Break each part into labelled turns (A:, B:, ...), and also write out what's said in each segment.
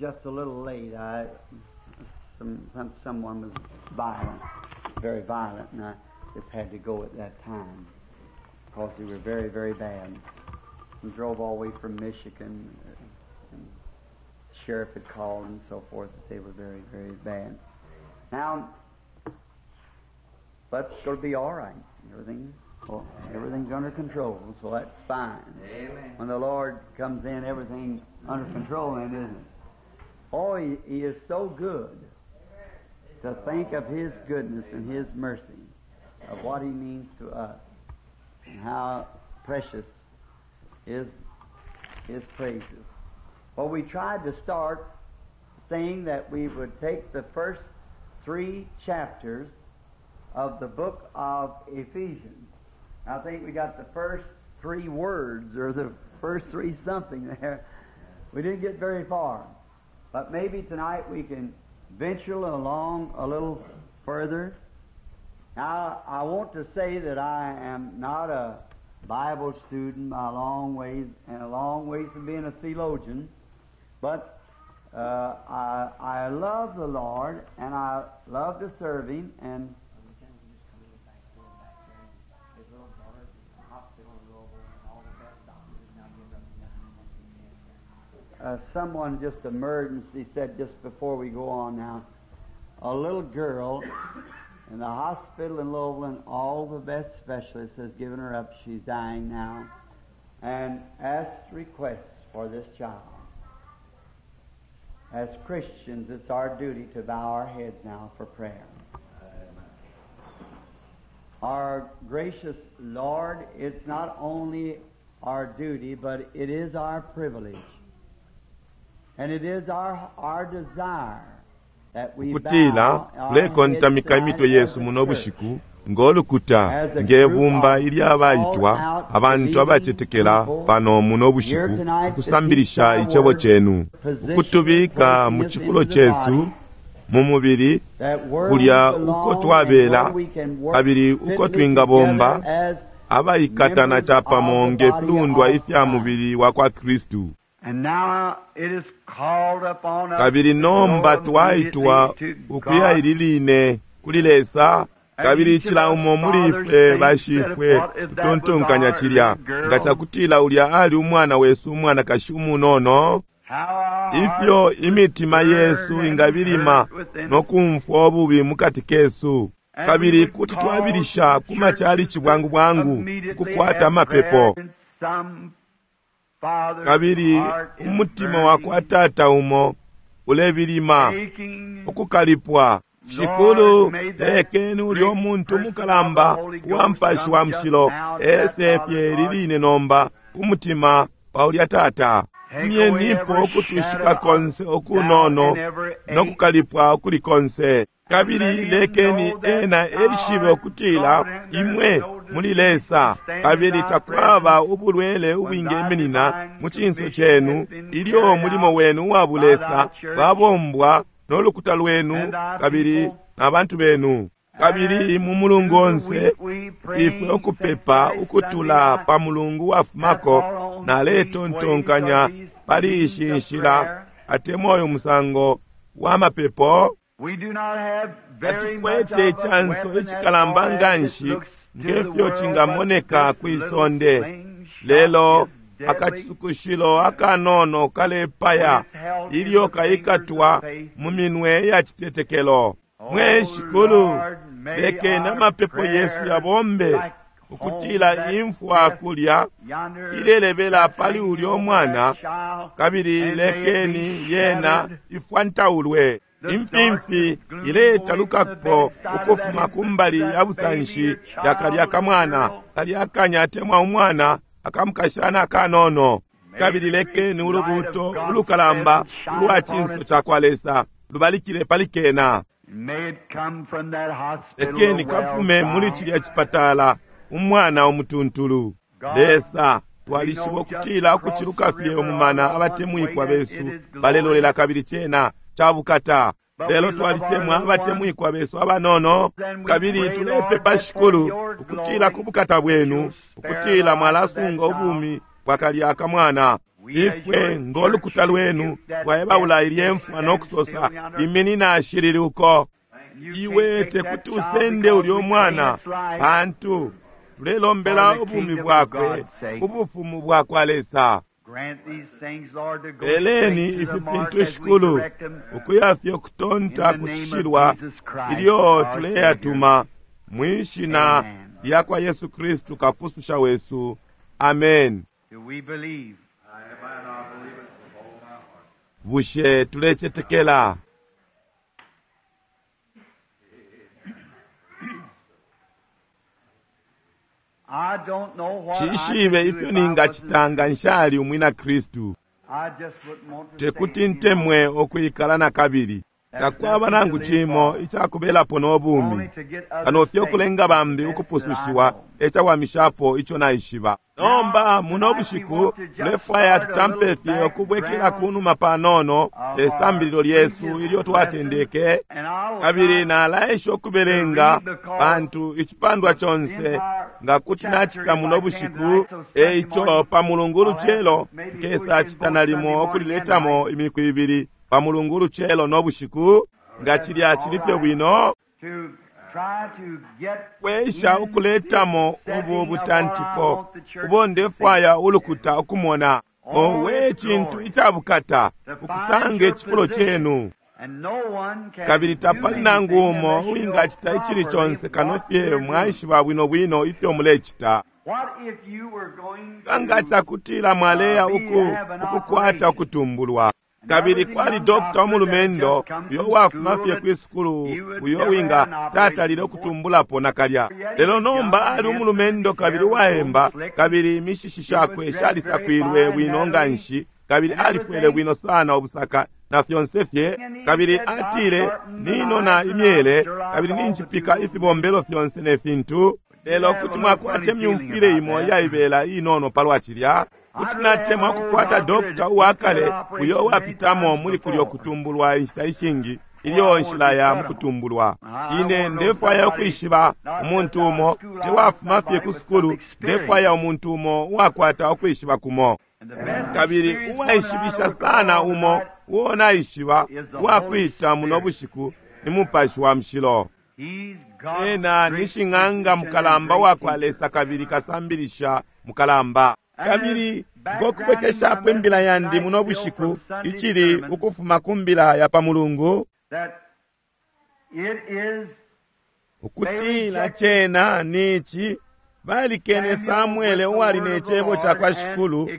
A: Just a little late. I, some, some someone was violent, very violent, and I just had to go at that time because they were very, very bad. And drove all the way from Michigan, and the sheriff had called and so forth that they were very, very bad. Now, but it's going to be all right. Everything, well, everything's under control, so that's fine.
B: Amen.
A: When the Lord comes in, everything's under control, then, isn't it? Oh, he is so good to think of His goodness and His mercy, of what He means to us, and how precious is His praises. Well, we tried to start saying that we would take the first 3 chapters of the book of Ephesians. I think we got the first 3 words or the first 3 something there. We didn't get very far. But maybe tonight we can venture along a little further. Now, I want to say that I am not a Bible student by a long ways, and a long ways from being a theologian, but I love the Lord, and I love to serve Him, and someone just emergency said just before we go on now, a little girl in the hospital in Louisville, all the best specialists has given her up. She's dying now, and asked requests for this child. As Christians, it's our duty to bow our heads now for prayer. Our gracious Lord, it's not only our duty, but it is our privilege. And it is our desire that we
C: Ukutila tulekontamika imitwe yesu muno bushiku ngolukuta ngebumba ilyabaitwa abantu abacetekela pano muno bushiku ukusambilisha icebo chenu ukutubika mu cifulo chesu mu mubili kulya uko twabela kabili uko twingabomba abaikatana chapamo ngefilundwa ifya mubili wa kwa Kristu. Kabili nomba twaitwa ukuya ililine kuli Lesa, kabili cila umo muli ifwe bashifwe tutontonkanya cilya nga cakutila ulya ali umwana wesu umwanakashi umunono, ifyo imitima yesu ingabilima no kumfwa ububi mukati kesu, kabili kuti twabilisha ku machalichi bwangu bwangu ukukwata amapepo. Kabili umutima wakwa tata umo ulebilima ukukalipwa. Shikulu, lekeni ulya umuntu mukalamba uwa mpashi wa mushilo esefye liline nomba umutima wa ulya tata. Myenipo ukutushika konse okunono nokukalipwa ukuli konse. Kabili lekeni ena eshibe ukutila imwe muli Lesa, kabili takwaba ubulwele ubwingeminina mu cinso chenu ilyo mulimo wenu uwa bulesa babombwa n'olukuta lwenu kabili n'abantu benu. Kabili mu mulungu onse ifwe ukupepa ukutula pa mulungu wafumako naletontonkanya pali ishi nshila atemwa uyu musango wa mapepo. Tatukwete ichanso icikalamba nganshi ngefyo cingamoneka kwisonde, lelo akachisukushilo akanono kalepaya ilyo kaikatwa mu minwe ya citetekelo. Mwe Shikulu, lekeni amapepo yesu yabombe ukutila imfwa kulya ilelebela pali ulya umwana, kabili lekeni yena ifwantaulwe. Imfimfi iletalukapo ukufuma kumbali ya busanshi ya kalya kamwana kalya kanya atemwa umwana akamukashana akanono. Kabili lekeni ulubuto ulukalamba ulwa cinso cakwa Lesa lubalikile pali kena. Lekeni kafume muli cilya cipatala umwana umutuntulu. Lesa, twalishiba ukutila ukuciluka fye umumana abatemwikwa besu balelolela kabili cena cabukata. Lelo twalitemwa abatemwikwa besu abanono, kabili tulepepa Shikulu ukutila ku bukata bwenu ukutila mwalasunga ubumi bwa kalya kamwana. Ifwe ngolukuta lwenu twaebaula ilye mfwa no kusosa, iminina ashilili uko. Iwe tekuti usende ulyo mwana, pantu tulelombela ubumi bwakwe, ubufumu bwakwa Lesa. Peleni ifi fintu, Shikulu, ukuyafye kutonta kucishilwa ilyo tuleyatuma mwishina lyakwa Yesu Kristu kapususha wesu. Amen. Bushe tulecetekela? Cishibe ifyo ningacita nga nshali umwina Kristu. Tekuti ntemwe ukwikala na kabili. Takwaba nangu cimo icakubelapo no bumi kano fye ukulenga bambi ukupusushiwa, ecawamishapo ico naishiba. Nomba muno bushiku tulefwaya tutampe fye ukubwekela kunuma panono esambililo lyesu ilyo twatendeke, kabili nalaesha ukubelenga pantu icipandwa conse nga kuti nacita muno bushiku. Eico pa mulungu ulucelo nkesa cita nalimo ukuliletamo imiku ibili pa mulungu ulucelo no bushiku, nga cilya cili fye bwino. Kwesha ukuletamo ubu butantiko ubo ndefwaya ulukuta ukumona. Owe, cintu icabukata ukusanga icifulo cenu, kabili tapali nangu umo uwingacita icili conse kano fye mwaishiba bwino bwino ifyo mulecita. Nga cakutila mwaleya ukukwata ukutumbulwa, kabili kwali dokta umulumendo uyo wafuma fye kwi sukulu uyo winga tatalile ukutumbulapo nakalya, lelo nomba ali umulumendo kabili uwaemba, kabili imishishi shakwe shalisakwilwe bwino nganshi, kabili alifwele bwino sana ubusaka na fyonse fye. Kabili atile, ninona imyele kabili ninjipika ifibombelo fyonse ne fintu, lelo kuti mwakwata imyumfwile imo iyaibela inono palwa cilya. Kuti natemwa ukukwata dokta uwakale uyo uwapitamo muli kulyo kutumbulwa inshita ishingi ilyo nshilaya mukutumbulwa. Ine ndefwaya ukwishiba umuntu umo tewafuma fye ku sukulu, ndefwaya umuntu umo uwakwata ukwishiba kumo, kabili uwaishibisha sana umo uo naishiba uwakwita muno bushiku ni Mupashi wa Mushilo. Ena ni shing'anga mukalamba wakwa Lesa kabili kasambilisha mukalamba. Kabili ngokubwekeshapo imbila yandi muno bushiku icili ukufuma ku mbila ya pa mulungu, ukutila cena nici balikene Samuele uwali ne cebo cakwa Shikulu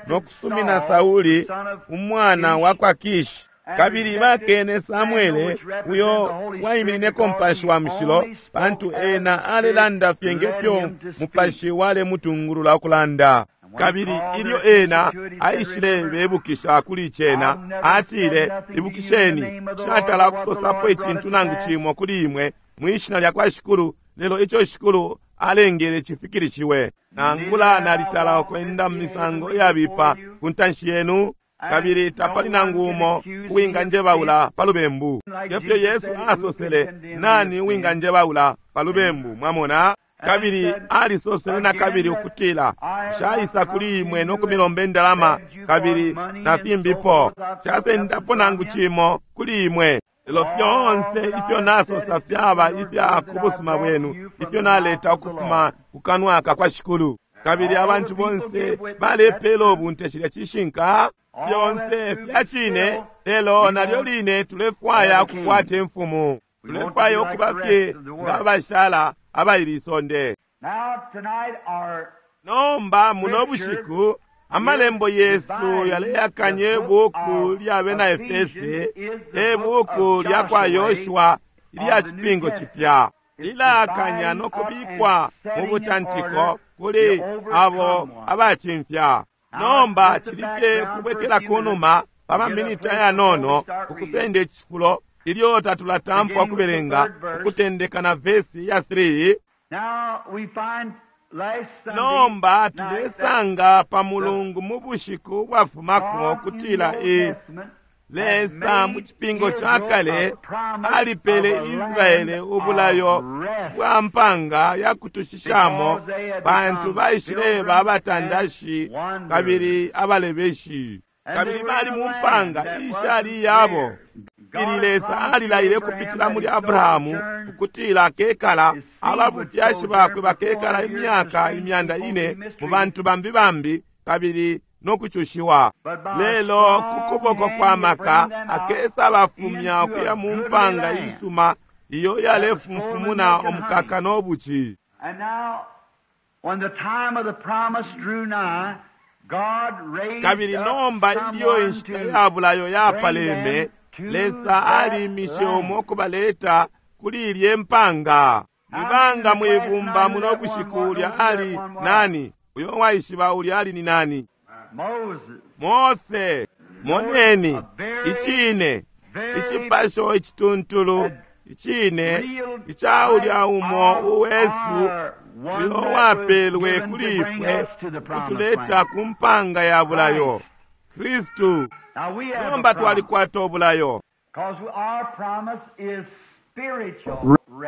C: no kusumina Sauli umwana wakwa Kishi. Kabili bakene Samuele uyo waiminineko Mupashi wa Mushilo, pantu ena alelanda fye ngefyo Mupashi walemutungulula ukulanda. Kabili ilyo ena aishile bebukisha kuli cena, atile, ibukisheni, nshatala kusosapo icintu nangu cimo kuli imwe mwishina lyakwa Shikulu, lelo ico Shikulu alengele cifikilishiwe. Nangula nalitala ukwenda mu misango iyabipa ku ntanshi yenu, kabili tapali nangu umo uwinganjebaula pa lubembu. Ngefyo Yesu asosele, nani uwinganjebaula pa lubembu? Mwamona? Kabili alisosele na kabili ukutila, nshaisa kuli imwe no kumilomba indalama kabili na fimbipo, nshasendapo nangu cimo kuli imwe, lelo fyonse ifyo nasosa fyaba ifya ku busuma bwenu, ifyo naleta ukufuma ku kanwa kakwa Shikulu. Kabili abantu bonse balepela ubunte cilya cishinka, fyonse fya cine, lelo nalyo line tulefwaya ukukwata imfumu, tulefwaya ukuba fye nga bashala abaili isonde. Nomba muno bushiku amalembo yesu yaleyakanye buku lya bena Efese, ebuku lya kwa Yoshua ilya cipingo cipya, lilakanya no kubikwa mu butantiko kuli abo abacimfya. Nomba cili fye kubwekela kunuma pa maminiti ayanono ukusenda icifulo ilyo tatulatampa ukubelenga, ukutendeka na vesi ya 3. Nomba tulesanga pa mulungu mu bushiku bwafumako kutila Lesa mu cipingo ca kale alipele Israele ubulayo bwa mpanga ya kutushishamo pantu baishileba abatandashi kabili abalebeshi kabili bali mu mpanga ishali iyabo. Ili Lesa alilaile kupitila muli Abrahamu ukutila akekala ababufyashi bakwe bakekala imyaka 400 mu bantu bambi bambi kabili no kucushiwa. Lelo ku kuboko kwa maka akesa bafumya ukuya mu mpanga isuma iyo yalefumfumuna omukaka n'obuki. Kabili nomba ilyo inshita ya bulayo yapaleme, Lesa alimishe umo okubaleta kuli ilye mpanga. Nibanga mwibumba muno bushiku ulya ali nani? Uyo waishiba ulya ali ni nani? Mose. Moneni icine icipasho icituntulu icine ica ulya umo uwesu uyo wapelwe kuli ifwe kutuleta ku mpanga ya bulayo, Kristu. Nomba twalikwata ubulayo,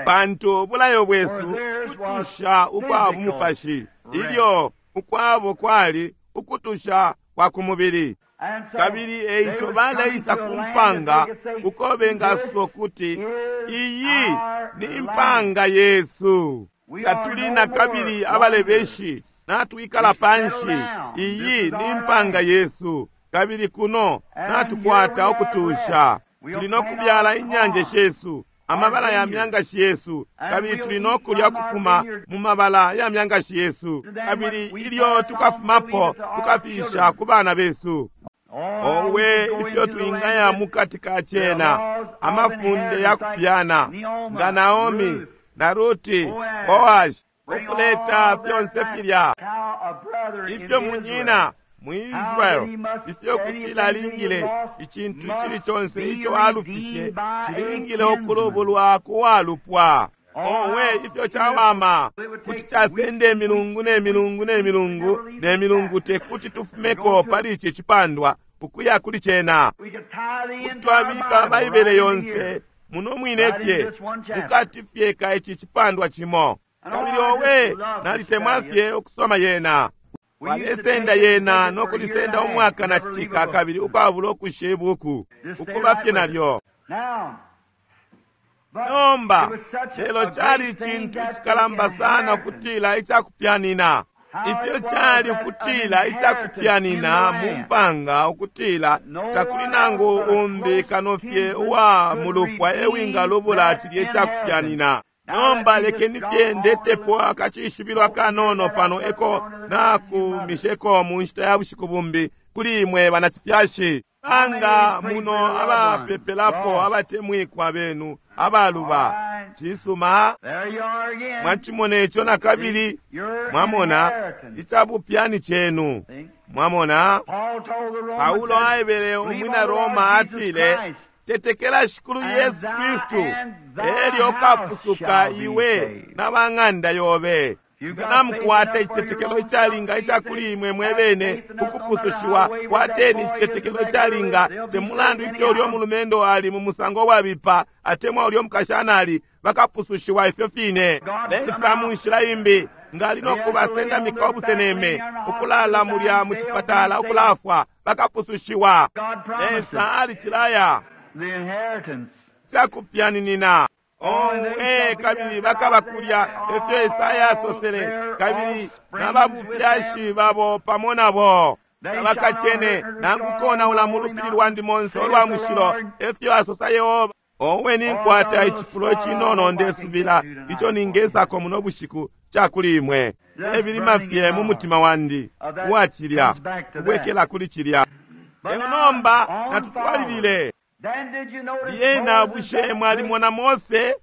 C: pantu ubulayo bwesu kutusha ukwa bumupashi, ilyo ukwabo kwali ukutusha kwa kumubili. Kabili eico baleisa ku mpanga uko bengasosa kuti iyi ni mpanga yesu. Tatuli na kabili abalebeshi, natwikala panshi. Iyi ni mpanga yesu, kabili kuno natukwata ukutusha. Tuli no kubyala inyanje shesu, amabala ya myangashi yesu, kabili tuli no kulya kufuma mu mabala ya myangashi yesu, kabili ilyo tukafumapo tukafisha ku bana besu. Owe ifyo twingaya mukati ka cena, amafunde ya kupyana nga Naomi na Ruti, Boazi, ukuleta fyonse filya ifyo munyina mu Israel, ifyo kutila alingile icintu icili conse ico alufishe cilingile ukulubulwa kuwalupwa. Owe ifyo cawama kuti casenda imilungu ne milungu ne milungu ne milungu, tekuti tufumeko pali ici cipandwa ukuya kuli cena. Kuti twabika Baibele yonse muno mwine fye mukati fye ka ici cipandwa cimo. Kabili owe nalitemwa fye ukusoma yena. Walesenda yena no kulisenda umwaka na citika kabili ukwabula ukusha ibuku ukuba fye nalyo. Nomba lelo cali icintu icikalamba sana ukutila icakupyanina. Ifyo cali ukutila icakupyanina mu mpanga, ukutila takuli nangu umbi kano fye uwa mulupwa ewingalubula cilya icakupyanina. Nomba lekeni fye ndetepo akacishibilo akanono pano eko nakumisheko mu nshita ya bushiku bumbi kuli imwe banacifyashi. Anga muno abapepelapo abatemwikwa benu abaluba. Cisuma, mwacimona ico na kabili, mwamona icabupyani cenu. Mwamona Paulo aebele umwina Roma atile, tetekela Shikulu Yesu Kristu elyo ukapusuka iwe na bang'anda yobe. Namukwata icitetekelo icalinga icakuli imwe mwebene ukupusushiwa. Kwateni icitetekelo icalinga, temulandu ifyo ulyo mulumendo ali mu musango wabipa atemwa ulyo mukashana ali, bakapusushiwa ifyo fine. Lesa mu nshila imbi ngali no kubasendamika obuseneme, ukulala mulya mu cipatala ukulafwa, bakapusushiwa. Lesa alicilaya cakupyaninina. Owe kabili bakaba kulya, efyo Esaya asosele, kabili n'ababufyashi babo pamo nabo tabakacene nangu konaula mu lupili lwandi monse olwa mushilo, efyo asosa Yehova. Owe ninkwata icifulo icinono ndesubila ico ningesako muno bushiku cakuli imwe. Ebilima fye mu mutima wandi uwacilya kubwekela kuli cilya. Lelo nomba natutwalilile. Lyena bushe mwalimona Mose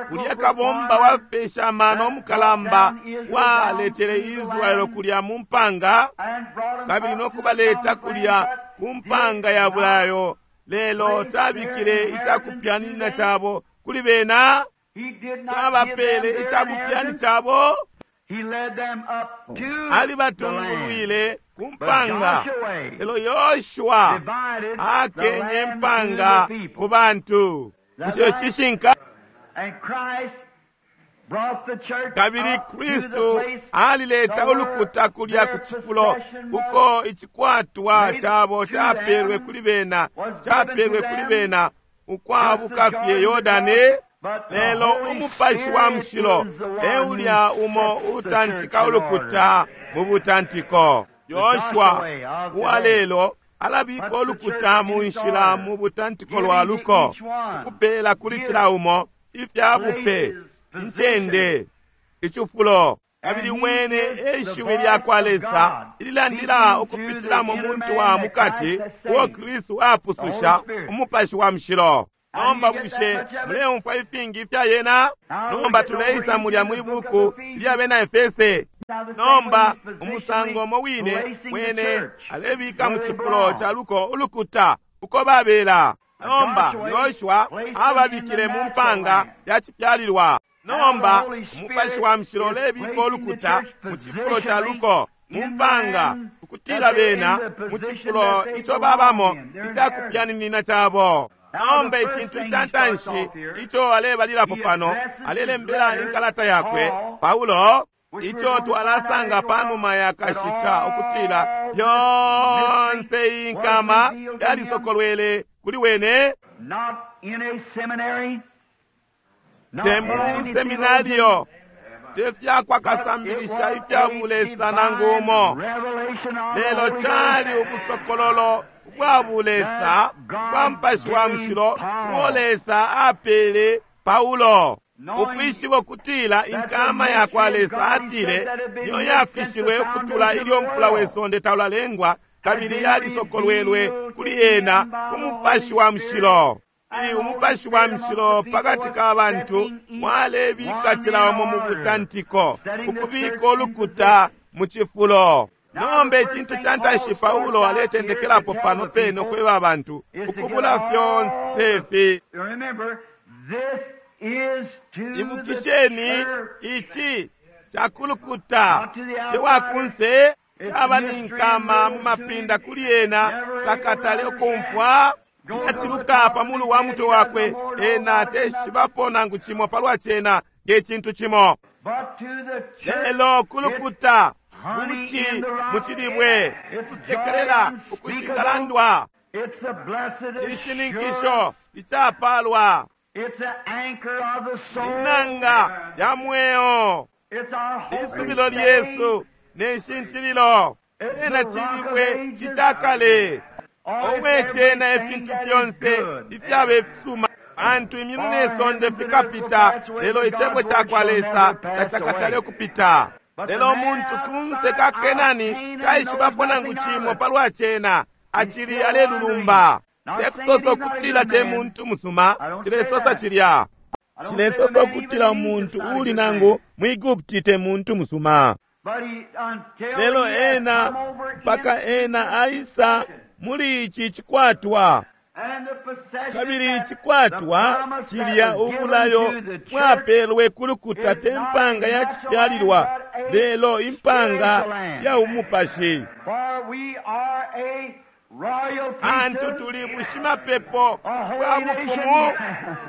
C: kulya kabomba wapesha amano omukalamba waletele Israeli kulya mu mpanga kabili no kubaleta kulya ku mpanga ya bulayo, lelo tabikile icakupyanina cabo kuli bena, tabapele icakupyani cabo, alibatungulwile ku mpanga. Lelo Yoshua akenye impanga ku bantu. Bushe cishinka? Kabili Kristu alileta ulukuta kulya ku cifulo uko icikwatwa cabo capelwe kuli bena, capelwe kuli bena ukwabuka fye Yordani. Lelo Umupashi wa Mushilo e ulya umo utantika ulukuta mu butantiko. Yoshua uwa lelo alabika ulukuta mu nshila mu butantiko lwa luko, ukupela kuli cila umo ifya bupe, incende, icifulo. Kabili wene e shiwi lya kwa Lesa ililandila ukupitila mu muntu wa mukati uo Kristu apususha, Umupashi wa Mushilo. Nomba bushe muleumfwa ifingi ifya yena? Nomba tuleisa mulya mwi buku lya bena Efese. Nomba umusango umo wine wene alebika mu cifulo ca luko ulukuta uko babela. Nomba Yoshua ababikile mu mpanga ya cifyalilwa. Nomba Umupashi wa Mushilo ulebika ulukuta mu cifulo ca luko mu mpanga, ukutila bena mu cifulo ico babamo icakupyaninina cabo. Nomba icintu ica ntanshi ico alebalilapo pano, alelembela inkalata yakwe Paulo, ico twalasanga panuma ya kashita ukutila yonse iyi nkama yalisokolwele kuli wene. Te mu seminario, te fyakwa kasambilisha ifya bulesa nangu umo, lelo cali ubusokololo bwa bulesa bwa Mupashi wa Mushilo uo Lesa apele Paulo, ukwishiba ukutila inkama ya kwa Lesa atile niyo yafishilwe ukutula ilyo mfula we sonde taulalengwa, kabili yalisokolwelwe kuli ena ku Mupashi wa Mushilo. Umupashi wa Mushilo pakati ka bantu mwalebika cila umo mu butantiko, ukubika ulukuta mu cifulo. Nomba icintu ca ntanshi Paulo aletendekelapo pano pene ukweba abantu ukubula fyonse fi. Ibukisheni, ici cakulukuta tewakunse, caba ni nkama mu mapinda kuli ena, takatale ukumfwa. Cinaciluka pa mulu wa mutwe wakwe, ena teshibapo nangu cimo palwa cena nge cintu cimo. Lelo kulukuta buci mu cilibwe, ukusekelela ukushingalandwa, cishininkisho icapalwa, inanga ya mweo, isubilo lyesu ne nshintililo. Cena cilibwe icakale, omwe cena ifintu fyonse ifyaba ifisuma. Pantu imyulu ne sonde fikapita, lelo icebo ca kwa Lesa tacakatale ukupita. Lelo umuntu kunse ka Kenani taishibapo nangu cimo palwa cena, acili alelulumba. Tekusosa ukutila te muntu musuma, cilesosa cilya. Cilesosa ukutila umuntu uli nangu mu Egupti te muntu musuma. Lelo ena mpaka ena aisa muli ici cikwatwa. Kabili icikwatwa cilya ubulayo bwapelwe kulukuta te mpanga ya cifyalilwa, lelo impanga ya umupashi. Antu tuli bushimapepo bwa bufumu,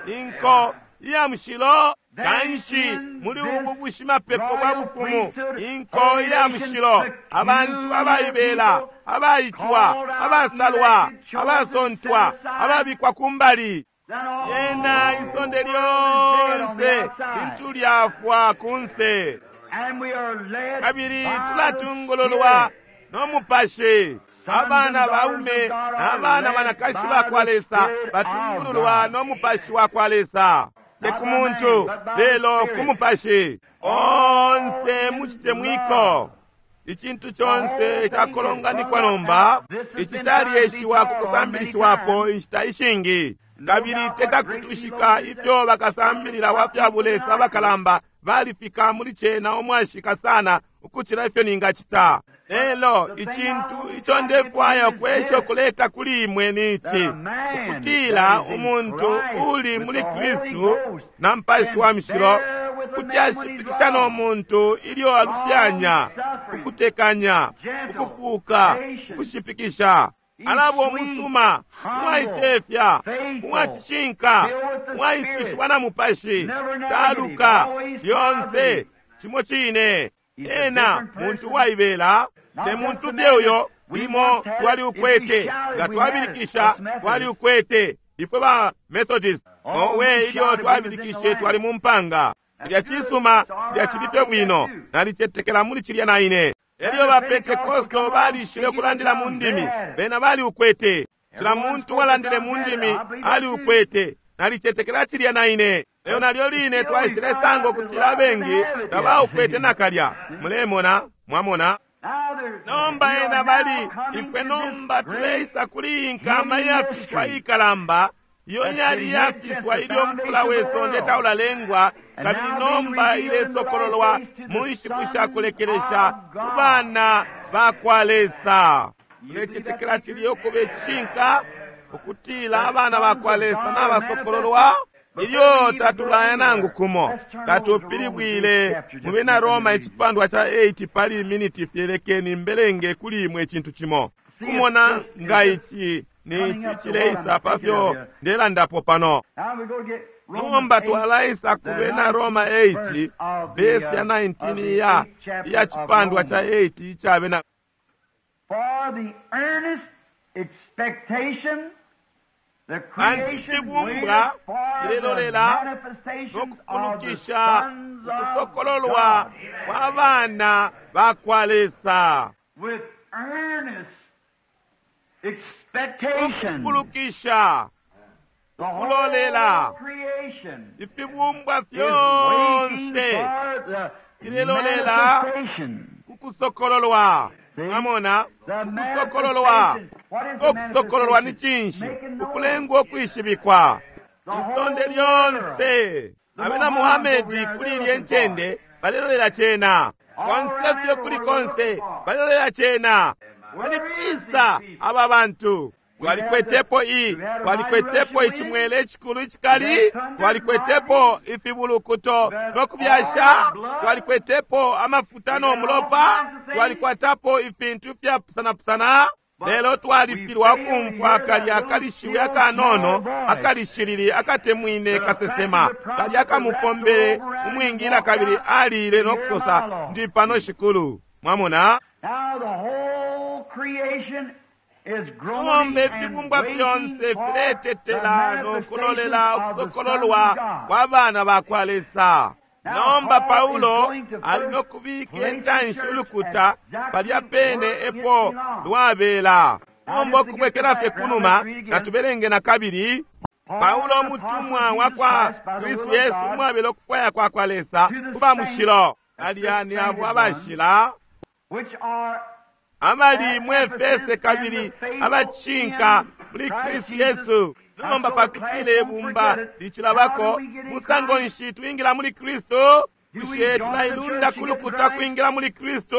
C: inko iya mushilo. Kanshi muli ubu bushimapepo bwa bufumu, inko iya mushilo, abantu abaibela, abaitwa, abasalwa, abasontwa, ababikwa kumbali. Yena isonde lyonse lintu lyafwa kunse, kabili tulatungululwa no Mupashi. Abana baume n'abana banakashi ba kwa Lesa batungululwa no Mupashi wa kwa Lesa, te ku muntu lelo ku Mupashi. Onse mucitemwiko, icintu conse cakolonganikwa nomba. Ici calyeshiwa ku kusambilishiwapo inshita ishingi, kabili tekakutushika ifyo bakasambilila wa fya bulesa abakalamba balifika muli cena umwashika sana ukucila ifyo ningacita. Lelo icintu ico ndefwaya ukwesha ukuleta kuli imwe ni ici, ukutila umuntu uli muli Kristu na Mupashi wa Mushilo Kuti ashipikisha no muntu ilyo alufyanya, ukutekanya, ukufuuka, ukushipikisha. Alaba umusuma, uwaicefya, uwacishinka, uwaisushiwa na Mupashi, taluka, lyonse cimo cine. Ena muntu uwaibela, te muntu fye uyo limo twali ukwete, nga twabilikisha twali ukwete. Ifwe ba Methodist, owe, ilyo twabilikishe twali mu mpanga. Cilya cisuma, cilya cili fye bwino, nalicetekela muli cilya na ine. Elyo ba Pentekosto balishile kulandila mu ndimi, bena bali ukwete. Cila muntu walandile mu ndimi ali ukwete, nalicetekela cilya na ine. Lelo nalyo line twaishile sanga ukutila abengi tabaukwete nakalya. Mulemona, mwamona. Nomba ena bali ifwe nomba tuleisa kuli iyi nkama iyafiswa ikalamba, iyo yali iyafiswa ilyo mufula we sonde taulalengwa, kabili nomba ilesokololwa mu nshiku sha kulekelesha ku bana ba kwa Lesa. Mulecetekela cilya ukuba icishinka, ukutila abana ba kwa Lesa nabasokololwa? Ilyo tatulaya nangu kumo, tatupilibwile mu bena Roma icipandwa ca 8 pali miniti fyelekeni mbelenge kuli imwe icintu cimo. Kumona nga ici ni ici cileisa pafyo ndelandapo pano. Nomba twalaisa ku bena Roma 8, vesi ya 19 iya cipandwa ca 8 ica bena.
A: For the earnest expectation, the
C: Pantu
A: creation
C: ifibumbwa
A: waiteth for the
C: filelolela
A: manifestations
C: no
A: of the
C: kufunukisha
A: sons of
C: ukusokololwa
A: God.
C: kwa bana ba kwa Lesa.
A: With earnest expectation,
C: Ukufunukisha
A: the whole
C: ukulolela.
A: creation
C: ifibumbwa
A: is waiting
C: fyonse
A: for the
C: filelolela
A: manifestation.
C: kukusokololwa.
A: See?
C: Mwamona,
A: The
C: ukusokololwa.
A: manifestation. What is the
C: Ukusokololwa ni
A: manifestation?
C: cinshi?
A: Making known.
C: Ukulengwa ukwishibikwa.
A: The whole
C: Isonde
A: world.
C: lyonse abena Muhamedi kuli ilye ncende balelolela cena. Konse fye kuli konse balelolela cena. Balikwisa aba bantu. Twalikwetepo twalikwetepo icimwele icikulu icikali, twalikwetepo ifibulukuto no kubyasha, twalikwetepo amafuta no mulopa, twalikwatapo ifintu ifyapusanapusana. Lelo twalifilwa ukumfwa kalya kalishiwi akanono akalishilili akatemwine kasesema kalya kamupombele umwingila kabili alile no kusosa, ndi pano shikulu. Mwamona?
A: Now the whole creation is groaning
C: Nomba
A: and
C: ifibumbwa
A: waiting
C: fyonse
A: for the
C: filetetela no kulolela
A: manifestations of the
C: ukusokololwa
A: Son of God.
C: kwa bana ba kwa Lesa.
A: Now,
C: Nomba
A: Paul
C: Paulo
A: is going to
C: ali
A: first
C: no kubika
A: place the
C: intanshi
A: church
C: ulukuta
A: exactly
C: palya pene
A: where it
C: epo
A: belongs.
C: lwabela.
A: Now,
C: Nomba
A: just to get
C: ukubwekela
A: the
C: fye
A: background,
C: kunuma,
A: let's read again.
C: natubelenge na kabili.
A: Paul,
C: Paulo
A: the
C: umutumwa
A: apostle
C: wa
A: Jesus
C: kwa
A: Christ, by the
C: Kristu
A: will of
C: Yesu
A: God,
C: umwabela ukufwaya kwa kwa Lesa
A: to the
C: kuba mushilo.
A: saints,
C: Balya ni
A: the
C: abo
A: sainted
C: abashila
A: which are
C: abali mu Efese kabili abacinka muli Kristu Yesu. Nomba pakutile ibumba licilabako, musango nshi twingila muli Kristu? Bushe tulailunda ku lukuta kwingila muli Kristu?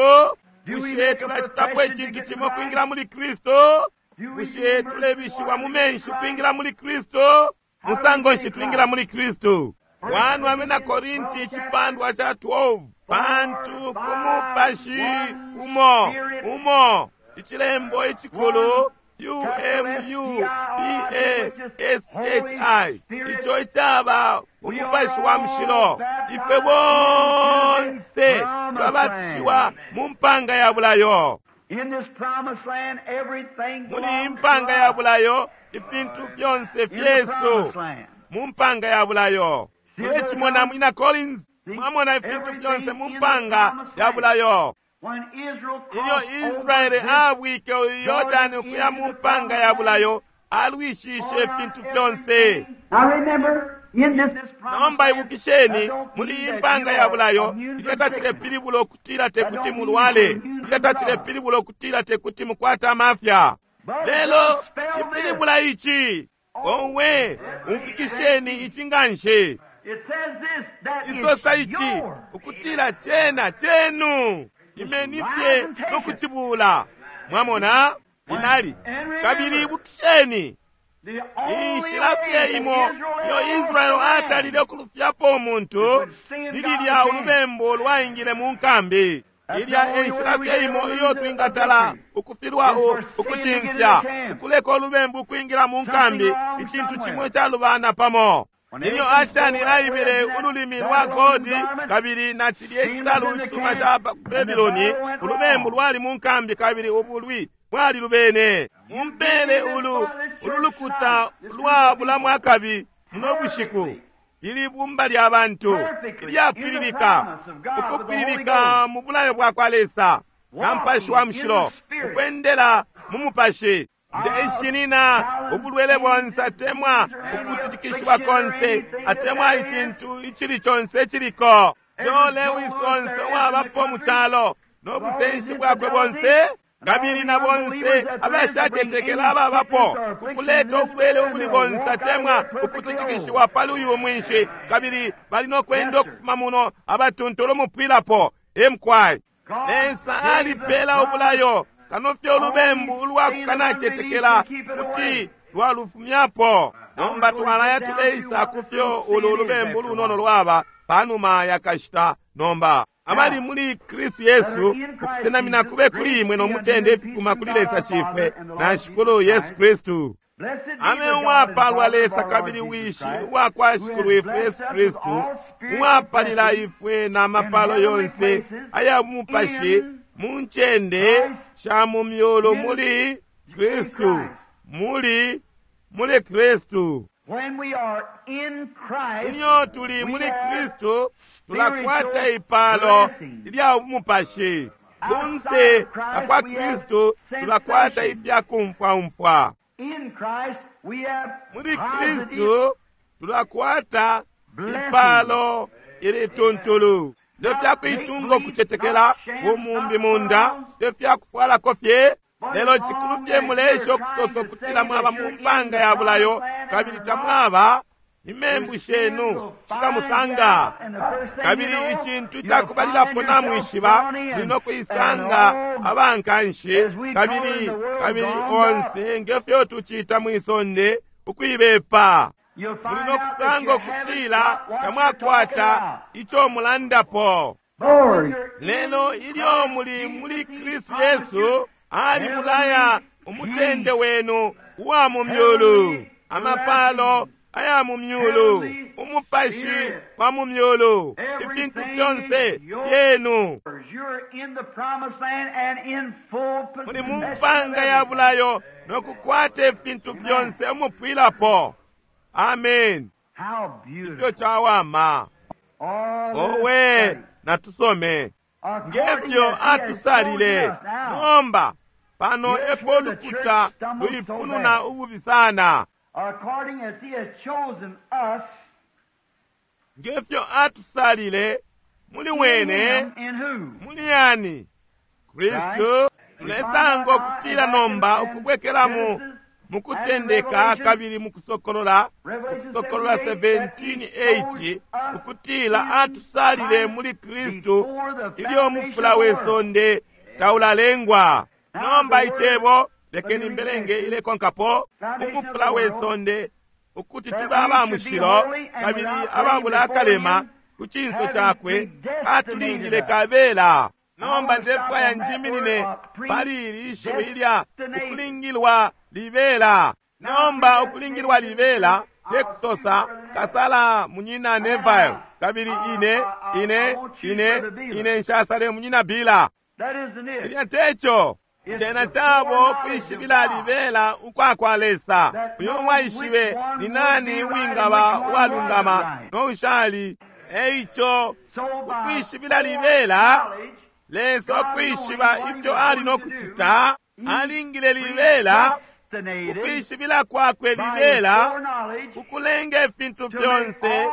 C: Bushe tulacitapo icintu cimo kwingila muli Kristu? Bushe tulebishiwa mu menshi kwingila muli Kristu? Musango nshi twingila muli Kristu? 1 Abena Korinti icipandwa ca 12. Pantu ku mupashi umo umo icilembo icikulu UMUPASHI ico icaba umupashi wa mushilo, ifwe bonse twabatishiwa mu mpanga ya bulayo.
A: in this promised land, everything
C: Muli
A: belongs
C: iyi
A: to
C: mpanga ya
A: us.
C: bulayo ifintu fyonse
A: In the
C: fyesu
A: promised land.
C: mu mpanga ya bulayo. Mulecimona mwina Collins, mwamona ifintu fyonse mu mpanga ya bulayo.
A: When Israel
C: Ilyo
A: crossed over
C: Israele
A: this
C: abwike Yordani ukuya mu mpanga ya bulayo, alwishishe ifintu fyonse.
A: Now remember, in this promised
C: Nomba
A: land,
C: ibukisheni,
A: that don't
C: muli
A: mean
C: iyi
A: that
C: mpanga
A: you
C: ya
A: are
C: bulayo,
A: immune
C: ilyo
A: from sickness.
C: tacilepilibula ukutila tekuti mulwale, ilyo tacilepilibula ukutila tekuti mukwate amafya.
A: But it
C: Lelo
A: does spell this.
C: cipilibula ici, owe umfikisheni ici nganshi.
A: It says this, that
C: Isosa
A: it's
C: ici
A: yours.
C: ukutila cena chenu, imeni fye no kucibula. Mwamona inali. Kabili ibukisheni, Inshila fye imo iyo Israeli atalile ukulufyapo umuntu ni lilya ulubembu lwaingile mu nkambi. Ilya enshila fye imo iyo twingatala ukufilwa ukucimfya, ukuleka ulubembu ukwingila mu nkambi, icintu cimwe calubana pamo. Ilyo Achani aibile ululimi lwa golde kabili na cilye icisalu icisuma ca Babiloni, ulubembu lwali mu nkambi kabili ubulwi bwali lubene. Mumpele ulu lukuta lwa bulamu akabi muno bushiku, ili bumba lya bantu ilyapwililika, ukupwililika mu bulayo bwa kwa Lesa na Mupashi wa Mushilo, ukwendela mu Mupashi. Ndeshinina ubulwele bonse atemwa ukutitikishiwa konse atemwa icintu icili conse iciliko. Joe Lewis onse uwabapo mu calo no busenshi bwakwe bonse kabili na bonse abashacetekela ababapo kukuleta ubulwele ubuli bonse atemwa ukutitikishiwa pali uyu mwinshi, kabili bali no kwenda ukufuma muno abatuntulu umupwilapo. Emkwai Lesa alipela ubulayo kano fye ulubembu ulwa kukanacetekela kuti lwalufumyapo. Nomba twalaya tuleisa kufyo ulu ulubembu lunono lwaba panuma ya kashita. Nomba abali muli Kristu Yesu, ukusenamina kube kuli imwe no mutende ififuma kuli Lesa Shifwe na Shikulu Yesu Kristu. Ame uwapalwa Lesa kabili Wishi uwa kwa Shikulu ifwe Yesu Kristu, uwapalila ifwe na mapalo yonse aya mupashi mu ncende sha mu myulu muli Kristu, muli muli Kristu. Ilyo tuli muli Kristu tulakwata ipalo ilya mupashi. Kunse kwa Kristu tulakwata ifya kumfwaumfwa. Muli Kristu tulakwata ipalo ilituntulu. Te fyakuitunga ukucetekela umumbi munda, te fyakufwalako fye, lelo cikulu fye mulesha ukusosa ukutila mwaba mu mpanga ya bulayo kabili tamwaba. Imembu shenu shikamusanga, kabili icintu cakubalilapo namwishiba muli no kuisanga abankanshi kabili kabili onse ngefyo tucita mwisonde ukuibepa. Muli no kusanga ukutila tamwakwata ico mulandapo. Lelo ilyo muli muli Kristu Yesu, ali mulaya umutende wenu uwa mu myulu, amapalo aya mu myulu, umupashi wa mu myulu, ifintu fyonse fyenu. Muli mu mpanga ya bulayo no kukwata ifintu fyonse umupwilapo. Amen. Ifyo cawama. Owe, natusome ngefyo atusalile. Nomba pano epo lukuta luipununa ububi sana. Ngefyo atusalile muli wene, muli yani Kristu. Tulesanga ukutila nomba ukubwekelamo mukutendeka kabili mukusokolola, ukusokolola 17:8, ukutila atusalile muli Kristu ilyo mufula we sonde taulalengwa. Nomba icebo lekeni mbelenge ilekonkapo, umufula we sonde, ukuti tube aba mushilo kabili ababula akalema ku cinso cakwe, atulingile kabela. Nomba ndefwaya njiminine pali ili ishiwi ilya ukulingilwa libela. Nomba ukulingilwa libela te kusosa kasala munyina Neville kabili ine ine ine ine nshasale munyina Bila. Cilya teco. Cena cabo kwishibila libela ukwa kwa Lesa. Uyo waishibe ni nani wingaba uwalungama no ushali. Eico ukwishibila libela, Lesa ukwishiba ifyo ali no kucita, alingile libela ukwishibila kwakwe libela ukulenga ifintu fyonse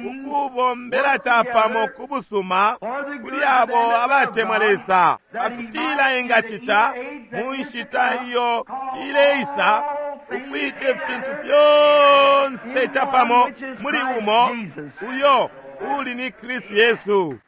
C: ukubombela capamo ku busuma kuli abo abatemwa Lesa, pakutila engacita mu nshita iyo ileisa ukwita ifintu fyonse capamo muli umo uyo uli ni Kristu Yesu.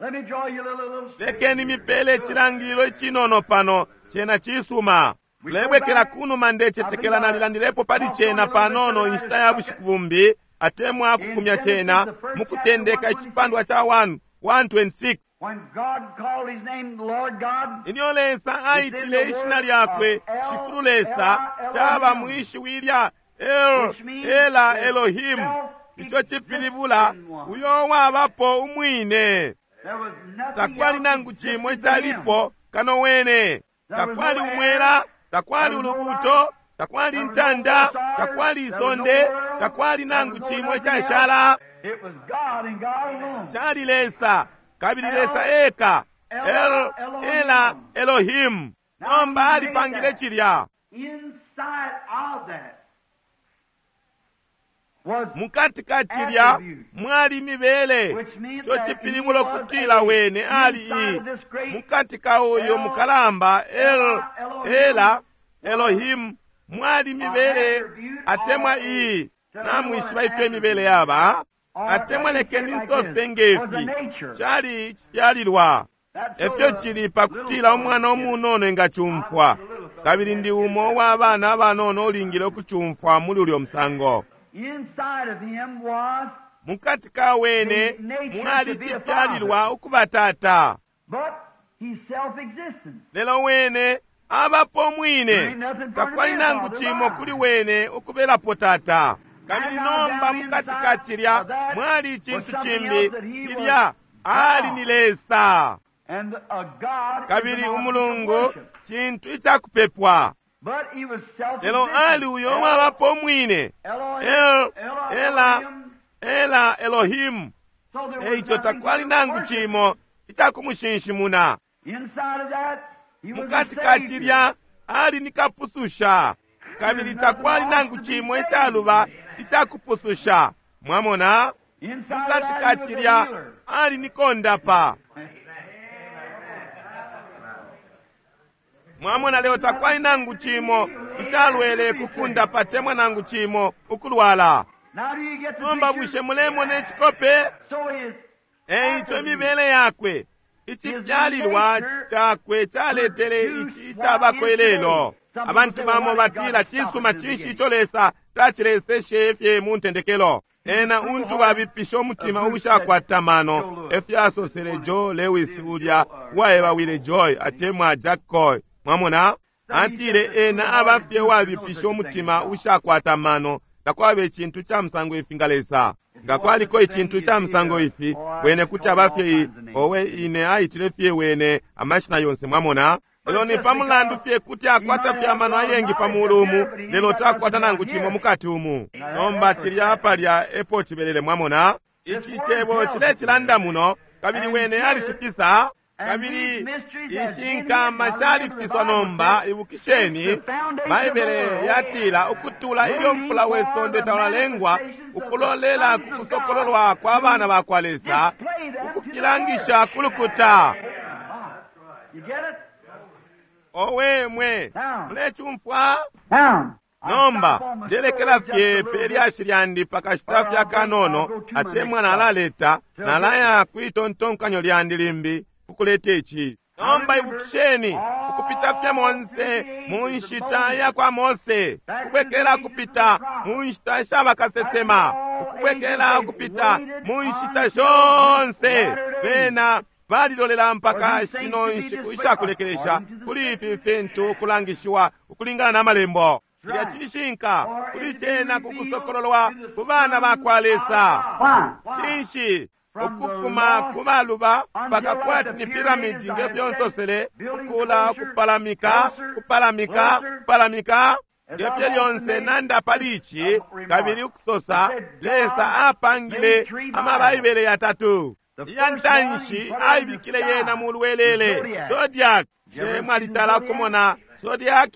C: Lekeni mipele icilangililo icinono pano, cena cisuma. Tulebwekela kunuma, ndecetekela nalilandilepo pali cena panono inshita ya bushiku bumbi, atemwa kukumya cena mukutendeka icipandwa ca 1 1:26.
A: When God called his name the Lord God,
C: Ilyo Lesa aitile ishina lyakwe Shikulu Lesa, caba mwishiwi lya El Ela Elohim, ico cipilibula uyo wabapo umwine.
A: there was nothing
C: Takwali
A: else
C: nangu cimo
A: existed but him.
C: icalipo kano wene. Takwali umwela, takwali ulubuuto, takwali intanda, takwali isonde, takwali nangu cimo icashala.
A: It was God and God alone.
C: Cali Lesa, kabili Lesa eka, El Ela Elohim. Nomba alipangile cilya.
A: Inside of that was
C: Mukati ka cilya mwali mibele,
A: which means
C: ico
A: that he
C: cipilibula
A: was
C: kutila
A: a-
C: wene ali
A: inside
C: i
A: of this great
C: mukati ka uyo mukalamba El Ela Elohim mwali mibele atemwa iyi. Namwishiba ifyo imibele yaba, atemwa lekeni nsose ngefi cali cifyalilwa.
A: That's so
C: Efyo
A: the
C: cili pakutila umwana umunono engacumfwa, kabili ndi umo wa bana abanono ulingile ukucumfwa muli ulyo musango.
A: Inside of him was,
C: Mukati ka wene mwali cifyalilwa ukuba tata,
A: but he's self-existent.
C: lelo wene abapo mwine, takwali nangu cimo kuli wene ukubelapo tata. Kabili nomba mukati ka cilya mwali icintu cimbi, cilya ali ni Lesa,
A: And a God is
C: kabili
A: an object of
C: umulungu
A: worship.
C: cintu icakupepwa.
A: But he was self-existent.
C: Lelo ali uyo wabapo mwine,
A: Elohim,
C: El Ela
A: Elohim.
C: Ela Elohim.
A: So there was
C: Eico
A: nothing
C: takwali
A: to
C: nangu
A: worship.
C: cimo icakumushinshimuna.
A: Inside of that, he was a
C: Mukati ka
A: savior.
C: cilya ali ni kapususha, kabili takwali nangu cimo icaluba icakupususha. Mwamona,
A: Inside of
C: mukati
A: that,
C: ka
A: he was a
C: cilya
A: healer.
C: ali ni kondapa. Mwamona, leo takwali nangu cimo icalwele kukundapa temwa nangu cimo ukulwala.
A: Now do you get the
C: Nomba
A: picture?
C: bushe mulemona icikope?
A: So his
C: Eico imibele yakwe, icifyalilwa cakwe caletele ici icabako ilelo. Abantu bamo batila cisuma cinshi ico Lesa tacileseshe fye mu ntendekelo. Ena untu babipisha umutima ushakwata mano, efyasosele Joe Lewis ulya uwaebawile Joy atemwa Jack Coy. Mwamona? Atile ena aba fye wabipisha umutima ushakwata mano, takwaba icintu ca musango ifi nga Lesa. Nga kwaliko icintu ca musango ifi, wene kuti aba fye i, owe ine aitile fye wene amashina yonse mwamona. Lelo ni pa mulandu fye kuti akwata fye amano ayengi pa mulu umu, lelo takwata nangu cimo mukati umu. Nomba cilya palya epo cibelele mwamona. Ici cebo cilecilanda muno, kabili wene alicifisa, kabili ishi nkama shalifiswa nomba. Ibukisheni, Baibele yatila ukutula ilyo mfula we sonde taulalengwa, ukulolela ku kusokololwa kwa bana ba kwa Lesa,
A: Display that to the
C: ukufilangisha ku lukuta.
A: You get it?
C: Owe mwe, mulecumfwa?
A: Now,
C: Nomba ndelekela fye pe lyashi lyandi pakashita fye akanono, atemwa nalaleta nalaya kwitontonkanyo lyandi limbi kukuleta ici. Nomba ibukisheni, ukupita fye monse mu nshita ya kwa Mose, ukubwekela kupita mu nshita sha bakasesema, ukubwekela kupita mu nshita shonse, bena balilolela mpaka shino nshiku ishakulekelesha kuli ifi fintu kulangishiwa ukulingana na malembo. Cilya cishinka kuli cena kukusokololwa ku bana ba kwa Lesa.
A: Why?
C: Cinshi? Ukufuma ku baluba mpaka kwati ni piramidi ngefyo nsosele, kukula, kupalamika, kupalamika, kupalamika ngefyo lyonse nanda pali ici, kabili ukusosa Lesa apangile amabaibele yatatu. Iya ntanshi aibikile yena mu lwelele zodiac. She mwalitala kumona zodiac?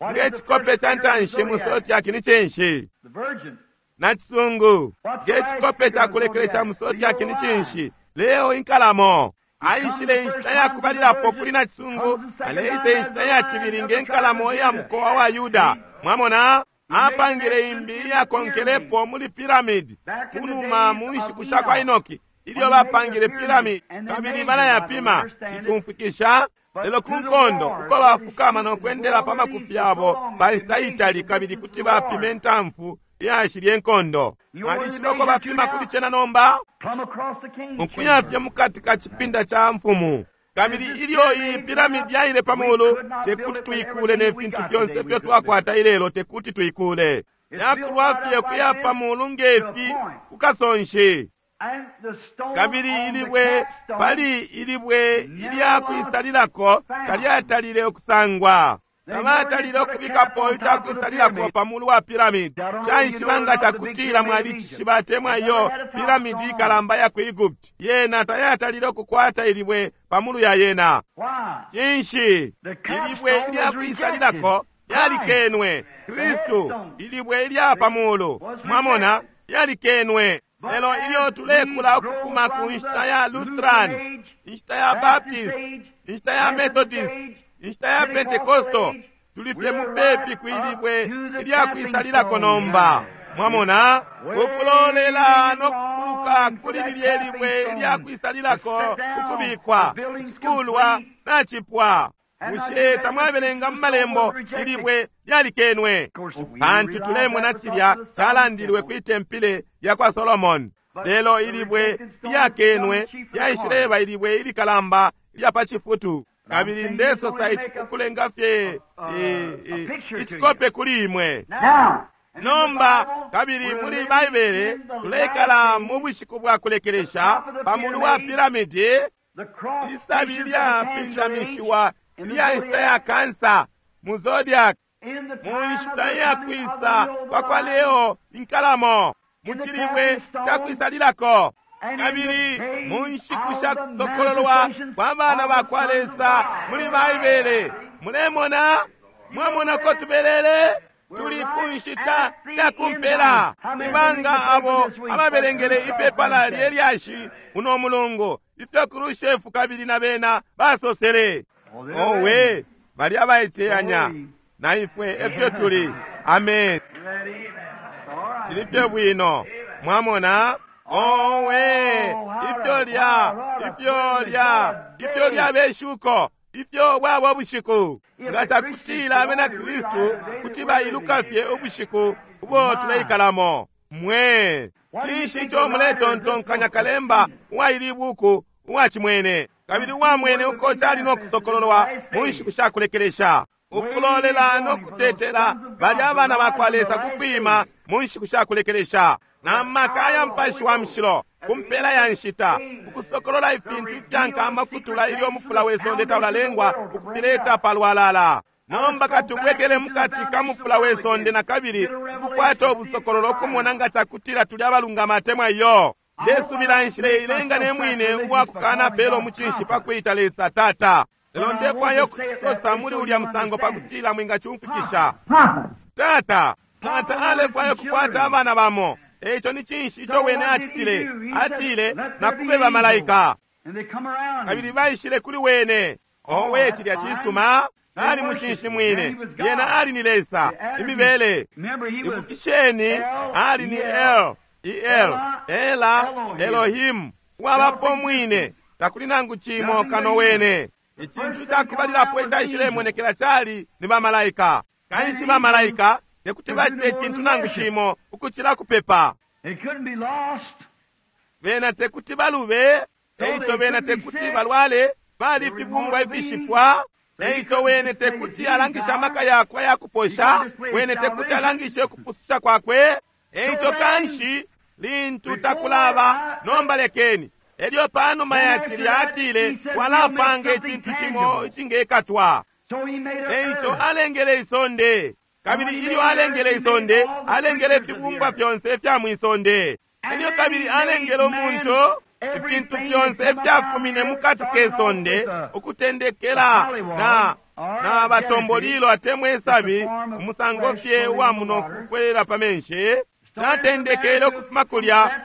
C: Nge cikope ca ntanshi mu zodiac ni cinshi?
A: The Virgin.
C: Na cisungu. Nge cikope ca kulekelesha mu zodiac ni cinshi? Leo inkalamo. Aishile inshita ya kubalilapo kuli na cisungu, aleisa inshita ya cibili nge nkalamo iya mukowa wa Yuda. Mwamona? Apangile imbi iyakonkelepo muli piramidi kunuma mu nshiku sha kwa Enoki, ilyo bapangile piramidi kabili balayapima. Cicumfwikisha? Lelo ku nkondo uko bafukama no kwendela pa makufi yabo pa nshita itali kabili kuti bapima intamfu iyashilya inkondo. Mwalishiba uko bapima kuli cena nomba? Ukuya fye mukati ka cipinda ca mfumu. Kabili ilyo iyi piramidi yaile pa mulu, tekuti tuikule ne fintu fyonse ifyo twakwata ilelo, tekuti tuikule. Yakulwa fye kuya pa mulu ngefi kukasonshi. Kabili ilibwe pali ilibwe ilyakwisalilako talyatalile ukusangwa. Tabatalile ukubikapo icakwisalilako pa mulu wa piramidi. Caishiba nga cakutila mwalicishiba atemwa iyo piramidi ikalamba ya ku Egypt. Yena tayatalile ukukwata ilibwe pa mulu ya yena. Cinshi? Ilibwe ilyakwisalilako lyalikenwe. Kristu, ilibwe ilya pa mulu. Mwamona, lyalikenwe. Lelo ilyo tulekula ukufuma ku nshita ya Lutheran, inshita ya Baptist, inshita ya Methodist, inshita ya Pentecostal, tuli fye mupepi kwilibwe ilyakwisalilako nomba. Mwamona, ukulolela no kukuluka kuli lilye libwe ilyakwisalilako ukubikwa icikulwa nacipwa. Bushe tamwabelenga mu malembo ilibwe lyalikenwe? Pantu tulemona cilya calandilwe kwi tempile lya kwa Solomoni. Lelo ilibwe lyakenwe lyaishileba ilibwe ilikalamba ilya pa cifutu. Kabili ndesosa ici kukulenga fye icikope kuli imwe. Nomba kabili muli Baibele tuleikala mu bushiku bwa kulekelesha pa mulu wa piramidi, isabi lyapindamishiwa ilya nshita ya kansa mu zodiac, mu nshita ya kwisa kwa kwa Leo inkalamo, mu cilibwe ca kwisalilako, kabili mu nshiku sha kusokololwa kwa bana ba kwa Lesa muli Baibele. Mulemona, mwamona ko tubelele tuli ku nshita ya kumpela. Ibanga abo ababelengele ipepala lye lyashi uno mulungu ifyo Khrushchev kabili na bena basosele. Owe, bali abaiteyanya na ifwe efyo tuli. Amen. Cili fye bwino. Mwamona? Owe, ifyo lya, ifyo lya, ifyo lya beshuko, ifyo bwabo bushiku. Nga cakutila abena Kristu kuti bailuka fye ubushiku ubo tuleikalamo. Mwe, cinshi ico muletontonkanya kalemba uwaili ibuku uwacimwene, kabili uwamwene uko cali no kusokololwa mu nshiku sha kulekelesha, ukulolela no kutetela bali abana ba kwa Lesa kukwima mu nshiku sha kulekelesha, na maka ya Mupashi wa Mushilo ku mpela ya nshita, ukusokolola ifintu ifyankama kutula ilyo umufula we sonde taulalengwa ukufileta palwalala. Nomba katubwekele mukati ka mufula we sonde na kabili ukukwata ubusokololo ukumona nga cakutila tuli abalungama atemwa iyo. Ndesubila nshile ilenga ne mwine uwakukana pelo mucinshi pa kwita Lesa Tata. Lelo ndefwaya ukucisosa muli ulya musango pakutila mwingacumfwikisha. Tata, Tata alefwaya ukukwata abana bamo. Eico ni cinshi ico wene acitile? Atile, nakube bamalaika. Kabili baishile kuli wene. Owe, cilya cisuma. Ali mucinshi mwine. Yena ali ni Lesa, imibele. Ibukisheni, ali ni El, El, Ela, Elohim, uwabapo mwine. Takuli nangu cimo kano wene. Icintu cakubalilapo icaishilemonekela cali ni bamalaika. Kanshi bamalaika tekuti bacite icintu nangu cimo ukucila kupepa. Bena tekuti balube, eico bena tekuti balwale, bali fibumbwa ifishifwa. Eico wene tekuti alangishe amaka yakwe ayakuposha, wene tekuti alangishe ukupususha kwakwe. Eico kanshi lintu takulaba, nomba lekeni. Elyo panuma ya cilya atile, walapanga icintu cimo icingekatwa. Eico alengele isonde. Kabili ilyo alengele isonde, alengele ifibumbwa fyonse ifya mwisonde. Elyo kabili alengele umuntu, ifintu fyonse ifyafumine mukati ke sonde, ukutendekela na batombolilo atemwa isabi, umusango fye uwa munofu kukwelela pa menshi. Natendekele ukufuma kulya,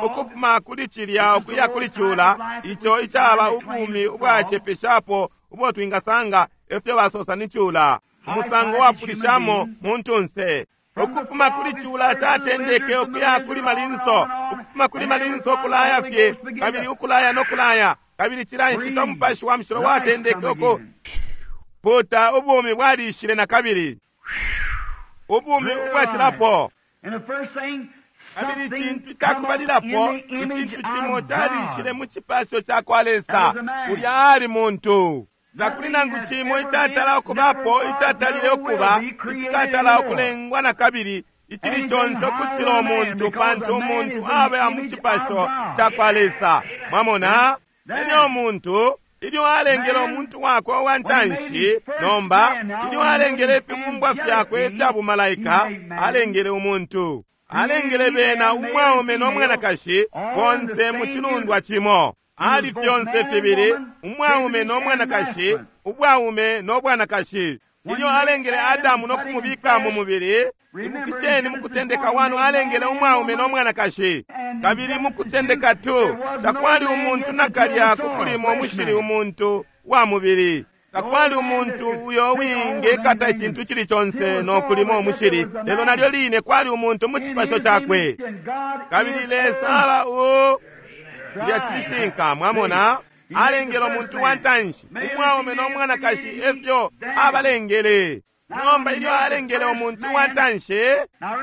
C: ukufuma kuli cilya ukuya kuli cula, ico icaba ubumi ubwacepeshapo ubo twingasanga, efyo basosa ni cula, umusango wapulishamo muntunse. Ukufuma kuli cula catendeke ukuya kuli malinso, ukufuma kuli malinso ukulaya fye, kabili ukulaya no kulaya, Kabili cila nshita Umupashi wa Mushilo watendeke uku puta, ubumi bwalishile na kabili, ubumi ubwacilapo. Kabili icintu cakubalilapo, icintu cimo calishile mu cipasho cakwa Lesa, ulya ali muntu. Takuli nangu cimo icatala ukubapo, icatalile ukuba, icikatala ukulengwa na kabili, icili conse ukucila umuntu, pantu umuntu aba mu cipasho cakwa Lesa. Mwamona? Ilyo umuntu, ilyo alengele umuntu wakwe uwa ntanshi, nomba ilyo alengele ifibumbwa fyakwe ifya bumalaika, alengele umuntu, alengele bena umwaume no mwanakashi bonse mu cilundwa cimo. Ali fyonse fibili umwaume no mwanakashi, ubwaume no bwanakashi. Ilyo alengele Adamu no kumubika mu mubili, ibukisheni mu Kutendeka 1 alengele umwaume no mwanakashi. Kabili mu Kutendeka 2 takwali umuntu nakalya kukulima umushili, umuntu wa mubili. Takwali umuntu uyo wingekata icintu cili conse no kulima umushili, lelo nalyo line kwali umuntu mu cipasho cakwe. Kabili Lesa aba u cilya cishinka, mwamona, alengele umuntu wa ntanshi, umwaume no mwanakashi, efyo abalengele. Nomba ilyo alengele umuntu wa ntanshi,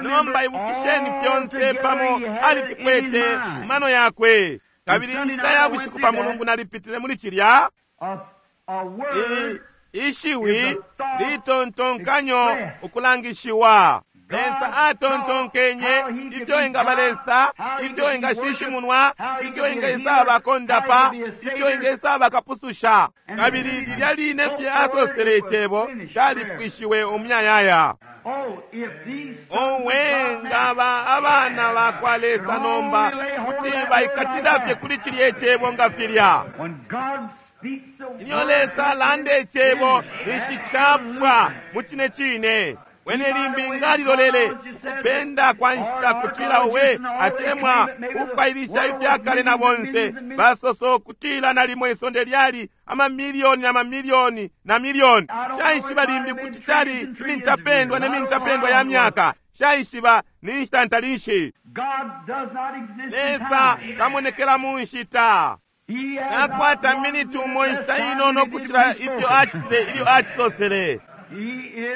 C: nomba ibukisheni fyonse pamo alifikwete mano yakwe. Kabili inshita ya bushiku pa Mulungu nalipitile muli cilya ishiwi litontonkanyo ukulangishiwa. Lesa atontonkenye ifyo ingaba Lesa, ifyo ingashishimunwa, ifyo ingesaba kondapa, ifyo ingesaba kapususha. Kabili lilya line fye asosele icebo, calipwishiwe umuyayaya. Owe, ngaba abana bakwa Lesa nomba kuti baikatila fye kuli cilya icebo nga filya. Ilyo Lesa alanda icebo, ninshi capwa mu cine cine. Wene limbi ngalilolele kupenda kwa nshita kutila uwe atemwa kufwailisha ifyakale na bonse basoso kutila nalimo isonde lyali amamilioni na mamilioni na milioni. Shaishiba limbi kuti cali imintapendwa ne mintapendwa ya myaka. Shaishiba ni nshita ntalishi. Lesa tamonekela mu nshita. Nakwata miniti umo inshita inono kucila ifyo acitile ilyo acisosele.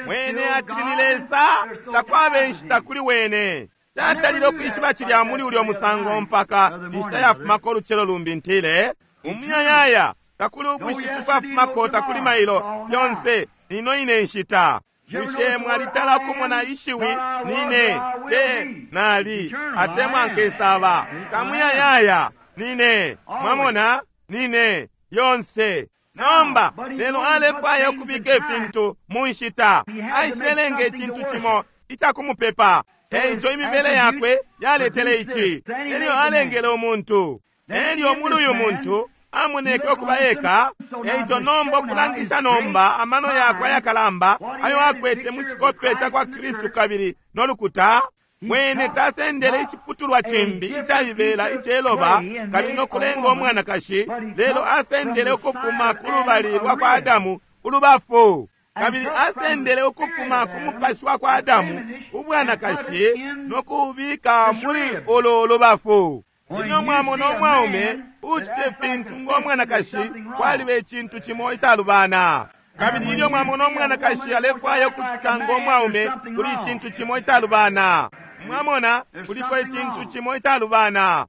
C: Wene acili ni Lesa, takwaba inshita kuli wene. Tatalile ukwishiba cilya muli ulyo musango mpaka inshita yafumako ulucelo lumbi ntile umuyayaya, takuli ubushiku bwafumako, takuli mailo, fyonse ino ine nshita. Bushe mwalitala kumona ishiwi nine te nali atemwa nkesaba? Tamuyayaya nine, mwamona, nine yonse. Nomba lelo alefwaya ukubika ifintu mu nshita, aishilelenga icintu cimo icakumupepa. Eico imibele yakwe yaletele ici. Elyo alengele umuntu, elyo muli uyu muntu amoneke ukuba eka. Eico nomba ukulangisha nomba amano yakwe ayakalamba ayo akwete mu cikope ca kwa Kristu kabili no lukuta. Wene tasendele iciputulwa cimbi icaibela iceloba kabili no kulenga umwanakashi, lelo asendele ukufuma ku lubali lwa kwa Adamu ulubafu, kabili asendele ukufuma ku mupashi wa kwa Adamu ubwanakashi no kuubika muli ulo lubafu. Ilyo mwamona umwaume ucite fintu ngo mwanakashi, kwaliba icintu cimo icalubana. Kabili ilyo mwamona umwanakashi alefwaya ukucita ngo mwaume, kuli icintu cimo icalubana. Mwamona, kuliko icintu cimo icalubana.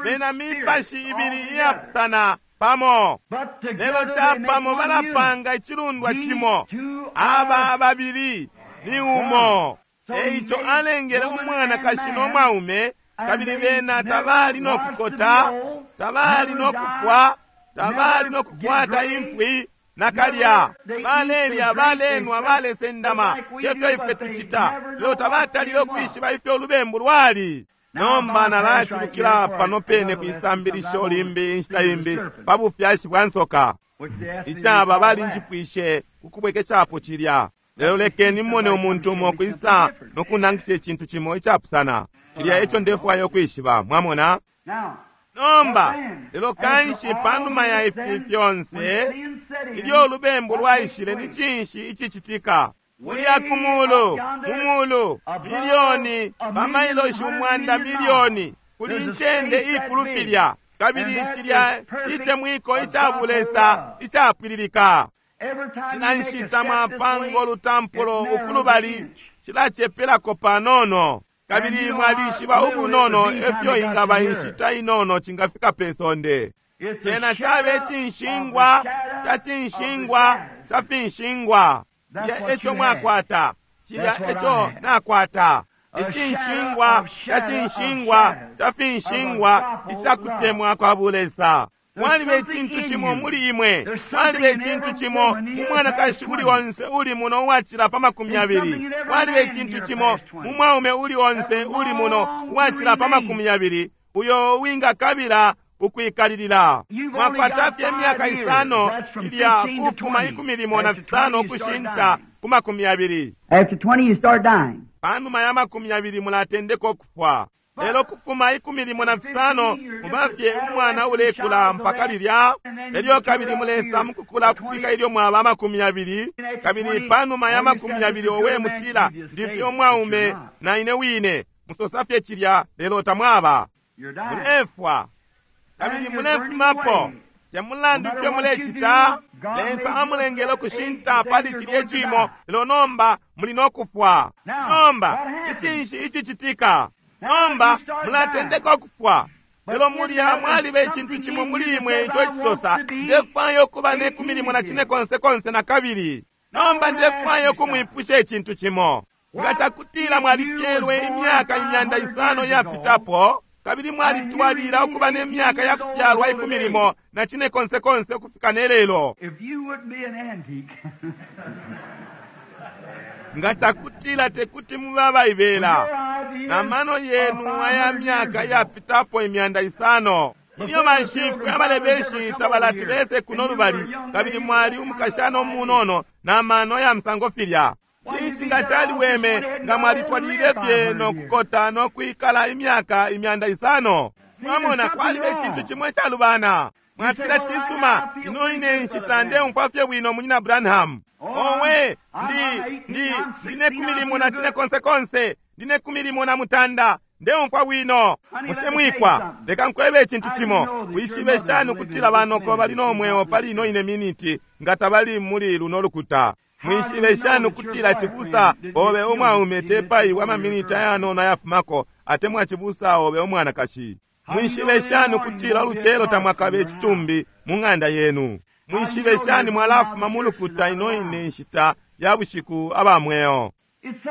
C: Bena mipashi ibili iyapusana pamo, lelo capamo balapanga icilundwa cimo. Aba babili ni umo. Eico alengele umwanakashi no mwaume, kabili bena tabali no kukota, tabali no kufwa, tabali no kukwata imfwi nakalya. Balelya, balenwa, balesendama, tefyo ifwe tucita, lelo tabatalile ukwishiba ifyo ulubembu lwali. Nomba nalacibukila pano pene kwisambilisho limbi inshita imbi pa bufyashi bwa nsoka. Icaba balinjipwishe kukubwekeshapo cilya, lelo lekeni mmone umuntu umo kwisa no kunangisha icintu cimo icapusana. Cilya eco ndefwaya ukwishiba, mwamona. Nomba lelo kanshi panuma ya ifi fyonse, ilyo ulubembu lwaishile, ni cinshi icicitika? Kulya ku mulu, mu mulu, milioni, pamailoshi 100 milioni, kuli incende ikulu filya. Kabili cilya citemwiko ica bulesa icapwililika. Cila nshita mwapanga ulutampulo ukulubali, cilacepelako panono. Kabili mwalishiba ubunono efyo ingaba inshita inono cingafika pe sonde. Cena cabe cinshingwa ca cinshingwa ca finshingwa. Cilya eco mwakwata, cilya eco nakwata. Icinshingwa ca cinshingwa ca finshingwa icakutemwa kwa bulesa. Mwaliba icintu cimo muli imwe, mwaliba icintu cimo mu mwanakashi uli onse uli muno uwacila pa 20, mwaliba icintu cimo mu mwaume uli onse uli muno uwacila pa 20 uyo wingakabila ukwikalilila. Mwakwata fye imyaka 5, ilya kufuma 15 ukushinta ku 20.
A: After 20 you start dying.
C: Panuma ya 20 mulatendeka ukufwa. Lelo kufuma 15 mubafye umwana ulekula mpaka lilya. Elyo kabili mulesa mukukula kufika ilyo mwaba 20. Kabili panuma ya 20 owe mutila ndifye umwaume na ine wine. Musosa fye cilya lelo tamwaba. Mulefwa. Kabili mulefumapo. Temulandu fye mulecita, Lesa amulengele ukushinta pali cilye cimo, lelo nomba muli nokufwa. Nomba icinshi icicitika? Nomba mulatendeka ukufwa. Lelo mulya mwaliba icintu cimo muli imwe ico icisosa, ndefwaya ukuba ne 14 konse konse na kabili. Nomba ndefwaya ukumwipusha icintu cimo. Nga cakutila mwalifyelwe imyaka 500 iyapitapo, kabili mwalitwalila ukuba ne myaka ya kufyalwa 14 konse konse ukufika ne lelo. Nga cakutila tekuti mube abaibela na mano yenu aya myaka iyapitapo 500, ilyo banshifwe abalebeshi tabalati bese kuno lubali, kabili mwali umukashana umunono na mano ya musango filya. Cinshi nga caliweme nga mwalitwalile fye nokukota nokwikala imyaka 500? Mwamona, kwaliba icintu cimo icalubana. Mwatila, cisuma, ino ine nshita ndeumfwa fye bwino, munyina Branham. Owe, ndine 14 konse konse, ndine 18, ndeumfwa bwino. Mutemwikwa, leka nkwebe icintu cimo. Wishibe shani ukutila banoko bali no mweo pali ino ine miniti nga tabali muli luno lukuta? Mwishibe shani ukutila cibusa obe umwaume tepaiwa amaminiti ayanono ayafumako, atemwa cibusa obe umwanakashi? Mwishibe shani ukutila ulucelo tamwakabe icitumbi mu ng'anda yenu? Mwishibe shani mwalafuma mu lukuta ino ine nshita ya bushiku aba mweo?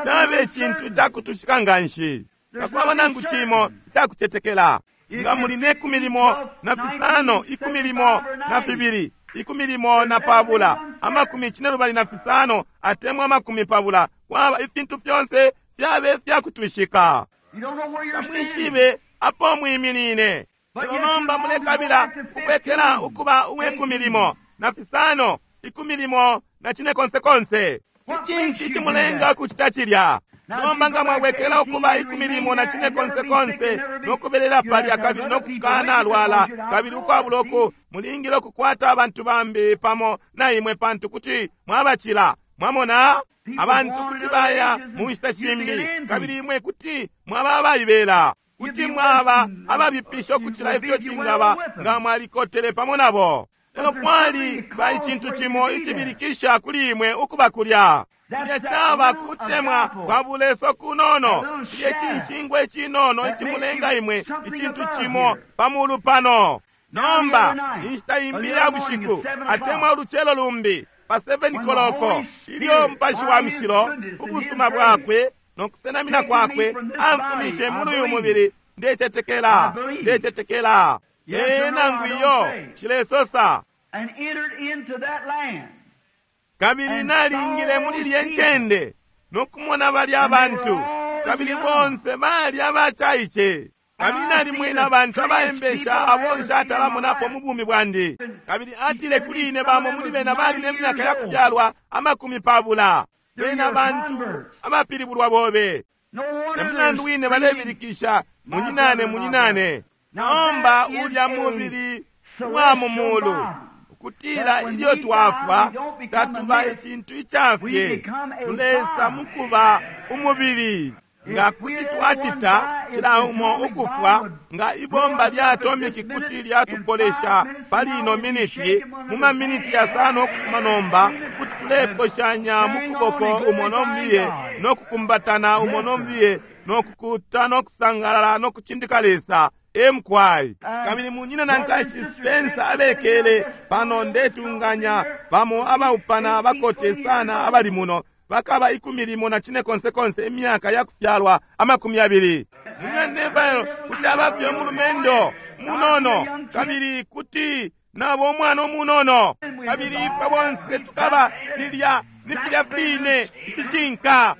C: Cabe icintu cakutushika nganshi. Takwaba nangu cimo icakucetekela. Nga muli ne 15, 12, 12, 25 atemwa 20, kwaba ifintu fyonse fyabe fyakutwishika. Tamwishibe apo mwiminine. Lelo nomba mulekabila kubwekela ukuba uwe 15, 14 konse konse. Icinshi cimulenga kucita cilya? Nomba nga mwabwekela ukuba 14 konse konse nokubelela palya kabili nokukana lwala kabili ukwabula uku, mulingile ukukwata abantu bambi pamo na imwe, pantu kuti mwabacila. Mwamona, abantu kuti baya mu nshita shimbi, kabili imwe kuti mwaba abaibela, kuti mwaba ababipisha ukucila ifyo cingaba nga mwalikotele pamo nabo. Lelo kwali ba icintu cimo icibilikisha kuli imwe ukuba kulya. Cilya caba kutemwa kwa bulesa kunono, cilya cinshingwa icinono icimulenga imwe icintu cimo pamulu pano. Nomba inshita imbi ya bushiku atemwa ulucelo lumbi pa 7 koloko, ilyo Mupashi wa Mushilo ubusuma bwakwe nokusenamina kwakwe amfumishe muli uyu mubili, ndecetekela, ndecetekela. Ee nangu iyo cilesosa. Kabili nalingile muli lye ncende nokumona balya abantu, kabili bonse bali abacaice. Kabili nalimwene abantu abaembesha abo nshatalamonapo mu bumi bwandi. Kabili atile kuli ine bamo muli bena bali ne myaka ya kubyalwa 20. Bena bantu abapilibulwa bobe. Emulandu wine balebilikisha munyinane munyinane. Nomba ulya mubili wa mu mulu, ukutila ilyo twafwa tatuba icintu icafye, tulesa mukuba umubili. Nga kuti twacita cila umo ukufwa, nga ibomba lya atomiki kuti lyatupolesha pali ino miniti, mu maminiti yasano ukufuma nomba, kuti tuleposhanya mu kuboko umo nombiye, no kukumbatana umo nombiye, no kukuta no kusangalala no kucindika Lesa. Emkwai. Kabili munyina na nkashi Spencer abekele pano, ndetunganya bamo abaupana abakote sana abali muno bakaba 15 imyaka ya kufyalwa 20. Munyina Neville kuti abafye umulumendo munono, kabili kuti nabo umwana umunono, kabili ifwe bonse tukaba tilya ni filya fine icishinka.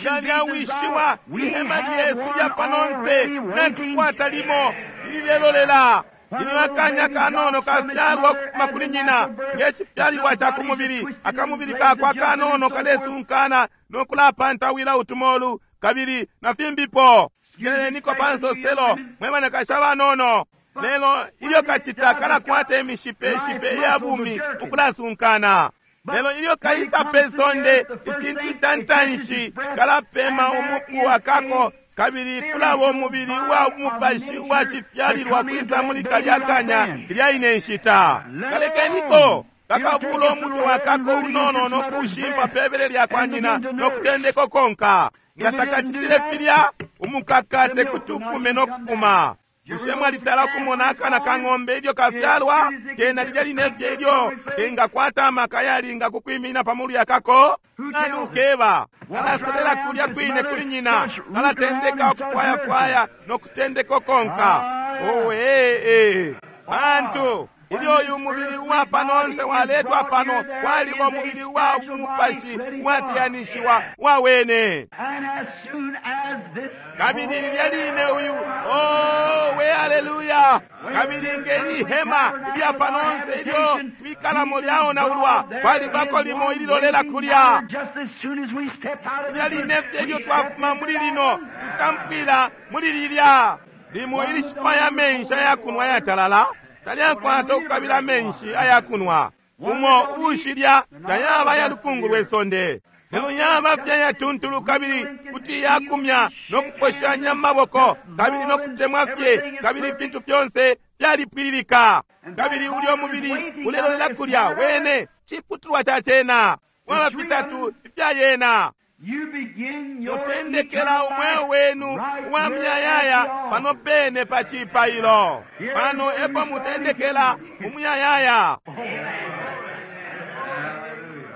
C: Nga lyawishiwa ihema lyesu lya panonse, natukwata limo ililelolela. Ilyo akanya kanono kafyalwa ukufuma kuli nyina ngecifyalilwa ca kumubili, akamubili kakwe akanono kalesunkana no kulapantawila utumolu kabili na fimbipo. Jeleniko pa nsoselo mwe banakashi abanono. Lelo ilyo kacita kalakwata imishipeshipe iya bumi ukulasunkana. Lelo ilyo kaisa pe sonde, icintu ca ntanshi kalapema umupu wakako, kabili kulaba umubili uwa mupashi uwa cifyalilwa kwisa muli kalya kanya ilya ine nshita. Kalekeniko kakabula umutwe wakako unono no kuushimpa pebele lya kwa nyina no kutendeka konka. Nga takacitile filya, umukaka tekuti ufume no kufuma. Bushe mwalitala kumona akana ka ng'ombe ilyo kafyalwa? Kena lilya linefye ilyo kengakwata amaka yalinga kukwiminina pamulu yakako. Nani ukeba? Kalaselela kulya kwine kuli nyina, kalatendeka ukufwayafwaya no kutendeka ukonka. Owe, bantu, ilyo uyu mubili uwa panonse waletwa pano, kwaliba umubili uwa mupashi uwatiyanishiwa wawene. Kabili lilya line uyu, owe, haleluya! Kabili ngeli hema ilya panonse ilyo twikalamo lyaonaulwa, kwalibako limo ililolela kulya. Lilya line fye ilyo twafuma muli lino, tutampwila muli lilya limo ilishipaya amenshi ayakunwa ayatalala. Talyakwata ukukabila amenshi ayakunwa. Umo uushilya tayaba ya lukungu lwe sonde, lelo yaba fye yatuntulu kabili kuti yakumya no kuposhanya maboko kabili no kutemwa fye, kabili ifintu fyonse fyalipwililika. Kabili ulyo mubili ulelolela kulya wene ciputulwa ca cena, waba fitatu ifya yena. Mutendekela umweo wenu uwa muyayaya pano pene pa cipailo. Pano epo mutendekela umuyayaya.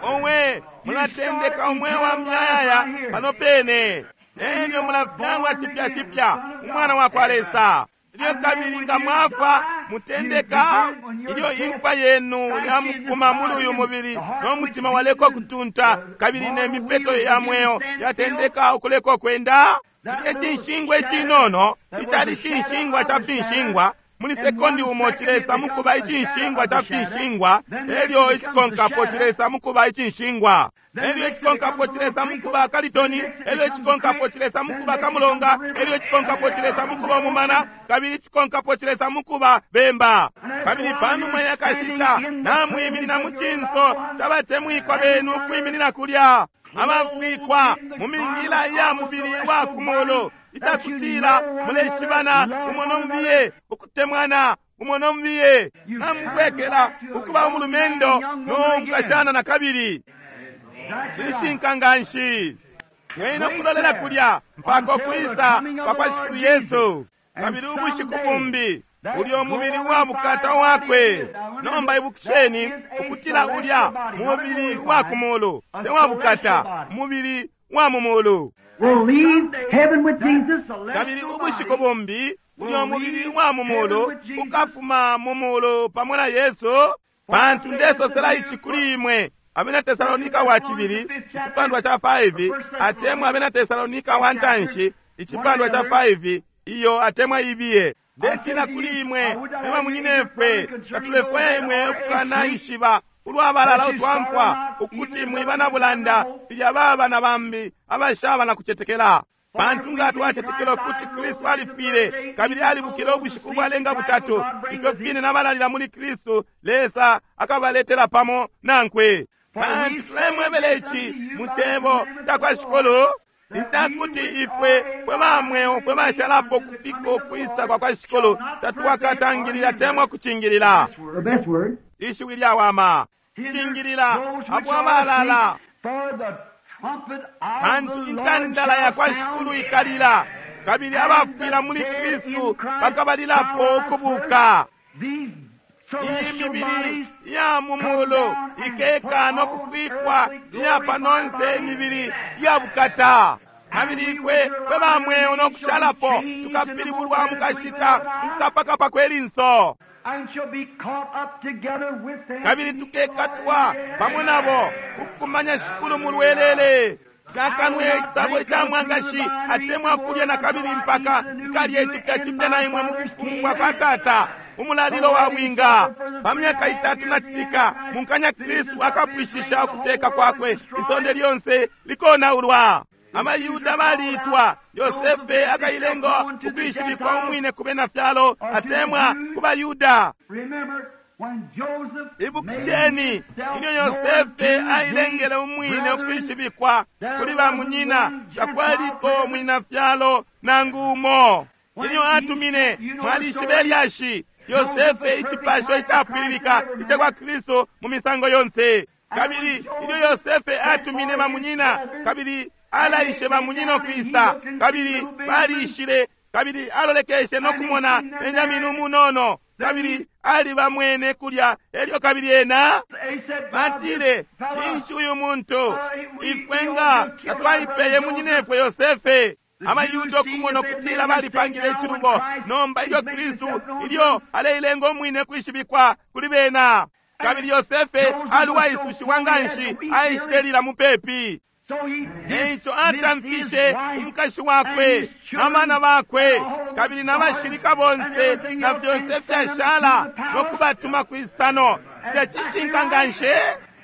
C: Owe, mulatendeka umweo wa muyayaya pano pene. Elyo mulafyalwa cipya cipya, umwana wa kwa Lesa. Ilyo kabili nga mwafa, mutendeka ilyo imfa yenu yamukuma muli uyu mubili, no mutima waleko kutunta, kabili ne mipeto ya mweo yatendeka ukuleko kwenda. Cilye cinshingwa icinono icali cinshingwa ca finshingwa, muli sekondi umo cilesa mukuba icinshingwa ca finshingwa, elyo icikonkapo cilesa mukuba icinshingwa, elyo icikonkapo cilesa mukuba kalitoni, elyo icikonkapo cilesa mukuba kamulonga, elyo icikonkapo cilesa mukuba umumana, kabili icikonkapo cilesa mukuba bemba. Kabili panuma yakashita namwiminina mu cinso cabatemwikwa benu ukwiminina kulya, abafwikwa mu mingila iya mubili wa kumulu, icakutila muleshibana umo nombiye, ukutemwana umo nombiye, namubwekela ukuba umulumendo no mukashana na kabili. Cishinka nganshi. Mwena kulolela kulya mpaka ukwisa kwa Shikulu Yesu. Kabili ubushiku bumbi ulyo mubili wa bukata wakwe. Nomba ibukisheni ukutila ulya mubili wa kumulu te wa bukata, mubili wa mumulu. Kabili ubushiku bumbi ulyo mubili wa mumulu ukafuma mumulu pamo na Yesu. Pantu ndesosela ici kuli imwe, Abena Tesalonika wa cibili icipandwa ca 5, atemwa Abena Tesalonika wa ntanshi icipandwa ca 5, iyo atemwa ibiye. Ndetina kuli imwe mwe bamunyinefwe, tatulefwaya imwe ukukanaishiba ulwabalala utwamfwa, ukuti mwiba na bulanda filya baba na bambi abashaba na kucetekela. Pantu nga twacetekela ukuti Kristu alifwile kabili alibukile ubushiku bwalenga butatu, ifyo fine nabalalila muli Kristu Lesa akabaletela pamo nankwe. Pantu tulemwebela ici mu cebo cakwa Shikulu, icakuti ifwe fwe ba mweo fwe bashalapo kufika ukwisa kwa kwa Shikulu tatwakatangilila temwa kucingilila.
A: The best word.
C: Ishiwi lyawama cingilila abo abalala,
A: For the trumpet of
C: pantu
A: the Lord
C: intandala ya kwa
A: shall
C: Shikulu
A: sound,
C: ikalila, kabili abafwila muli Kristu bakabalilapo ukubuka.
A: These
C: Iyi
A: celestial
C: mibili
A: bodies
C: ya mu mulu ikeka no kufwikwa iya panonse imibili ya bukata. Kabili ifwe fwe ba mweo no kushalapo tukapilibulwa mu kashita mukapakapa kwe linso,
A: and shall be caught up together with them.
C: kabili tukekatwa pamo nabo ukukumanya Shikulu mu lwelele. Cakanwe icisabo ica mwangashi atemwa kulya na kabili mpaka nkalye cipya cipya na imwe mu bufumu bwa kwa Tata. Umulalilo wa bwinga pa myaka itatu na citika munkanya Kristu akapwishisha ukuteka kwakwe, isonde lyonse likonaulwa. Abayuda baliitwa, Yosefe akailenga ukwishibikwa umwine ku bena fyalo atemwa ku Bayuda.
A: Remember when Joseph
C: Ibukisheni
A: made himself
C: ilyo
A: known
C: Yosefe
A: to
C: ailengele
A: his
C: umwine
A: brethren,
C: ukwishibikwa kuli bamunyina, takwaliko mwina fyalo nangu umo. Ilyo atumine, mwalishibe lyashi, Yosefe icipasho icapwililika ica kwa Kristu mu misango yonse. Kabili ilyo Yosefe atumine bamunyina, kabili alaishe bamunyina ukwisa, kabili balishile, kabili alolekeshe no kumona Benjamini umunono, kabili alibamwene kulya, elyo kabili ena
A: They said,
C: batile, cinshi uyu muntu ifwe nga tatwaipeye munyinefwe Yosefe. Abayuda okumona okutila balipangile ichilubo. Nomba ilyo Kristu ilyo aleilenga umwine kwishibikwa kuli bena, kabili Yosefe ali uwaisushiwa nganshi, aishilelila mupepi.
A: So he
C: Eico
A: dismissed
C: atamfishe
A: his wife
C: umukashi wakwe
A: and his children
C: n'abana bakwe
A: and all the
C: kabili n'abashilika
A: guards
C: bonse
A: and everything
C: na
A: else
C: fyonse
A: and sent them
C: fyashala
A: to the palace.
C: nokubatuma kwisano. Cilya cishinka nganshi.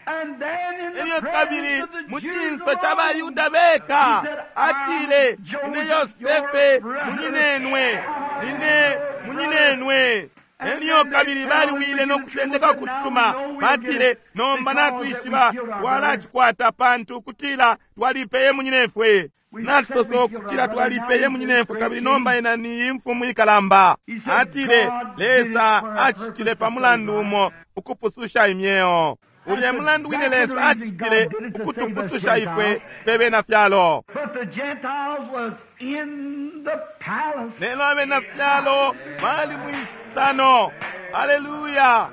A: And then in the
C: Elyo kabili
A: presence of the
C: mu
A: Jews
C: cinso ca
A: alone,
C: Bayuda beka
A: he said,
C: atile,
A: I'm
C: ine
A: Joseph,
C: Yosefe
A: your brother.
C: munyinenwe, nine munyinenwe. Elyo kabili baliwile no kutendeka ukututuma, batile, nomba natwishiba twalacikwata pantu kutila twalipeye munyinefwe. Natusosa ukutila twalipeye munyinefwe, kabili nomba ena ni imfumu ikalamba. Atile, Lesa acicitile pa mulandu umo ukupususha imyeo. Ulya mulandu wine Lesa acicitile ukutupususha ifwe fwe bena fyalo.
A: But the Gentiles was in the palace.
C: Lelo abena fyalo bali mwisano. Aleluya!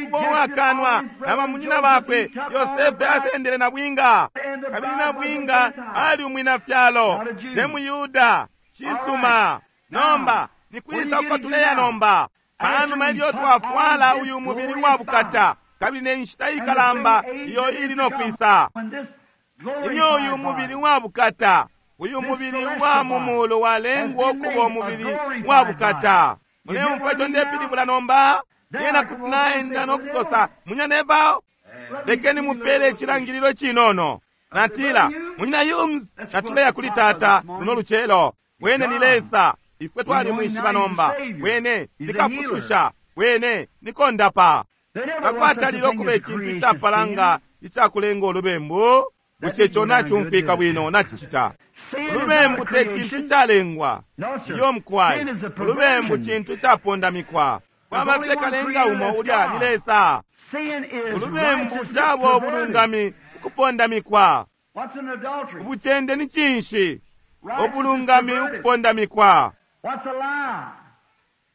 C: Ukuba uwakanwa na bamunyina bakwe, Yosefe asendele na bwinga, kabili na bwinga ali umwina fyalo, te muyuda. Cisuma. Nomba nikwisa uko tuleya nomba? Panuma ilyo twafwala uyu mubili wa bukata, kabili ne nshita ikalamba iyo ili no kwisa,
A: When this
C: ilyo uyu
A: glorified
C: mubili
A: body
C: wa bukata, uyu mubili wa mumulu walengwa ukuba umubili wa bukata. Muleumfwa ico ndepilibula nomba? Lyena kuti naenda no kusosa, munyina Neville, lekeni mupele icilangililo cinono. Natila, munyina Humes, natuleya kuli tata luno lucelo. Wene ni Lesa, ifwe twalimwishiba nomba. Wene ni kapususha, wene ni kondapa.
A: There never was such a
C: Takwatalile
A: thing
C: okuba
A: as
C: icintu
A: creation
C: icapalanga
A: sin.
C: icakulenga olubembu. Bushe ico nacumfwika bwino nacicita?
A: Sin is not
C: Ulubembu
A: a
C: te cintu
A: creation.
C: calengwa.
A: No, sir.
C: Iyo mukwai.
A: Sin is a
C: Ulubembu
A: perversion.
C: cintu capondamikwa. Kwaba
A: only
C: fye
A: one
C: kalenga
A: creator,
C: umo
A: that's
C: ulya ni
A: God.
C: Lesa.
A: Sin is
C: Ulubembu
A: righteousness
C: caba
A: perverted.
C: ubulungami ukupondamikwa.
A: What's an adultery?
C: Ubucende ni cinshi?
A: Righteousness
C: Ubulungami
A: perverted.
C: ukupondamikwa.
A: What's a lie?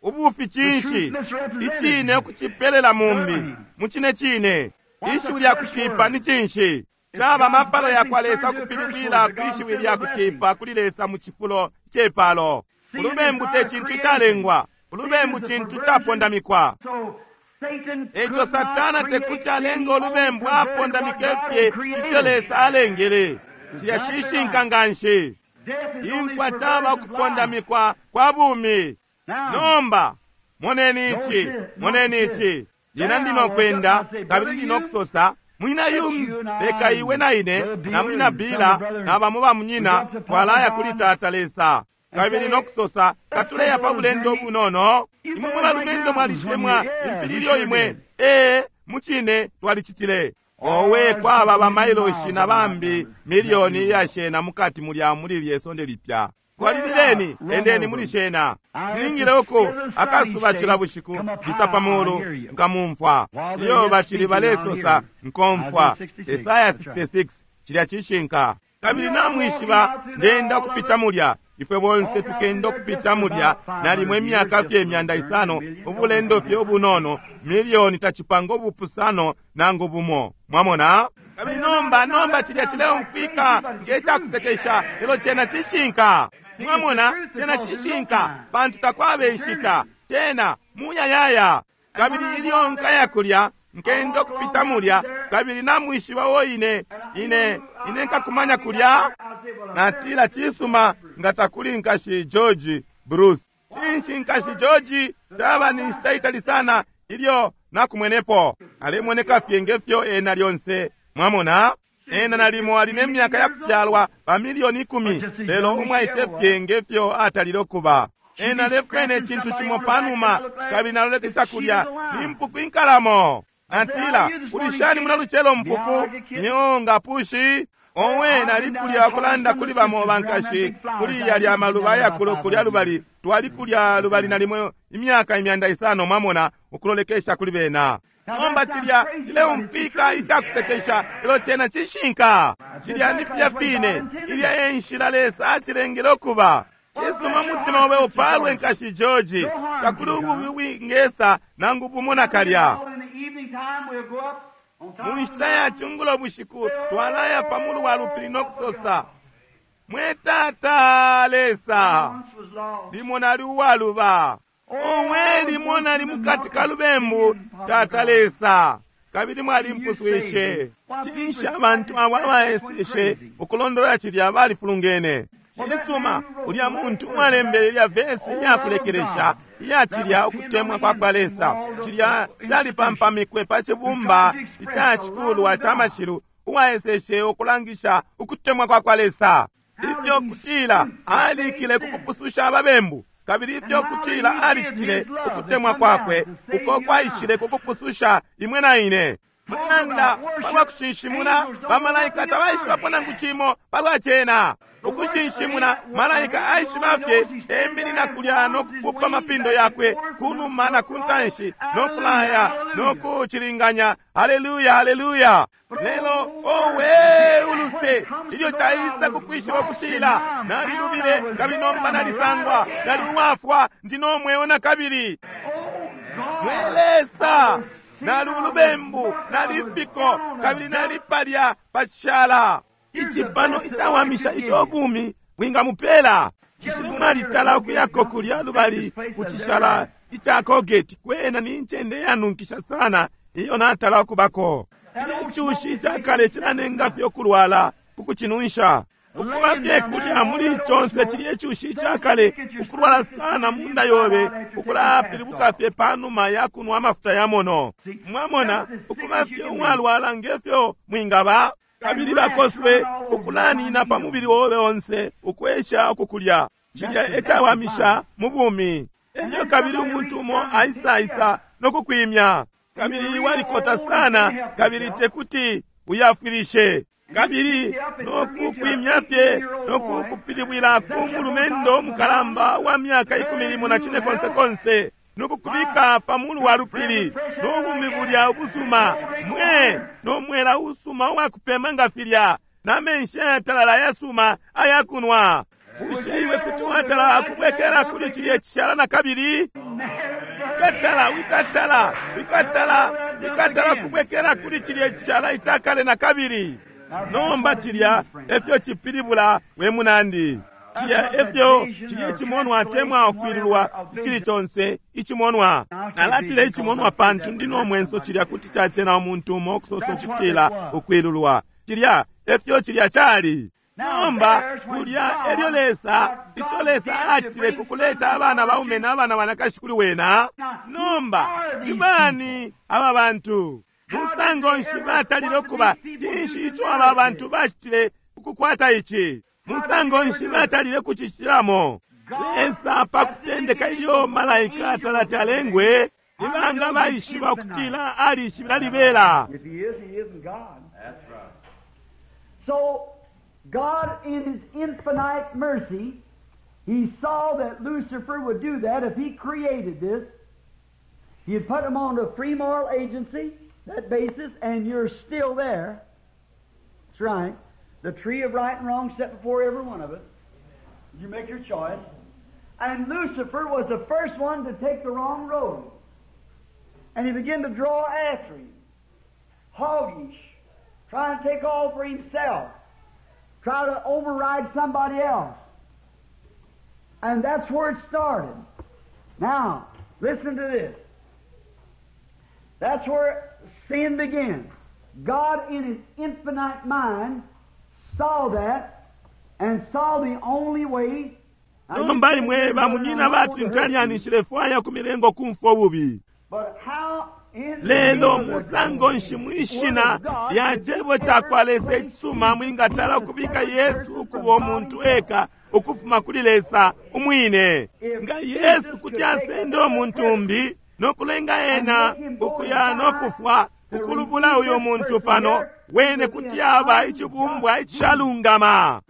C: Ubufi cinshi?
A: The truth misrepresented.
C: Icine ukucipelela mumbi.
A: Certainly.
C: Mu cine cine.
A: What's
C: Ishiwi
A: the
C: lya
A: curse
C: kutipa
A: word?
C: ni cinshi?
A: It's
C: Caba
A: God's
C: mapalo ya
A: blessing
C: kwa Lesa
A: turned to a curse
C: ukupilibwila
A: word to
C: kwi
A: God
C: shiwi
A: instead
C: lya
A: of a blessing.
C: kutipa kuli Lesa mu cifulo cepalo.
A: Sin is
C: Ulubembu
A: not
C: te
A: a
C: cintu
A: creation.
C: calengwa.
A: Sin
C: Ulubembu
A: is a
C: cintu
A: perversion.
C: capondamikwa.
A: So Satan
C: Eco
A: could not
C: Satana te
A: create
C: kuti
A: sin.
C: alenga
A: He only
C: olubembu
A: perverted what
C: apondamike
A: God
C: fye
A: had created.
C: ifyo Lesa alengele. Cilya
A: Exactly
C: cishinka
A: right.
C: nganshi.
A: Death is only
C: Imfwa caba
A: perversion of life.
C: kupondamikwa kwa bumi.
A: Now,
C: Nomba moneni ici, moneni ici. Lina ndino kwenda kabili ndino kusosa, munyina Humes, leka iwe na ine na munyina Bila na bamo ba munyina twalaya kuli tata Lesa. Kabili nokusosa katuleya pa bulendo bunono. Imwe mwe balumendo mwalitemwa impili ilyo imwe. Ee, mucine twalicitile. Owe, kwaba bamailoshi na bambi milioni iyashena mukati mulya muli lye sonde lipya. Twalilileni, endeni muli shena. Nilingile uku akasuba cila bushiku lisa pa mulu nkamumfwa. Iyo bacili balesosa nkomfwa. Esaya 66 cilya cishinka. Kabili namwishiba ndenda kupita mulya. Ifwe bonse tukenda ukupita mulya nalimo imyaka fye 500, ubulendo fye ubunono, milioni tacipanga ubupusano nangu bumo. Mwamona? Kabili nomba cilya cileumfwika nge cakusekesha, lelo cena cishinka. Mwamona, cena cishinka, pantu takwaba inshita, cena muyayaya. Kabili ilyo nkaya kulya, nkenda ukupita mulya, kabili namwishiba wo ine nkakumanya kulya. Natila cisuma nga takuli nkashi George Bruce. Cinshi nkashi George taba ni nshita itali sana ilyo nakumwenepo. Alemoneka fye ngefyo ena lyonse. Mwamona? Ena nalimo ali ne myaka ya kufyalwa pa milioni 10, lelo umwaice fye ngefyo atalile okuba. Ena alefwena icintu cimo panuma, kabili nalolekesha kulya ni mpuku inkalamo. Natila, ulishani muna lucelo mpuku? Nyonga pushi. Owe, nalikulya kulanda kuli bamo bankashi kuli yalya maluba ayakulu kulya lubali. Twalikulya lubali nalimo imyaka 500, mwamona, ukulolekesha kuli bena. Nomba cilya cileumfwika icakusekesha, lelo cena cishinka. Cilya ni filya fine, ilya e nshila Lesa acilengele ukuba. Cisuma mutima obe upalwe nkashi George, takuli ububi wingesa nangu bumo nakalya. Mu nshita ya cungulo bushiku twalaya pa mulu wa lupili no kusosa, mwe Tata Lesa, limo nali uwaluba. Owe, limo nali mukati ka lubembu, Tata Lesa, kabili mwalimpuswishe. Cinshi abantu abo abaeseshe ukulondolola cilya balifulungene. Cisuma, ulya muntu uwalembele ilya vesi iyakulekelesha iya cilya ukutemwa kwa kwa Lesa, cilya calipampamikwe pa cibumba ica cikulwa ca mashilu, uwaeseshe ukulangisha ukutemwa kwa kwa Lesa. Ifyo kutila alikile kukupususha ababembu, kabili ifyo kutila alicitile ukutemwa kwakwe uko kwaishile kukupususha imwe na ine. Mulanda palwa kushinshimuna, bamalaika tabaishibapo nangu cimo palwa cena. Ukushinshimuna, malaika aishiba fye eminina kulya no kupupa mapindo yakwe kunuma na kuntanshi no kulaya no kucilinganya. Haleluya, haleluya. Lelo owe uluse ilyo taisa kukwishiba kutila nalilubile, kabili nomba nalisangwa, nali uwafwa, ndi no mweo na kabili. Mwe Lesa, nali ulubembu, nali fiko, kabili nali palya pachishala. Icipano icawamisha ico bumi bwingamupela. Ishili mwalitala ukuyako kulya lubali kuchishala ica Colgate, kwena ni ncende yanunkisha sana iyo natala ukubako. Icushi icakale cilanenga fye ukulwala ukucinunsha. Ukuba fye kulya muli conse cilya icushi icakale, ukulwala sana munda yobe, ukulapilibuka fye panuma ya kunwa amafuta ya mono. Mwamona, ukuba fye uwalwala ngefyo mwingaba, kabili bakoswe ukulanina pa mubili wobe onse ukwesha ukukulya. Cilya ecawamisha mu bumi. Elyo kabili umuntu umo aisaisa nokukwimya, kabili walikota sana, kabili tekuti uyafwilishe, kabili nokukwimya fye nokukupilibwila ku mulumendo mukalamba wa myaka 14 konse konse, nokukubika pa mulu wa lupili nobumi bulya ubusuma, mwe nomwela usuma uwakupema nga filya, na menshi ayatalala ayasuma ayakunwa. Bushe iwe kuti watala akubwekela kuli cilya cishala na kabili? Wikatala, wikatala, wikatala, wikatala kubwekela kuli cilya cishala icakale na kabili. Nomba cilya efyo cipilibula we munandi. Cilya efyo cilya icimonwa temwa ukwilulwa icili conse icimonwa. Nalatile icimonwa pantu ndi no mwenso cilya kuti cacena umuntu umo ukusosa ukutila ukwilulwa. Cilya efyo cilya cali. Nomba kulya elyo Lesa, ico Lesa acitile kukuleta abana baume na abana banakashi kuli wena. Nomba ni bani aba bantu? Musango nshi batalile ukuba? Cinshi ico aba bantu bacitile ukukwata ici? Musango nshi batalile kucicilamo? Lesa pa kutendeka ilyo malaika talati alengwe. Nibanga baishiba ukutila alishibila libela?
A: If he is, he isn't God. That's right. So, God in His infinite mercy, He saw that Lucifer would do that if he created this. He'd put him on a free moral agency, that basis, and you're still there. That's right. The tree of right and wrong set before every one of us. You make your choice. And Lucifer was the first one to take the wrong road. And he began to draw after him. Hoggish. Trying to take all for himself. Try to override somebody else. And that's where it started. Now, listen to this. That's where sin began. God, in His infinite mind, saw that and saw the only way.
C: Nomba imwe bamunyina batrinitarian nshilefwaya kumilengo kumfwa ububi.
A: But how in
C: Lelo musango nshi mwishina lya cebo cakwa Lesa icisuma mwingatala ukubika Yesu ukuba umuntu eka ukufuma kuli Lesa umwine. Nga Yesu kuti asenda umuntu umbi nokulenga ena ukuya nokufwa ukulubula uyo muntu pano, wene kuti aba icibumbwa icishalungama.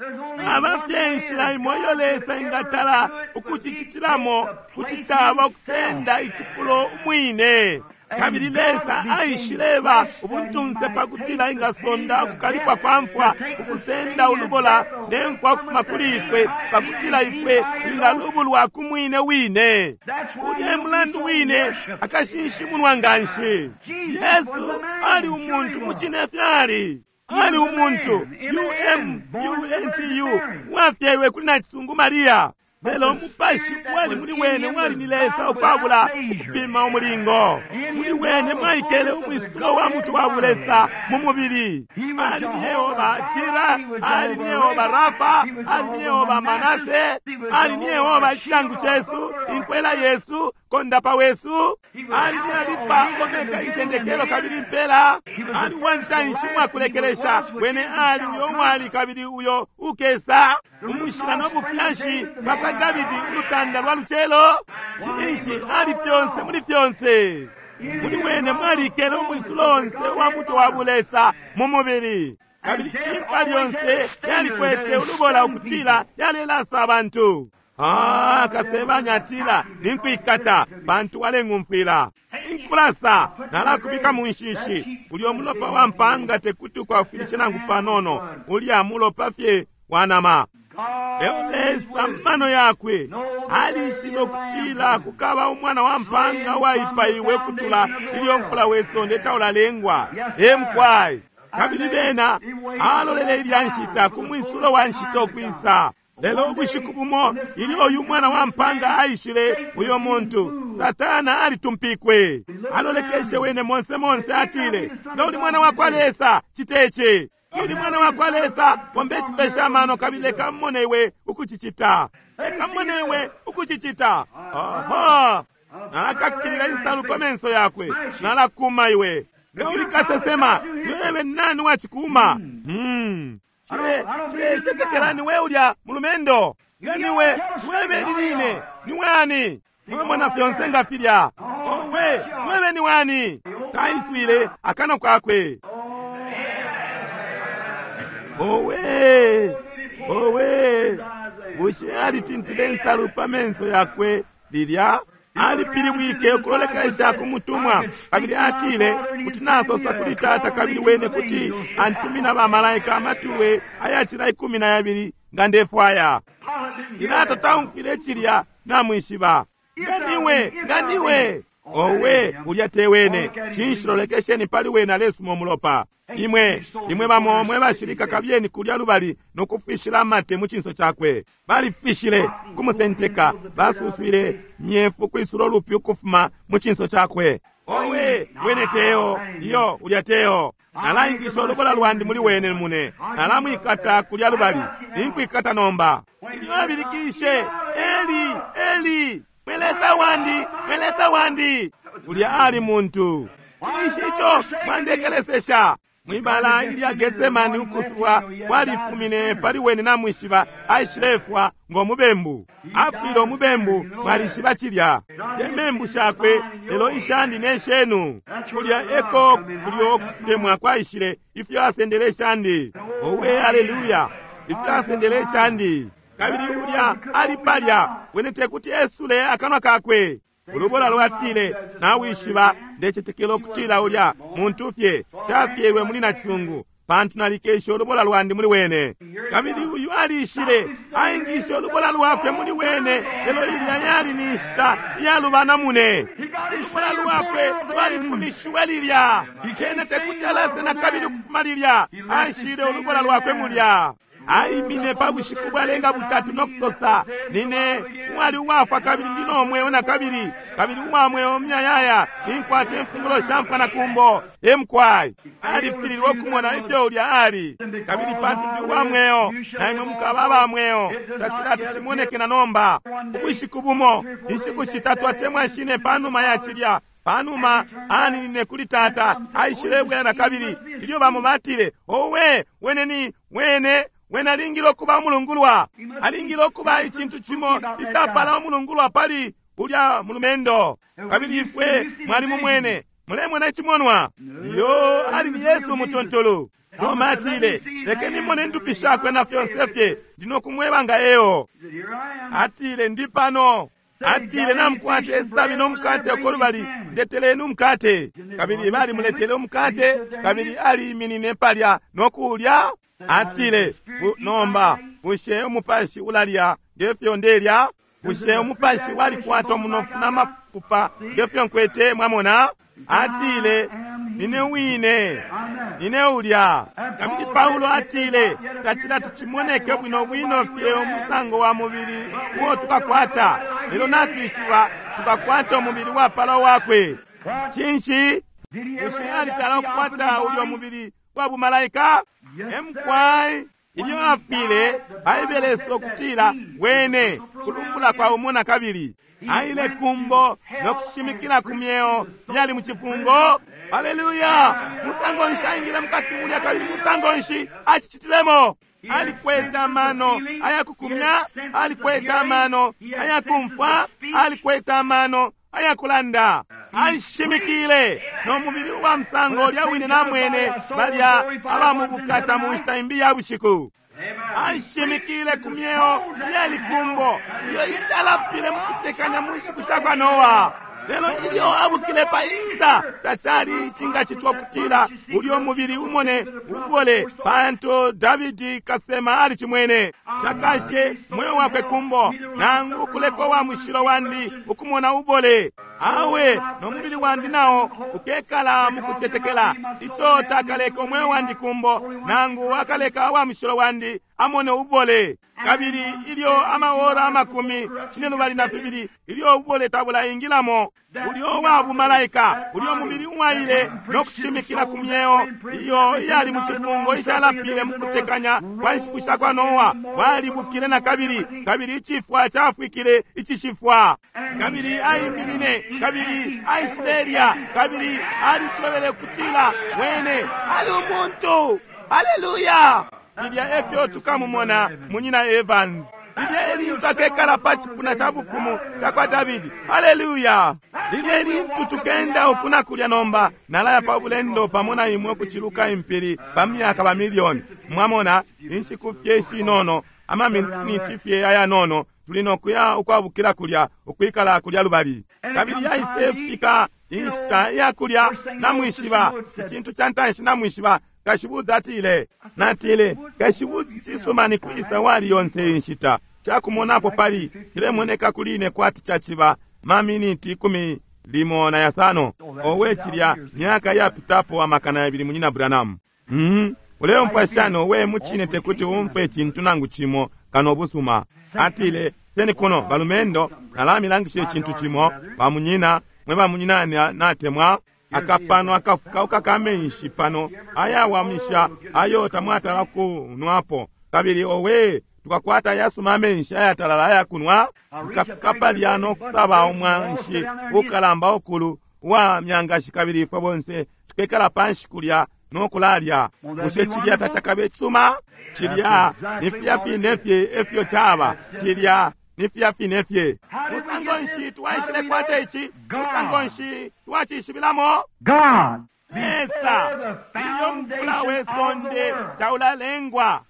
C: Aba fye inshila imo iyo Lesa ingatala ukucicitilamo kuti caba ukusenda icifulo umwine. Kabili Lesa aishileba ubuntunse pakutila ingasonda ukukalipwa kwa mfwa, ukusenda ulubola ne mfwa ukufuma kuli ifwe, pakutila ifwe twingalubulwa ku mwine wine. Ulya mulandu wine akashinshimunwa nganshi. Yesu ali umuntu mucine fyali. Ali umuntu, U-M-U-N-T-U, wafyelwe kuli nacisungu Maria. Lelo umupashi wali muli wene wali ni Lesa ukwabula ukupima umulingo. Muli wene mwaikele umwisulo wa mutu wa bulesa mu mubili. Ali ni Yehova Jira, ali ni Yehova Rafa, ali ni Yehova Manase, ali ni Yehova ichangu chesu, inkwela Yesu, kondapa wesu. Ali ni Alifa, Omega, itendekelo kabili mpela. Ali wantanshi mwakulekelesha, wene ali uyo mwali kabili uyo ukesa. Umushila nobufyashi bwakwa Davidi ulutanda lwa lucelo. Cinshi ali fyonse muli fyonse. Muli wene mwalikele umwisulo onse wa mutu wa bulesa mu mubili. Kabili imfa lyonse yalikwete ulubola ukutila yalelasa abantu. Kasebanya atila ninkwikata pantu waleng'umfwila. Inkulasa nalakubika mu nshishi. Ulya umulopa wa mpanga tekuti ukwafwilishe nangu panono, ulya mulopa fye wa nama. Leo Lesa mano yakwe alishibe ukutila kukaba umwana wa mpanga waipaiwe kutula ilyo mfula we sonde taulalengwa. Emkwai kabili bena alolele ilya nshita ku mwisulo wa nshita ukwisa. Lelo ubushiku bumo ilyo uyu mwana wa mpanga aishile, uyo muntu Satana alitumpikwe. Alolekeshe wene monse monse, atile, nga uli mwana wa kwa Lesa citece. Uli mwana wa kwa Lesa, pombe chipesha mano kabili leka mmone iwe ukucicita. Leka mmone iwe ukucicita. Aha! Nalakakilila insalu pa menso yakwe, nalakuma iwe. Nga uli kasesema, twewe nani wachikuma? Chilechetekela niwe ulya mulumendo. Nga niwe, twewe ni niwe ani? Mwamona fyonse nga filya. Owe, twewe ni wani? Taiswile akano kwakwe. Owe, owe, bushe alitintile insalu pa menso yakwe lilya? Alipilibwike ukulolekesha ku mutumwa, kabili atile kuti nasosa kuli tata kabili wene kuti antumina bamalaika amatuwe ayacila 12 nga ndefwaya. Pilato taumfwile cilya namwishiba. Nga niwe, nga niwe. Owe, ulya te wene. Cinshi lolekesheni pali wene alesuma umulopa. Imwe, imwe bamo mwe bashilika kabyeni kulya lubali nokufishila amate mu cinso cakwe. Balifishile kumusenteka, basuswile myefu kwisula ulupi ukufuma mu cinso cakwe. Owe, wene teo, iyo ulya teo. Nalaingisha ulubola lwandi muli wene mune. Nalamwikata kulya lubali. Ninkwikata nomba. Ilyo abilikishe, Eli, Eli, mwelesa wandi, mwelesa wandi. Ulya ali muntu. Cinshi ico mwandekelesesha? Mwibala ilya Getsemani ukusubwa kwalifumine pali wene namwishiba, aishilefwa ngo mubembu. Afwile umubembu, mwalishiba cilya. Te membu shakwe, lelo ishandi ne shenu. Kulya eko kulyo kutemwa kwaishile, ifyo asendele ishandi. Owe, haleluya! Ifyo asendele ishandi. Kabili ulya ali palya, wene tekuti esule akanwa kakwe. Ulubola lwatile, nawishiba, ndecetekela ukutila ulya muntu fye tafyelwe muli nacisungu, pantu nalikeshe ulubola lwandi muli wene. Kabili uyu alishile, aingishe ulubola lwakwe muli wene, lelo ilya yali ni nshita iyalubana mune. Ulubola lwakwe lwalifumishiwe lilya, kene tekuti alase na kabili ukufuma lilya, ashile ulubola lwakwe mulya. Aimine pa bushiku bwalenga butatu no kusosa, nine uwali uwafwa kabili ndi no mweo na kabili, kabili uwa mweo myayaya, ninkwata imfungulo sha mfwa na kumbo. Emkwai alifililwe ukumona ifyo ulya ali. Kabili pantu ndi uwa mweo, na imwe mukaba aba mweo. Tacilati cimoneke na nomba. Ubushiku bumo, inshiku shitatu atemwa shine panuma ya cilya, panuma aninine kuli tata, aishilebwela na kabili. Ilyo bamo batile, owe, wene ni wene wene alingile ukuba umulungulwa, alingile ukuba icintu cimo icapala umulungulwa pali ulya mulumendo. Kabili ifwe mwali mumwene, mulemona icimonwa. Iyo ali ni Yesu umutuntulu. Toma atile, lekeni mone ndupi shakwe na fyonse fye, ndino kumweba nga eyo. Atile, ndi pano. Atile, namukwate esabi n'omukate uko lubali, ndeteleni umukate. Kabili balimuletele umukate, kabili aliiminine palya nokulya. Atile, nomba bushe umupashi ulalya ngefyo ndelya? Bushe umupashi walikwata umunofu n'amafupa ngefyo nkwete? Mwamona? Atile, nine wine, nine ulya. Kabili Paulo atile, tacilati cimoneke bwino bwino fye umusango wa mubili uo tukakwata, lelo natwishiba tukakwata umubili wapala wakwe. Cinshi? Bushe alitala ukukwata ulyo mubili wa bumalaika? Emkwai ilyo afile, Baibele sokutila wene kulumbula kwa umo na kabili aile kumbo no kushimikila ku myeo yali mu cifungo. Haleluya! Musango nshi aingile mukati mulya, kabili musango nshi acicitilemo? Alikwete amano ayakukumya, alikwete amano ayakumfwa, alikwete amano ayakulanda. Ashimikile no mubili wa musango ulya wine namwene balya abamubukata mu nshita imbi ya bushiku. Ashimikile ku myeo yalikumbo iyo ishalapile mukutekanya mu nshiku sha kwa Noa. Lelo ilyo abukile pa Easter, tacali icingacitwa kutila ulyo mubili umone ubole, pantu Davidi kasema alicimwene. Cakashe mweo wakwe kumbo, nangu ukuleka wa mushilo wandi ukumona ubole. Awe no mubili wandi nao ukekala mukucetekela. Ico takaleka umweo wandi kumbo, nangu akaleka wa mushilo wandi amone ubole. Kabili ilyo amaora 42 ilyo ubole tabulaingilamo, ulyo wa bumalaika, ulyo mubili uwaile no kushimikila ku myeo iyo iyali mu cifungo ishalapile mukutekanya kwa nshiku sha kwa Noa, walibukile na kabili, kabili icifwa cafwikile icishifwa. Kabili aiminine, kabili aishilelya, kabili alitwebele kutila wene ali umuntu. Haleluya! Lilya efyo tukamumona munyina Evans. Lilya elintu akekala pa cipuna ca bufumu ca kwa Davidi. Haleluya! Lilya elintu tukenda uku na kulya nomba, nalaya pa bulendo pamo na imwe ukuciluka impili pa myaka ba milioni. Mwamona, inshiku fye ishinono, amaminiti fye ayanono, tuli no kuya ukwabukila kulya, ukwikala kulya lubali. Kabili yaisefika inshita ya kulya, namwishiba, icintu ca ntanshi namwishiba, kashibuzi atile, natile, kashibuzi cisuma ni kwisa wali yonse inshita. Cakumonapo pali cilemoneka kuli ine kwati caciba maminiti 15. Owe cilya myaka yapitapo 200 munyina Branham. Uleumfwa shani? Owe mucine tekuti umfwe icintu nangu cimo kano busuma. Atile, seni kuno balumendo, nalamilangisha icintu cimo, bamunyina, mwe bamunyina natemwa. Akapano akafukauka kamenshi pano ayawamisha ayo tamwatala kunwapo. Kabili owe tukakwata yasuma amenshi ayatalala ayakunwa. Tukafika palya no kusaba umwanshi ukalamba ukulu uwa myangashi, kabili ifwe bonse tukekala panshi kulya. no kulalya. Bushe cilya tacakabe cisuma? Cilya ni filya fine fye efyo caba. Cilya ni filya fine fye. Musango nshi twaishile kwata ici? Musango nshi twacishibilamo?
A: God.
C: Lesa, ilyo mufula we sonde taulalengwa,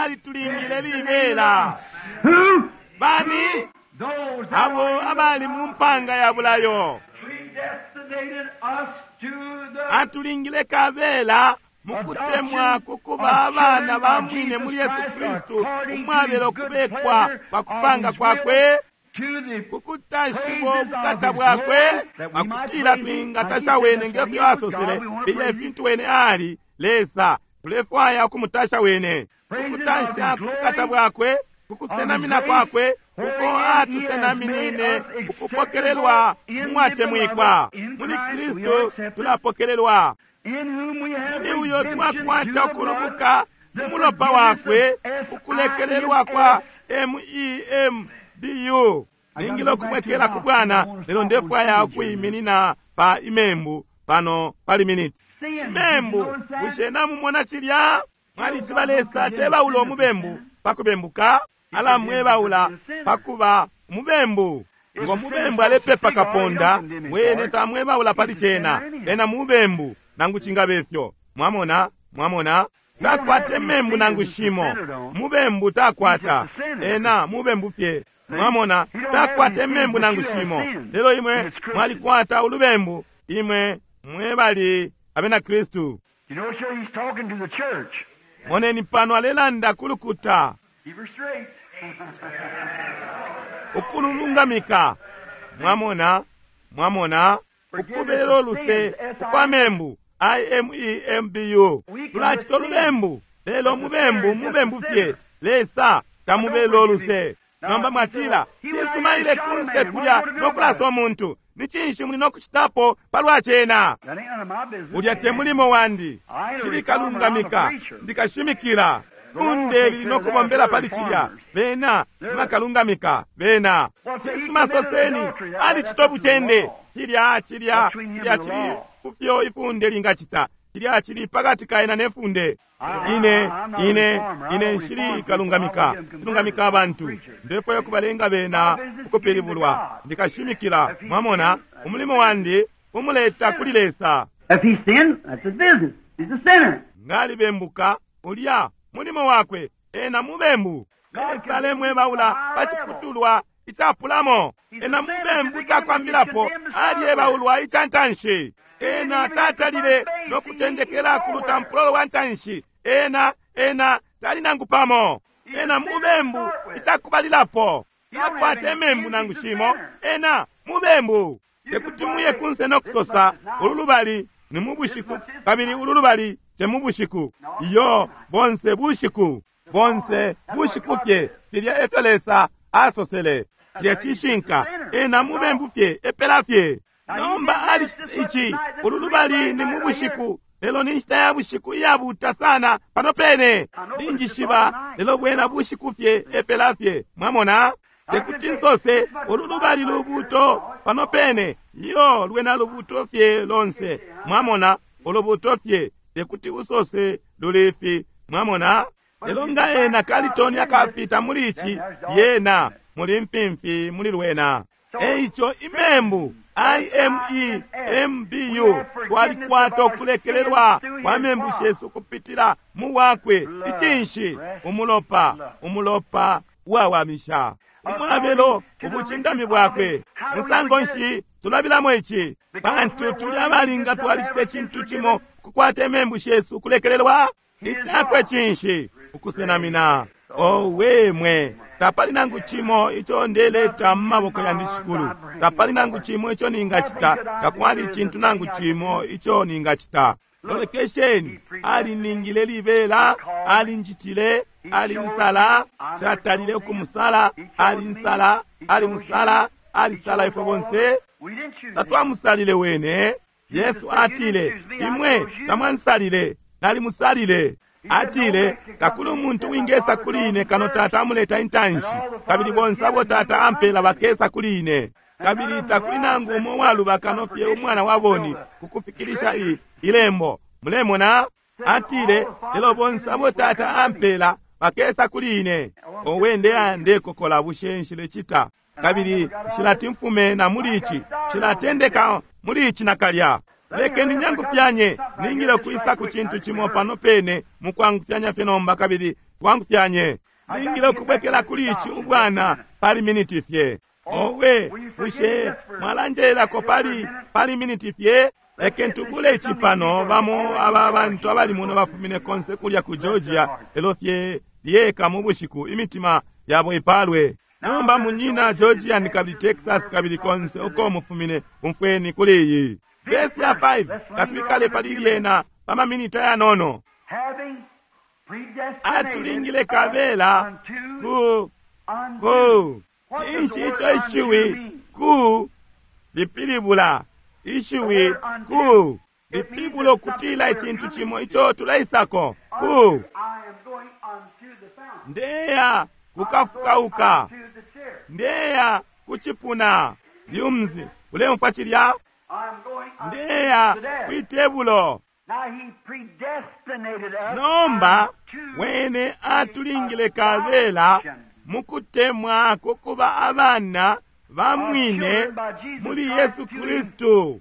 C: alitulingile libela.
A: Who?
C: Bani
A: Those that
C: abo
A: were in
C: abali mu mpanga ya bulayo
A: predestinated us to the
C: atulingile kabela mukutemwa kukuba abana ba mwine muli Yesu Kristu, umwabela ukubekwa kwa kupanga kwakwe,
A: to the
C: kukutashiwa ubukata bwakwe, pakutila twingatasha wene ngefyo asosele filya ifintu wene ali Lesa. Tulefwaya ukumutasha wene, kukutasha kubukata bwakwe, kukusenamina kwakwe uko atusenaminine, ukupokelelwa mwatemwikwa muli Kristu. Tulapokelelwa
A: in whom we have
C: ni uyo
A: redemption
C: twakwata
A: through the blood,
C: ukulubuka
A: the
C: umulopa wakwe,
A: forgiveness of
C: ukulekelelwa kwa MEMBU. Ningile ukubwekela ku bwana, lelo ndefwaya ukuyiminina pa imembu pano pali miniti.
A: Sin.
C: Imembu, bushe namumona cilya? Mwalishiba Lesa tebaula umubembu pakubembuka, alamwebaula pakuba umubembu. Ngo mubembu alepepa kaponda, wene tamwebaula pali cena, ena mubembu nangu cingabe fyo. Mwamona, mwamona, takwata membu nangu shimo. Mubembu takwata, ena mubembu fye. Mwamona, takwata membu nangu shimo. Lelo imwe mwalikwata ulubembu, imwe mwebali abena Kristu.
A: You know, sir, he's talking to the church.
C: Moneni pano alelanda kulukuta,
A: Keep her straight.
C: ukululungamika. Mwamona, mwamona, ukubelo luse kwa membu IMEMBU. Tulacita ulubembu, lelo mubembu mubembu fye. Lesa tamubelo luse. Nomba mwatila cisuma ile kunse kulya nokulasa omuntu, ni cinshi muli nokucitapo palwa cena?
A: That ain't none of my business.
C: Ulya te mulimo wandi, shilikalungamika, ndikashimikila funde lili nokubombela pali cilya. Bena nibakalungamika bena. Cisuma soseni alicita bucende. Cilya cilya cilya cili kufyo ifunde lingacita. Cilya cili pakati kaena ne funde. Ine ine ine nshili kalungamika, silungamika abantu, ndefwaya kubalenga bena ukupilibulwa. Ndikashimikila, mwamona, umulimo wandi umuleta kuli Lesa.
A: If he sinned, that's his business. He's a sinner.
C: Ngalibembuka ulya mulimo wakwe, ena mubembu. Lesa alemwebaula paciputulwa icapulamo. Ena mubembu cakwambilapo alyebaulwa ica ntanshi. Ena tatalile nokutendekela ku lutampulo lwa ntanshi. Ena ena tali nangu pamo. Ena mubembu icakubalilapo, takwata emembu nangu shimo. Ena mubembu. Tekuti muye kunse nokusosa ulu lubali ni mu bushiku kabili ulu lubali te mu bushiku. Iyo, bonse bushiku, bonse bushiku fye. Filya efyo Lesa asosele. Cilya cishinka. Ena mubembu fye, epela fye. Nomba ali ici, ulu lubali ni mu bushiku, lelo ni nshita ya bushiku iyabuta sana pano pene. Ninjishiba, lelo bwena bushiku fye, epela fye. Mwamona? Tekuti nsose ulu lubali lubuto pano pene. Iyo, lwena lubuto fye lonse. Mwamona, ulubuto fye, tekuti usose lulifi. Mwamona? Lelo nga ena kalitoni akafita muli ici, yena muli mfimfi muli lwena. Eico imembu IMEMBU, twalikwata ukulekelelwa kwa membu shesu kupitila mu wakwe. Icinshi? Umulopa, umulopa uwawamisha, umwabelo ubucindami bwakwe. Musango nshi tulabilamo ici? Pantu tuli abalinga, twalicita icintu cimo kukwata imembu shesu ukulekelelwa. Icakwe cinshi? Ukusenamina. Owe mwe, tapali nangu cimo ico ndeleta mu maboko yandi shikulu. Tapali nangu cimo ico ningacita. Takwali icintu nangu cimo ico ningacita. Lolekesheni, aliningile libela, alinjitile, alinsala, catalile ukumusala, alinsala, alimusala, alisala ifwe bonse.
A: We didn't choose him.
C: Tatwamusalile wene. Yesu atile, imwe tamwansalile, nalimusalile. Atile, takuli umuntu wingesa kuli ine kano Tata amuleta intanshi, kabili bonse abo Tata ampela bakesa kuli ine. Kabili takuli nangu umo uwaluba kano fye umwana wa boni, kukufikilisha ilembo. Mulemona? Atile, lelo bonse abo Tata ampela bakesa kuli ine. Owe, ndeya ndekokola, bushe nshilecita? Kabili nshilati mfume na muli ici, nshilatendeka muli ici nakalya. Lekeni nyangufyanye, ningile kwisa ku cintu cimo pano pene mukwangufyanya fye nomba, kabili twangufyanye. Ningile ukubwekela kuli ici ubwana pali miniti fye. Owe, bushe mwalanjelelako pali miniti fye? Lekeni tubule ici pano. Bamo aba bantu abali muno bafumine konse kulya ku Georgia, lelo fye lyeka mu bushiku, imitima yabo ipalwe. Nomba munyina Georgia ni kabili Texas kabili konse uko mufumine, umfweni kuli iyi vesi ya 5, katwikale pali lyena pa maminita yanono. Atulingile kabela ku cinshi ico ishiwi ku lipilibula? Ishiwi ku lipilibula ukutila icintu cimo ico tuleisako ku. Ndeya kukafukauka, ndeya kucipuna. Lyumzi, ulemfwa cilya? Ndeya kwitebulo. Nomba wene atulingile kabela mukutemwa kukuba abana ba mwine muli Yesu Kristu,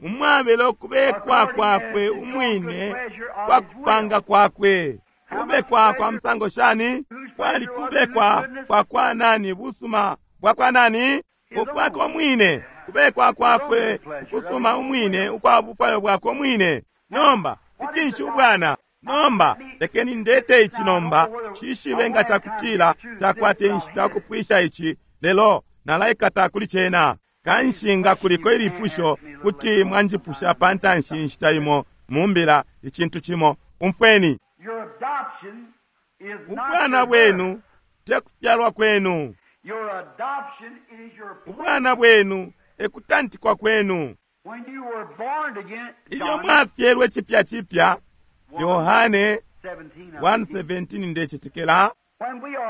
C: umwabelo kubekwa kwakwe umwine kwa kupanga kwakwe. Kubekwa kwa musango shani? Kwali kubekwa kwa kwa nani? Busuma bwa kwa nani? Ukwako mwine, kubekwa kwakwe ukusuma umwine ukwa bufwayo bwakwe umwine. Nomba icinshi ubwana? Nomba lekeni ndete ici nomba, shishibe nga cakutila takwate inshita ukupwisha ici, lelo nalaikata kuli cena. Kanshi nga kuliko ilipusho, kuti mwanjipusha pantanshi inshita imo mumbila icintu cimo. Umfweni, ubwana bwenu tekufyalwa kwenu. Ubwana bwenu ekutantikwa kwenu. Ilyo mwafyelwe cipya cipya, Yohane 1:17 ndecetekela,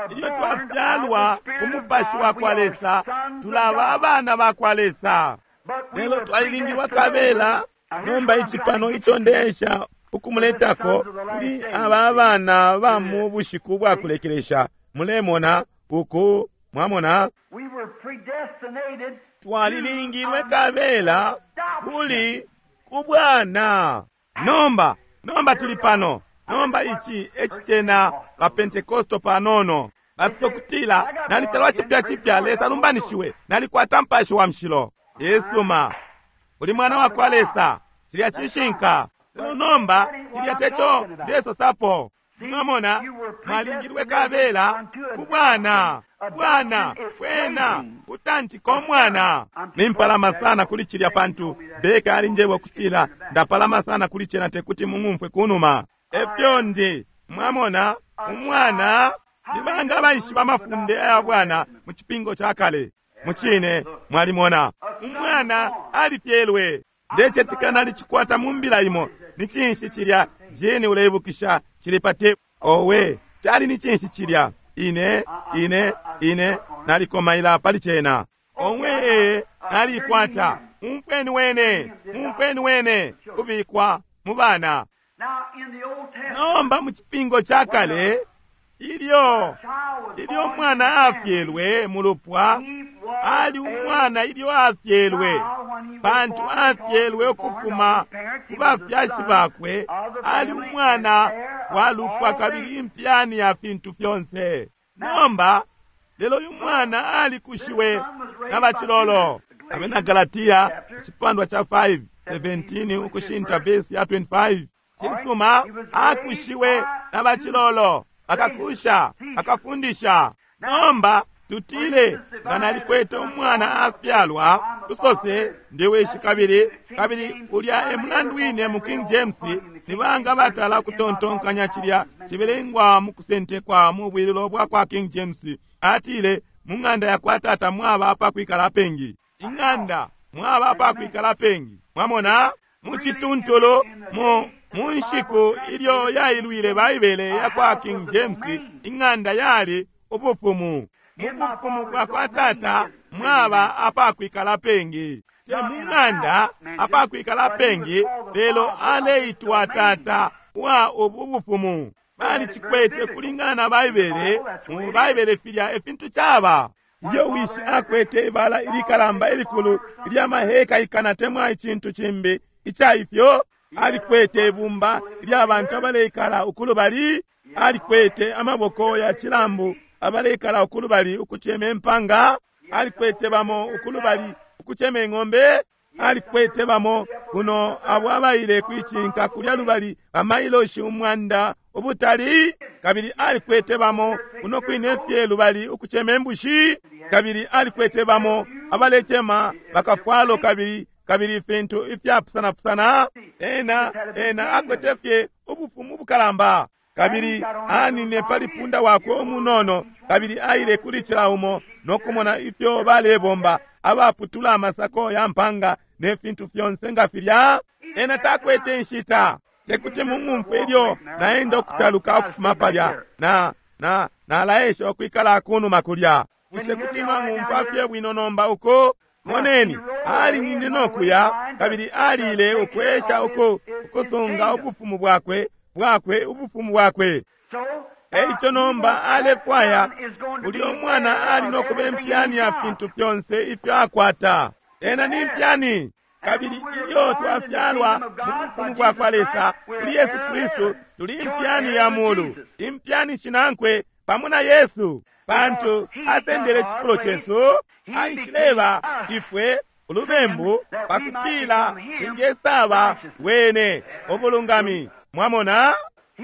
C: ilyo twafyalwa ku mupashi wa kwa Lesa, tulaba abana ba kwa Lesa. Lelo twalilingilwa kabela. Nomba ici pano ico ndeesha ukumuletako kuli aba abana ba mu bushiku bwa kulekelesha. Mulemona uku, mwamona, twalilingilwe kabela kuli kubwana. Nomba tuli pano. Nomba ici ecicena ba Pentekosto panono. Basokutila nalisalwa cipya cipya, Lesa lumbanishiwe, nalikwata mpashi wa mshilo. Yesuma, uli mwana wa kwa Lesa, cilya cishinka. Lelo nomba cilya teco ndesosapo. Mwamona, mwalingilwe kabela kubwana. Bwana kwena kutantika umwana. Nimpalama sana kuli cilya pantu Beka alinjeba ukutila ndapalama sana kuli cena tekuti mung'umfwe kunuma. Efyo ndi, mwamona, umwana nibanga abaishiba amafunde aya bwana mu cipingo ca kale. Mucine mwalimona umwana alifyelwe. Ndecetekela nalicikwata mu mbila imo. Ni cinshi cilya Jeni uleibukisha cili pa tepu? Owe, cali ni cinshi cilya? Ine nalikomaila pali cena. Owe, nalikwata. Umfweni wene kubikwa mu bana. Nomba mu cipingo ca kale, ilyo umwana afyelwe mu lupwa, ali umwana ilyo afyelwe, pantu afyelwe ukufuma ku bafyashi bakwe, ali umwana wa lupwa kabili impyani ya fintu fyonse. Nomba lelo uyu mwana alikushiwe na bacilolo. Abena Galatia icipandwa cha 5:17 ukushinta vesi ya 25. Cisuma, akushiwe na bacilolo, akakusha, akafundisha. Nomba tutile nga nalikwete umwana afyalwa, tusose ndiwishi kabili ulya e mulandu wine mu King James nibanga batala kutontonkanya cilya cibelengwa mu kusentekwa mu bwililo bwa kwa King James. Atile mu ng'anda ya kwa tata mwaba apakwikala apengi. Ing'anda mwaba apakwikala apengi. Mwamona, mu cituntulu mu nshiku ilyo yailwile Baibele ya kwa King James, ing'anda yali ubufumu. Mu bufumu bwa kwa tata mwaba apakwikala apengi. Te mu ng'anda apakwikala apengi, lelo aleitwa Tata wa ubu bufumu. Balicikwete kulingana na Baibele, mu Baibele filya efintu caba. Iyo wishi akwete ibala ilikalamba ilikulu ilya maheka ikana temwa icintu cimbi ica ifyo, alikwete ibumba ilya bantu abaleikala ukulubali, alikwete amaboko ya cilambu abaleikala ukulubali ukucema impanga, alikwete bamo ukulubali ukucema ing'ombe, alikwete bamo kuno abo abaile kwicinka kulya lubali bamailoshi 100 ubutali, kabili alikwete bamo kuno kwine fye lubali ukucema imbushi, kabili alikwete bamo abalecema bakafwalo kabili kabili ifintu ifyapusanapusana. Ena akwete fye ubufumu bukalamba. Kabili anine pali punda wakwe umunono, kabili aile kuli cila umo nokumona ifyo balebomba, abaputula amasako ya mpanga ne fintu fyonse nga filya. Ena takwete inshita. Tekuti mung'umfwe ilyo naenda ukutaluka ukufuma palya, na nalaesha ukwikala kunuma kulya. Bushe kuti mwang'umfwa fye bwino nomba uko? Moneni, alinine nokuya, kabili alile ukwesha ukusunga ubufumu bwakwe ubufumu bwakwe. Eico nomba alefwaya ulya umwana ali nokuba impyani ya fintu fyonse ifyo akwata. Ena ni impyani. Kabili ilyo twafyalwa mu bufumu bwa kwa Lesa kuli Yesu Kristu, tuli impyani ya mulu, impyani shinankwe pamo na Yesu, pantu asendele cifulo cesu, aishileba ifwe ulubembu pakutila ingesaba wene ubulungami. Mwamona,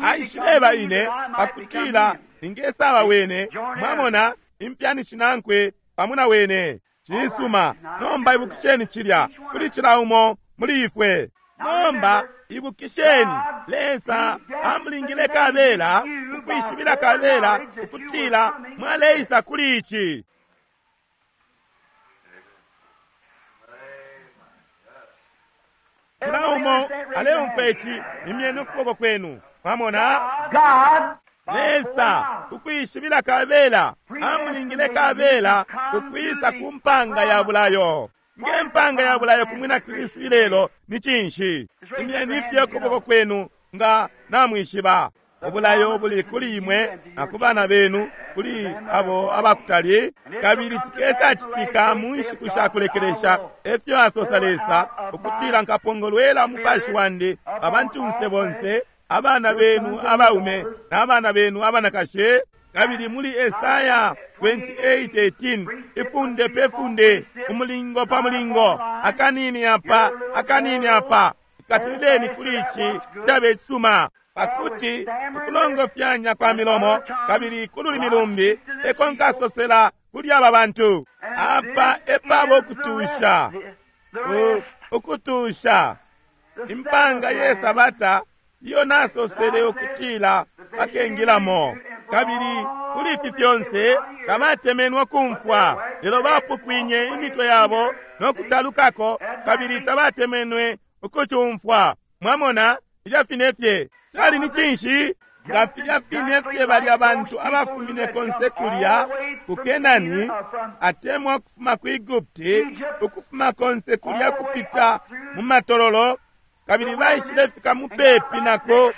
C: aishileba ine pakutila ingesaba wene. Mwamona, impyani shinankwe pamo na wene. Cisuma. Nomba ibukisheni cilya kuli cila umo muli ifwe. Nomba ibukisheni, Lesa amulingile kabela ukwishibila kabela ukutila mwaleisa kuli ici. Cila umo aleumfwa ici, imyeni ukuboko kwenu. Mwamona, Lesa ukwishibila kabela amulingile kabela ukwisa ku mpanga ya bulayo. Nge mpanga ya bulayo kumwina Kristu ilelo ni cinshi? Imyeni fye ukuboko kwenu nga namwishiba. Ubulayo buli kuli imwe na ku bana benu, kuli abo abakutali, kabili cikesa citika mu nshiku sha kulekelesha, efyo asosa Lesa, ukutila nkapongolwela umupashi wandi abantunse bonse, abana benu abaume na abana benu abanakashi. Kabili muli Esaya 28:18, ifunde pe funde, umulingo pa mulingo, akanini apa, akanini apa, ikatilileni kuli ici cabe cisuma, pakuti ukulongofyanya kwa milomo kabili kululimi lumbi eko nkasosela kuli aba bantu. Apa epabo ukutusha, ukutusha impanga ye Sabata iyo nasosele ukutila bakengilamo. Kabili kuli ifi fyonse tabatemenwe kumfwa, lelo bapukwinye imitwe yabo nokutalukako, kabili tabatemenwe ukucumfwa. Mwamona, filya fine fye cali ni cinshi? Nga filya fine fye balya bantu abafumine konse kulya ku Kenani, atemwa ukufuma ku Egupti, ukufuma konse kulya kupita mu matololo, kabili baishilefika mupepi nako,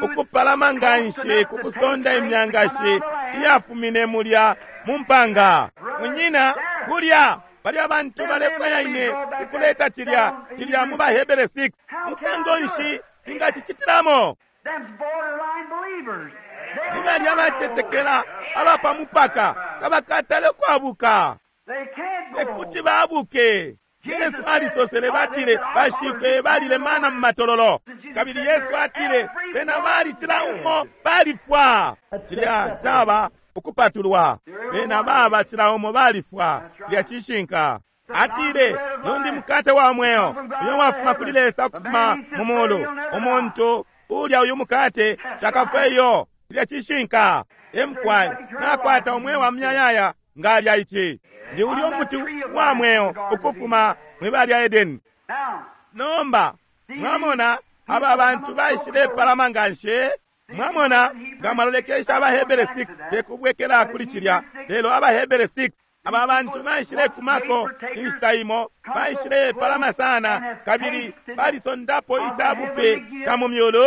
C: ukupalama nganshi ku kusonda imyangashi iyafumine mulya mu mpanga. Munyina, kulya balya bantu balefwaya ine ukuleta cilya cilya mu baHebere 6. Musango nshi ingacicitilamo? Ni balya bacetekela abapa mupaka tabakatale ukwabuka, tekuti babuke. Yesu alisosele, batile bashifwe balile mana mu matololo, kabili Yesu atile bena bali cila umo balifwa. Cilya caba ukupatulwa, bena baba cila umo balifwa. Cilya cishinka. Atile nundi mukate wa mweo uyo wafuma kuli Lesa ukufuma mu mulu, umuntu ulya uyu mukate takafwe iyo. Cilya cishinka. Emkwai nakwata umweo wa muyayaya ngalya ici. Ndi ulya umuti wa mweo ukufuma mwibala lya Edeni. Nomba mwamona aba bantu baishilepalama nganshi. Mwamona nga mwalolekesha abaHebere 6, tekubwekela kuli cilya, lelo abaHebere 6. Aba bantu baishilekumako inshita imo, baishilepalama sana, kabili balisondapo icabupe ca mu myulu.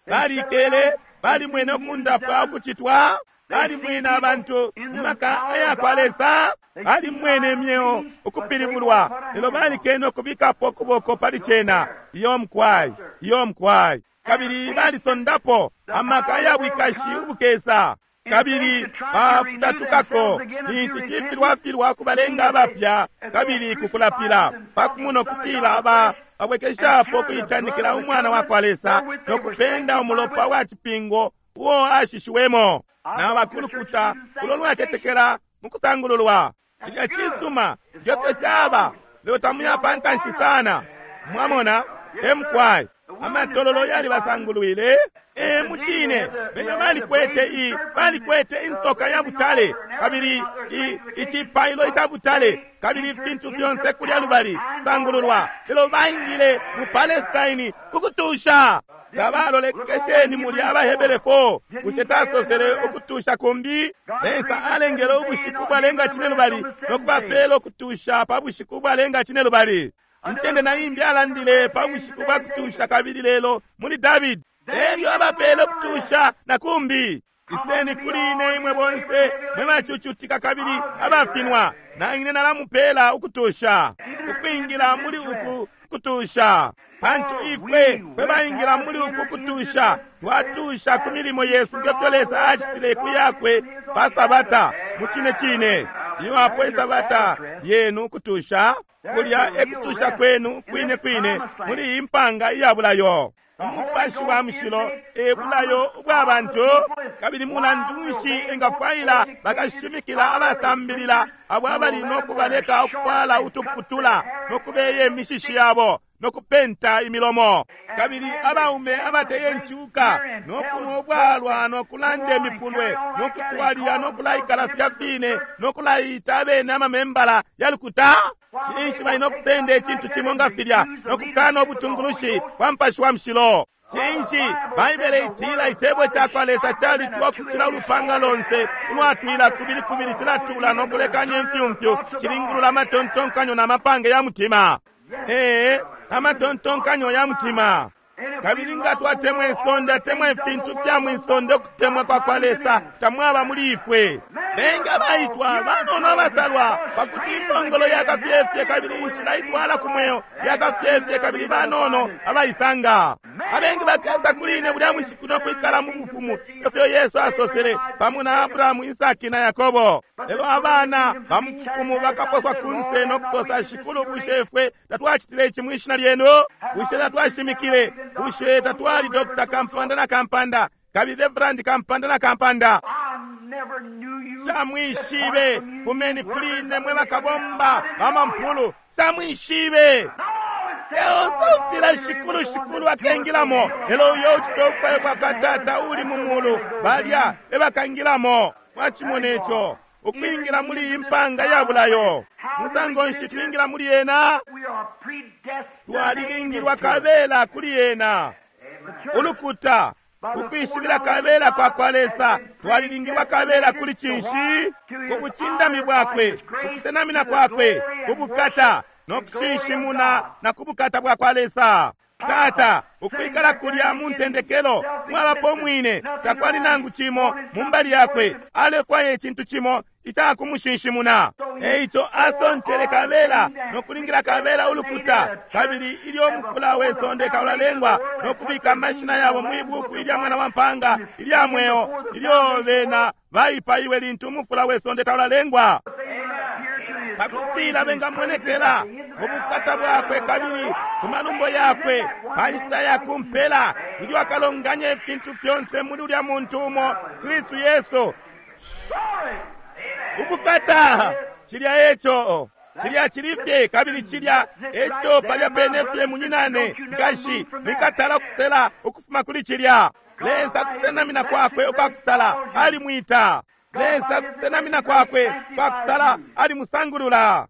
C: Balikele, balimwene ukundapwa ukucitwa, balimwene abantu mu maka ayakwa Lesa, balimwene imyeo ukupilibulwa, lelo balikene ukubikapo ukuboko pali cena. Iyo mukwai, iyo mukwai. Kabili balisondapo amaka ya bwikashi ubukesa, kabili bafutatukako ninshi cifilwafilwa kubalenga abapya kabili kukulapila pakumona ukutila babwekeshapo kuitanikila umwana wa kwa Lesa no kupenda umulopa wa cipingo uo ashishiwemo na bakulukuta ulo lwacetekela mu kusangululwa. Cilya cisuma ngefyo caba, lelo tamuya pantanshi sana. Mwamona, emukwai amatololo yalibasangulwile. Mucine bena balikwete balikwete insoka ya butale, kabili icipailo ica butale, kabili ifintu fyonse kulya lubali sangululwa, lelo baingile mu Palestine kukutusha. Tabalolekesheni muli abaHebere 4. Bushe tasosele ukutusha kumbi? Lesa alengele ubushiku bwalenga cine lubali no kubapela ukutusha pa bushiku bwalenga cine lubali. Incende na imbi alandile pa bushiku bwa kutusha kabili lelo muli Davidi elyo abapele ukutusha na kumbi. Iseni kuli ine imwe bonse mwe bacucutika kabili abafinwa, na ine nalamupela ukutusha. Ukwingila muli uku kutusha, pantu ifwe fwe baingila muli uku kutusha twatusha ku milimo yesu ngefyo Lesa acitile ku yakwe pa Sabata. Mu cine cine iyo apo Isabata yenu kutusha, kulya ekutusha kwenu kwine kwine muli iyi mpanga iya bulayo. Umupashi wa mushilo e bulayo ubwa bantu, kabili mulandu nshi engafwaila bakashimikila abasambilila abo abali no kubaleka ukufwala utuputula no kubeye imishishi yabo no kupenta imilomo, kabili abaume abateye nchuka no kunwa ubwalwa no kulanda imipulwe no kutwalila no kulaikala fya fine no kulaita abene amamembala ya lukuta? Cinshi bali no kusenda icintu cimo nga filya no kukana ubutungulushi bwa Mupashi wa Mushilo? Cinshi Baibele itila icebo ca kwa Lesa calitwa ukucila ulupanga lonse ulwatwila kubili kubili, cilatula no kulekanya imfyumfyu, cilingulula amatontonkanyo na mapange ya mutima. Amatontonkanyo ya mutima. Kabili nga twatemwa isonde, atemwa ifintu fya mwisonde, ukutemwa kwa kwa Lesa tamwaba muli ifwe. Bengi abaitwa, banono abasalwa, pakuti impongolo yakafyefye kabili inshila itwala ku mweo yakafyefye kabili banono abaisanga. Abengi bakesa kuli ine bulya bushiku no kwikala mu bufumu, efyo Yesu asosele pamo na Abrahamu, Isaki na Yakobo. Lelo abana ba mu bufumu bakaposwa kunse no kusosa, Shikulu, bushe ifwe tatwacitile ici mwishina lyenu? Bushe tatwashimikile? Bushe tatwali Dr. Kampanda na Kampanda, kabili Reverend Kampanda na Kampanda? Samwishibe, fumeni kuli ine mwe bakabomba bamampulu. Samwishibe. Lelo sautila Shikulu, Shikulu akengilamo, lelo uyo ucita ukufwaya kwa kwa Tata uli mu mulu, balya ebakangilamo. Mwacimona ico, ukwingila muli iyi mpanga ya bulayo. Musango nshi twingila muli yena? Twalilingilwa kabela kuli yena. Ulukuta ukwishibila kabela kwa kwa Lesa, twalilingilwa kabela kuli cinshi? Ku bucindami bwakwe, kukusenamina kwakwe, ku bukata no kushinshimuna na ku bukata bwa kwa Lesa. Tata, ukwikala kulya mu ntendekelo mwabapo mwine, takwali nangu cimo mu mbali yakwe, alefwaya icintu cimo icakumushinshimuna. Eico asontele kabela no kulingila kabela ulukuta, kabili ilyo umufula we sonde kaulalengwa no kubika amashina yabo mwi buku ilya mwana wa mpanga ilya mweo, ilyo bena baipaiwe lintu umufula we sonde kaulalengwa, pakutila bengamonekela mu bukata bwakwe kabili ku malumbo yakwe pa nshita ya kumpela, ilyo akalonganya ifintu fyonse muli ulya muntu umo, Kristu Yesu. Ubukata! Cilya eco, cilya cilifye, kabili cilya eco palya pene fye. Munyinane, nkashi, mwikatala ukusela ukufuma kuli cilya. Lesa kusenamina kwakwe ukwakusala alimwita. Lesa kusenamina kwakwe kwakusala alimusangulula.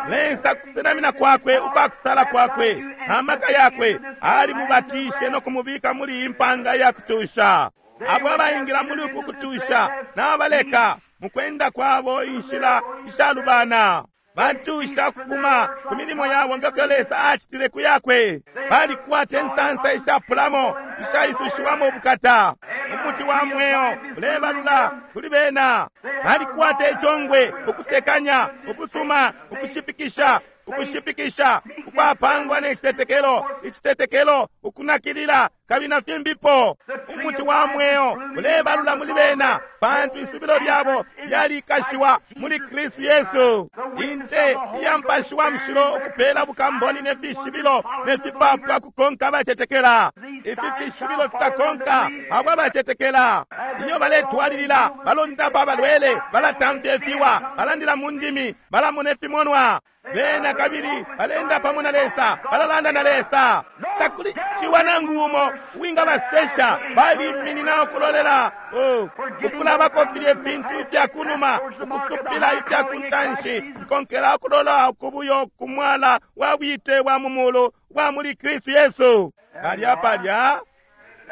C: Lesa kusenamina kwakwe ukwakusala kwakwe amaka yakwe alimubatishe no kumubika muli iyi mpanga ya kutusha. Abo abaingila muli uku kutusha nabaleka. Mukwenda kwabo inshila ishalubana. Bantusha kufuma ku milimo yabo ngefyo Lesa acitile ku yakwe. Balikwata insansa ishapulamo ishaisushiwamo ubukata. Umuti wa mweo ulebalula kuli bena. Balikwata icongwe, ukutekanya, ukusuma, ukushipikisha, ukushipikisha ukwapangwa ne citetekelo, icitetekelo, ukunakilila, kabili na fimbipo. Umuti wa mweo ulebalula muli bena, pantu isubilo lyabo lyalikashiwa muli Kristu Yesu. Inte iya Mupashi wa Mushilo ukupela bukamboni ne fishibilo ne fipapwa kukonka abacetekela. Ifi fishibilo fikakonka abo abacetekela. Iyo baletwalilila, balondapa abalwele, balatamfya ifiwa, balandila mu ndimi, balamona ifimonwa. Bena kabili balenda pamo na Lesa, balalanda na Lesa. Takuli ciwa nangu umo uwingabasesha. Baliminina ukulolela, oh, ukulabako filye fintu ifya kunuma, ukusupila ifya kuntanshi, nkonkela ukulola kubuyo kumwala wa bwite bwa mu mulu bwa muli Kristu Yesu. Palya palya,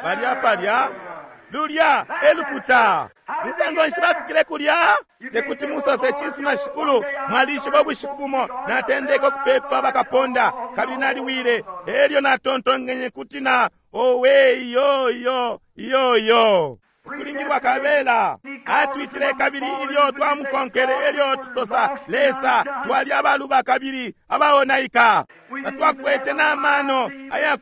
C: palya palya, lulya elukuta. Musango nshi bafikile kulya? Tekuti musose cisuma shikulu, mwalishiba ubushiku bumo natendeka ukupepa bakaponda, kabili naliwile, elyo natontonkenye kuti na owe iyo iyo iyo iyo kulingilwa kabela. Atwitile kabili ilyo twamukonkele, elyo tusosa Lesa, twali abaluba kabili abaonaika, tatwakwete n'amano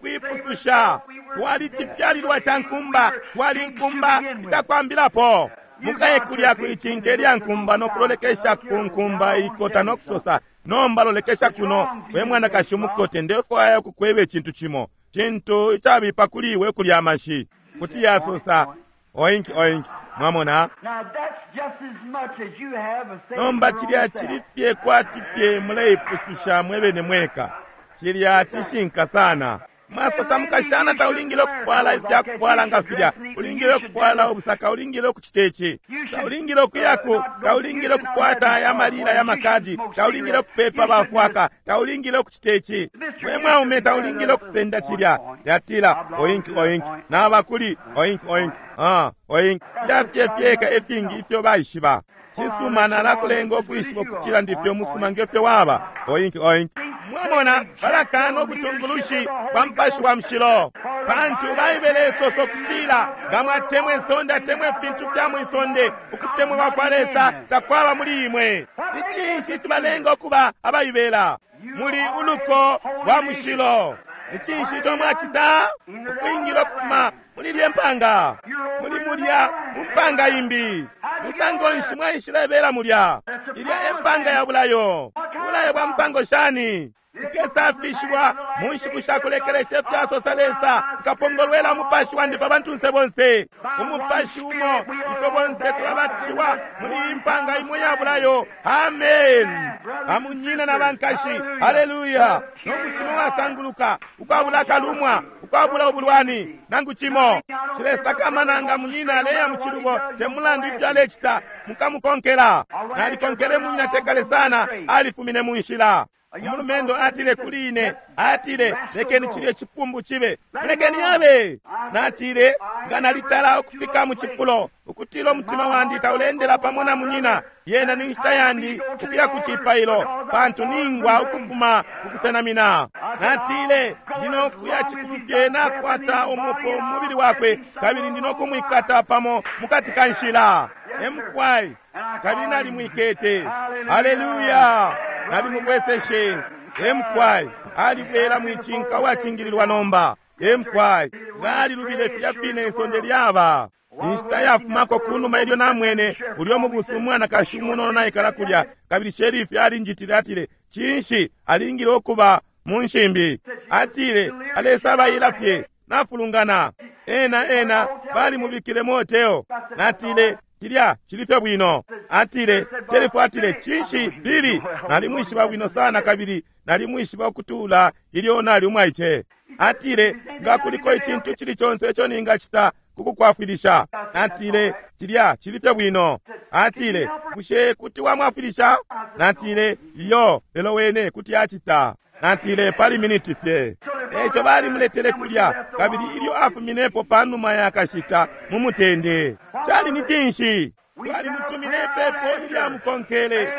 C: ayakuipususha, twali cifyalilwa ca nkumba, twali nkumba itakwambilapo. Mukaye kulya kuicinke lya nkumba nokulolekesha ku nkumba ikota nokusosa, nomba lolekesha kuno, we mwanakashi umukote, ndefwaya ukukweba icintu cimo, cintu icabipa kuli iwe kulya amashi. Kuti yasosa oink oink. Mwamona?
A: Now that's just as much as you have of saving
C: Nomba
A: your
C: cilya
A: own
C: cili
A: self.
C: fye kwati fye muleipususha mwebene mweka. Cilya cishinka sana. Mwasosa mukashana taulingile ukufwala ifya kufwala nga filya, ulingile ukufwala ubusaka, ulingile ukucita ici, taulingile ukuyaku, taulingile ukukwata aya malila ya makadi, taulingile ukupepa bafwaka, taulingile ukucita ici. We mwaume taulingile ukusenda cilya. Yatila oink oink, naba kuli oink oink, ah oink. Filya fye fyeka ifingi ifyo baishiba. Cisuma nalakulenga ukwishiba ukucila ndifye umusuma ngefyo waba. Oink oink. Mwamona, balakana ubutungulushi bwa Mupashi wa Mushilo, pantu Baibele isosa ukutila nga mwatemwa isonde atemwa ifintu fya mwisonde, ukutemwa kwa kwa Lesa takwaba muli imwe. Icinshi cibalenga ukuba abaibela? Muli uluko lwa mushilo. Icinshi ico mwacita? Ukwingila ukufuma muli lye mpanga, muli mulya mu mpanga imbi. Musango nshi mwaishilebela mulya? Ilya e mpanga ya bulayo. Bulayo bwa musango shani? Cikesafishwa mu nshiku sha kulekelesha ifyasosa Lesa, nkapongolwela umupashi wandi pa bantunse bonse. Umupashi umo ifwe bonse tulabatishiwa muli iyi mpanga imo ya bulayo. Amen. Bamunyina na bankashi, haleluya! No mutima wasanguluka, ukwabula akalumwa, ukwabula ubulwani nangu cimo. Cilesakamana nga munyina aleya mu cilubo, te mulandu ifyo alecita, mukamukonkela. Nalikonkele munyina tekale sana, alifumine mu nshila. Umulumendo atile kuli ine, atile, lekeni cilye cipumbu cibe, lekeni abe. Natile, nga nalitala ukufika mu cifulo ukutila umutima wandi taulendela pamo na munyina, yena ni nshita yandi ukuya ku cipailo, pantu ningwa ukufuma kukusenamina. Natile, ndino kuya cikulu fye nakwata umupo mu mubili wakwe, kabili ndino kumwikata pamo mukati ka nshila. Emukwai, kabili nalimwikete. Haleluya! Nalimubweseshe. Emukwai, alibwela mwicinka uwacingililwa nomba. Emukwai, nalilubile filya fine isonde lyaba. Inshita yafumako kunuma ilyo namwene ulyo mubusu umwanakashi umunono naikala kulya, kabili sherifi alinjitile atile, cinshi alingile ukuba mu nshimbi? Atile, alesabaila fye, nafulungana. Ena ena balimubikile mu hotelo. Natile, cilya cili fye bwino. Atile, sherifu atile, cinshi Bili, nalimwishiba bwino sana kabili nalimwishiba ukutula ilyo nali umwaice. Atile, nga kuliko icintu cili conse ico ningacita kukukwafwilisha. Natile, cilya cili fye bwino. Atile, bushe kuti wamwafwilisha? Natile, iyo, lelo wene kuti acita. Natile, pali miniti fye. Eco balimuletele kulya, kabili ilyo afuminepo panuma ya kashita mu mutende. Cali ni cinshi? Twalimutumine ipepo ilyamukonkele.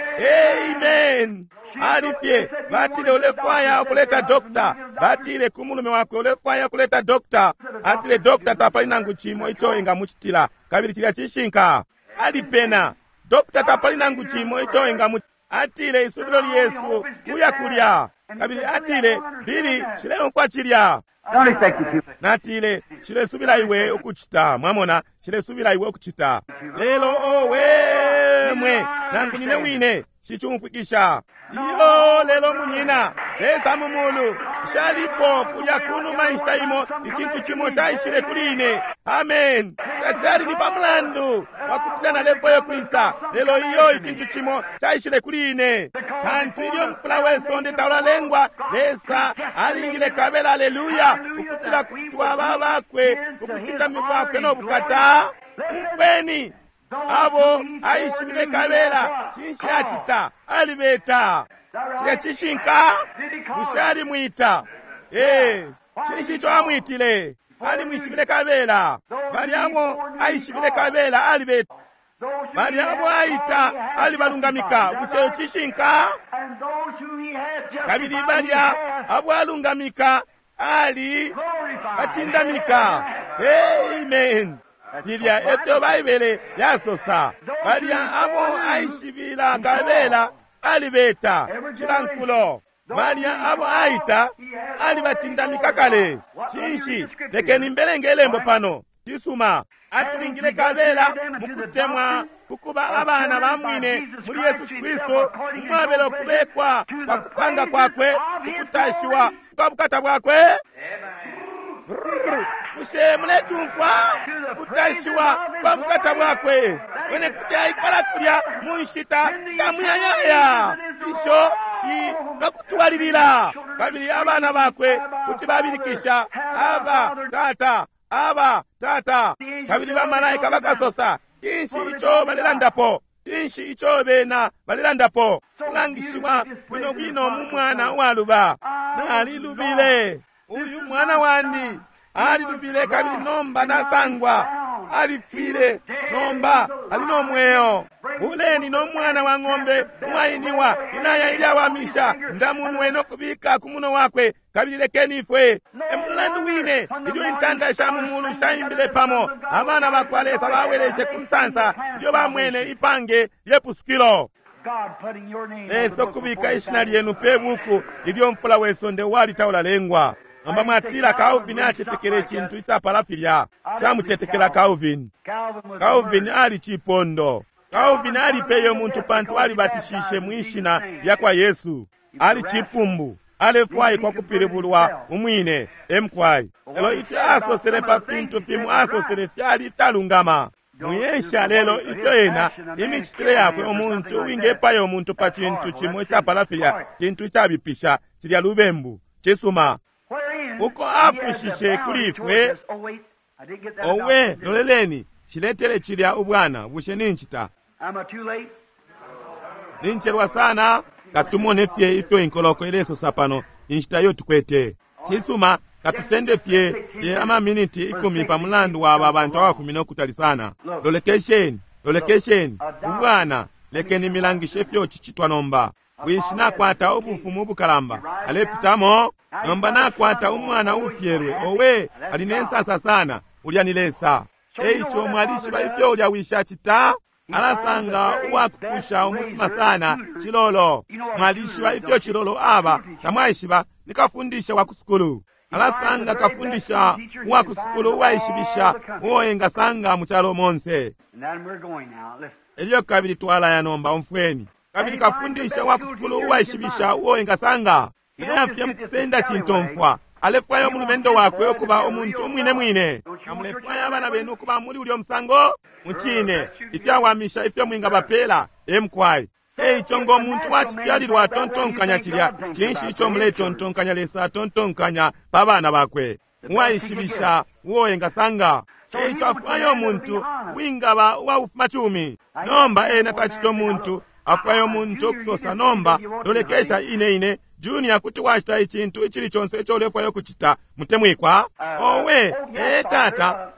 C: Amen. Alifye batile ulefwaya ukuleta dokta, batile ku mulume wakwe ulefwaya ukuleta dokta. Atile dokta tapali nangu cimo ico engamucitila, kabili cilya cishinka. Alipena dokta tapali nangu cimo ico engamu. Atile isubilo lyesu kuya kulya, kabili atile Bili shileumfwa cilya. Natile shilesubila iwe ukucita, mwamona, shilesubila iwe ukucita. Lelo owe mwe nangu nine wine shicumfwikisha iyo. Lelo munyina Lesa mu mulu nshalipo kulya kunuma inshita imo icintu cimo caishile kuli ine. Amen. Tacali ni pamulandu wakutila nalefwayo kwisa, lelo iyo icintu cimo caishile kuli ine. Pantu ilyo mufula we sonde taulalengwa, Lesa alingile kabela, aleluya, ukutila kuti twaba bakwe, ukucindami kwakwe no bukata. Umfweni abo aishibile kabela, cinshi acita? Alibeta. Cilya cishinka? Bushe alimwita? Ee. Cinshi ico amwitile? Alimwishibile kabela. Balya abo aishibile kabela alibeta. Balya abo aita alibalungamika. Bushe cishinka? Kabili balya abo alungamika ali bacindamika. Amen. Filya efyo Baibele yasosa. Balya abo aishibila kabela alibeta cila nkulo. Balya abo aita alibacindamika kale. Cinshi? Lekeni mbelenge ilembo pano. Cisuma. Atulingile kabela mukutemwa kukuba abana ba mwine muli Yesu Kristu, umwabela ukubekwa kwa kupanga kwakwe, ukutashiwa kwa bukata bwakwe. Bushe mulecumfwa? Kutashiwa kwa bukata bwakwe. Wene kuti aikala kulya mu nshita sha muyayaya isho nokutwalilila, kabili abana bakwe kuti babilikisha, aba tata, aba tata. Kabili bamalaika bakasosa, cinshi ico balelandapo? Cinshi ico bena balelandapo? Kulangishiwa bwino bwino mu mwana uwaluba. Nalilubile. Uyu mwana wandi alilubile, kabili nomba nasangwa. Alifwile, nomba ali no mweo. Buleni no mwana wa ng'ombe uwainiwa inaya ilyawamisha, ndamunwe no kubika ku muno wakwe, kabili lekeni ifwe. Emulandu wine ilyo intanda sha mu mulu shaimbile pamo, abana bakwa Lesa baweleshe ku nsansa ilyo bamwene ipange lyepusukilo. Lesa ukubika ishina lyenu pe buku ilyo mfula we sonde wali taulalengwa. Nomba mwatila Calvin acetekele icintu icapala filya. Camucetekela Calvin. Calvin ali cipondo. Calvin alipeye umuntu pantu alibatishishe mwishina lya kwa Yesu. Ali cipumbu. Alefwaikwa kupilibulwa umwine emkwai. Lelo ifyo asosele pa fintu fimo asosele fyali ifyalungama. Muyesha lelo ifyo ena imicitile yakwe umuntu uwingepaya umuntu pa cintu cimo icapala filya, cintu icabipisha, cilya lubembu. Cisuma. Uko afushishe kuli ifwe. Owe, loleleni, shiletele cilya ubwana. Bushe nincita? Nincelwa sana. Katumone fye ifyo inkoloko ilesosa pano inshita iyo tukwete. Cisuma, katusende fye ye amaminiti 10 pa mulandu wa aba bantu abafumine ukutali sana. Lolekesheni, lolekesheni ubwana. Lekeni milangishe ifyo cicitwa nomba. Wishi nakwata ubufumu ubukalamba alepitamo. Nomba nakwata umwana ufyelwe. Owe, ali ne nsasa sana. Ulya ni Lesa. Eico mwalishiba ifyo ulya wishi acita? Alasanga uwakukusha umusuma sana, cilolo. Mwalishiba ifyo cilolo aba? Tamwaishiba? Ni kafundisha wa kusukulu. Alasanga kafundisha uwa kusukulu uwaishibisha uo engasanga mu calo monse. Elyo kabili twalaya nomba, umfweni. Kabili kafundisha wa kusukulu uwaishibisha uo engasanga. Inafye mukusenda cintomfwa. Alefwaya umulumendo wakwe ukuba umuntu umwine mwine. Namulefwaya abana benu ukuba muli ulyo musango? Mucine, ifyawamisha ifyo mwingabapela emkwai. Eico ngo muntu wacifyalilwa atontonkanya cilya, cinshi ico muletontonkanya Lesa atontonkanya pa bana bakwe? Uwaishibisha uo engasanga. Eico afwaya umuntu wingaba uwaufumacumi. Nomba ena tacita umuntu, afwaya umuntu okusosa nomba, lolekesha ine ine, Junior kuti wacita icintu icili conse ico ulefwaya ukucita, mutemwikwa. Owe, ee tata,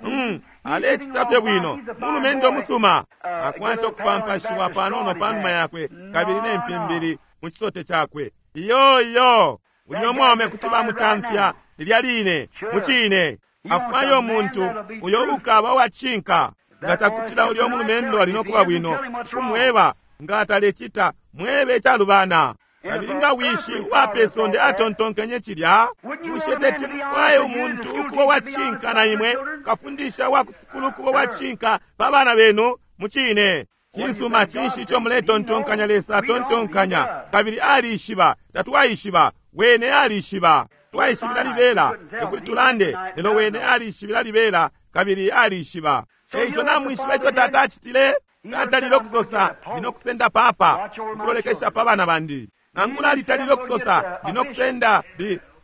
C: Alecita fye bwino, mulumendo musuma. Akwata ukupampashiwa panono panuma yakwe kabili ne mpimbili mu cisote cakwe. Iyo iyo, ulyo mwaume kuti bamutamfya lilya line. Mucine afwayo umuntu uyo ukaba uwacinka. Nga cakutila ulyo mulumendo ali nokuba bwino, kumweba nga talecita, mwebe icalubana. Kabili nga wishi uwa sonde atontonkenye cilya, bushe teti mufwaye umuntu ukuba uwacinka na imwe, kafundisha wa kusukulu ukuba uwacinka pa bana benu? Mucine. Cisuma, cinshi ico muletontonkanya Lesa atontonkanya? Kabili alishiba, tatwaishiba, wene alishiba. Twaishibila libela, tekuti tulande, lelo wene alishibila libela kabili alishiba. Eico namwishiba ico tata acitile? Tatalile ukusosa, ndino kusenda papa ukulolekesha pa bana bandi. Nangula alitalile ukusosa, ndino kusenda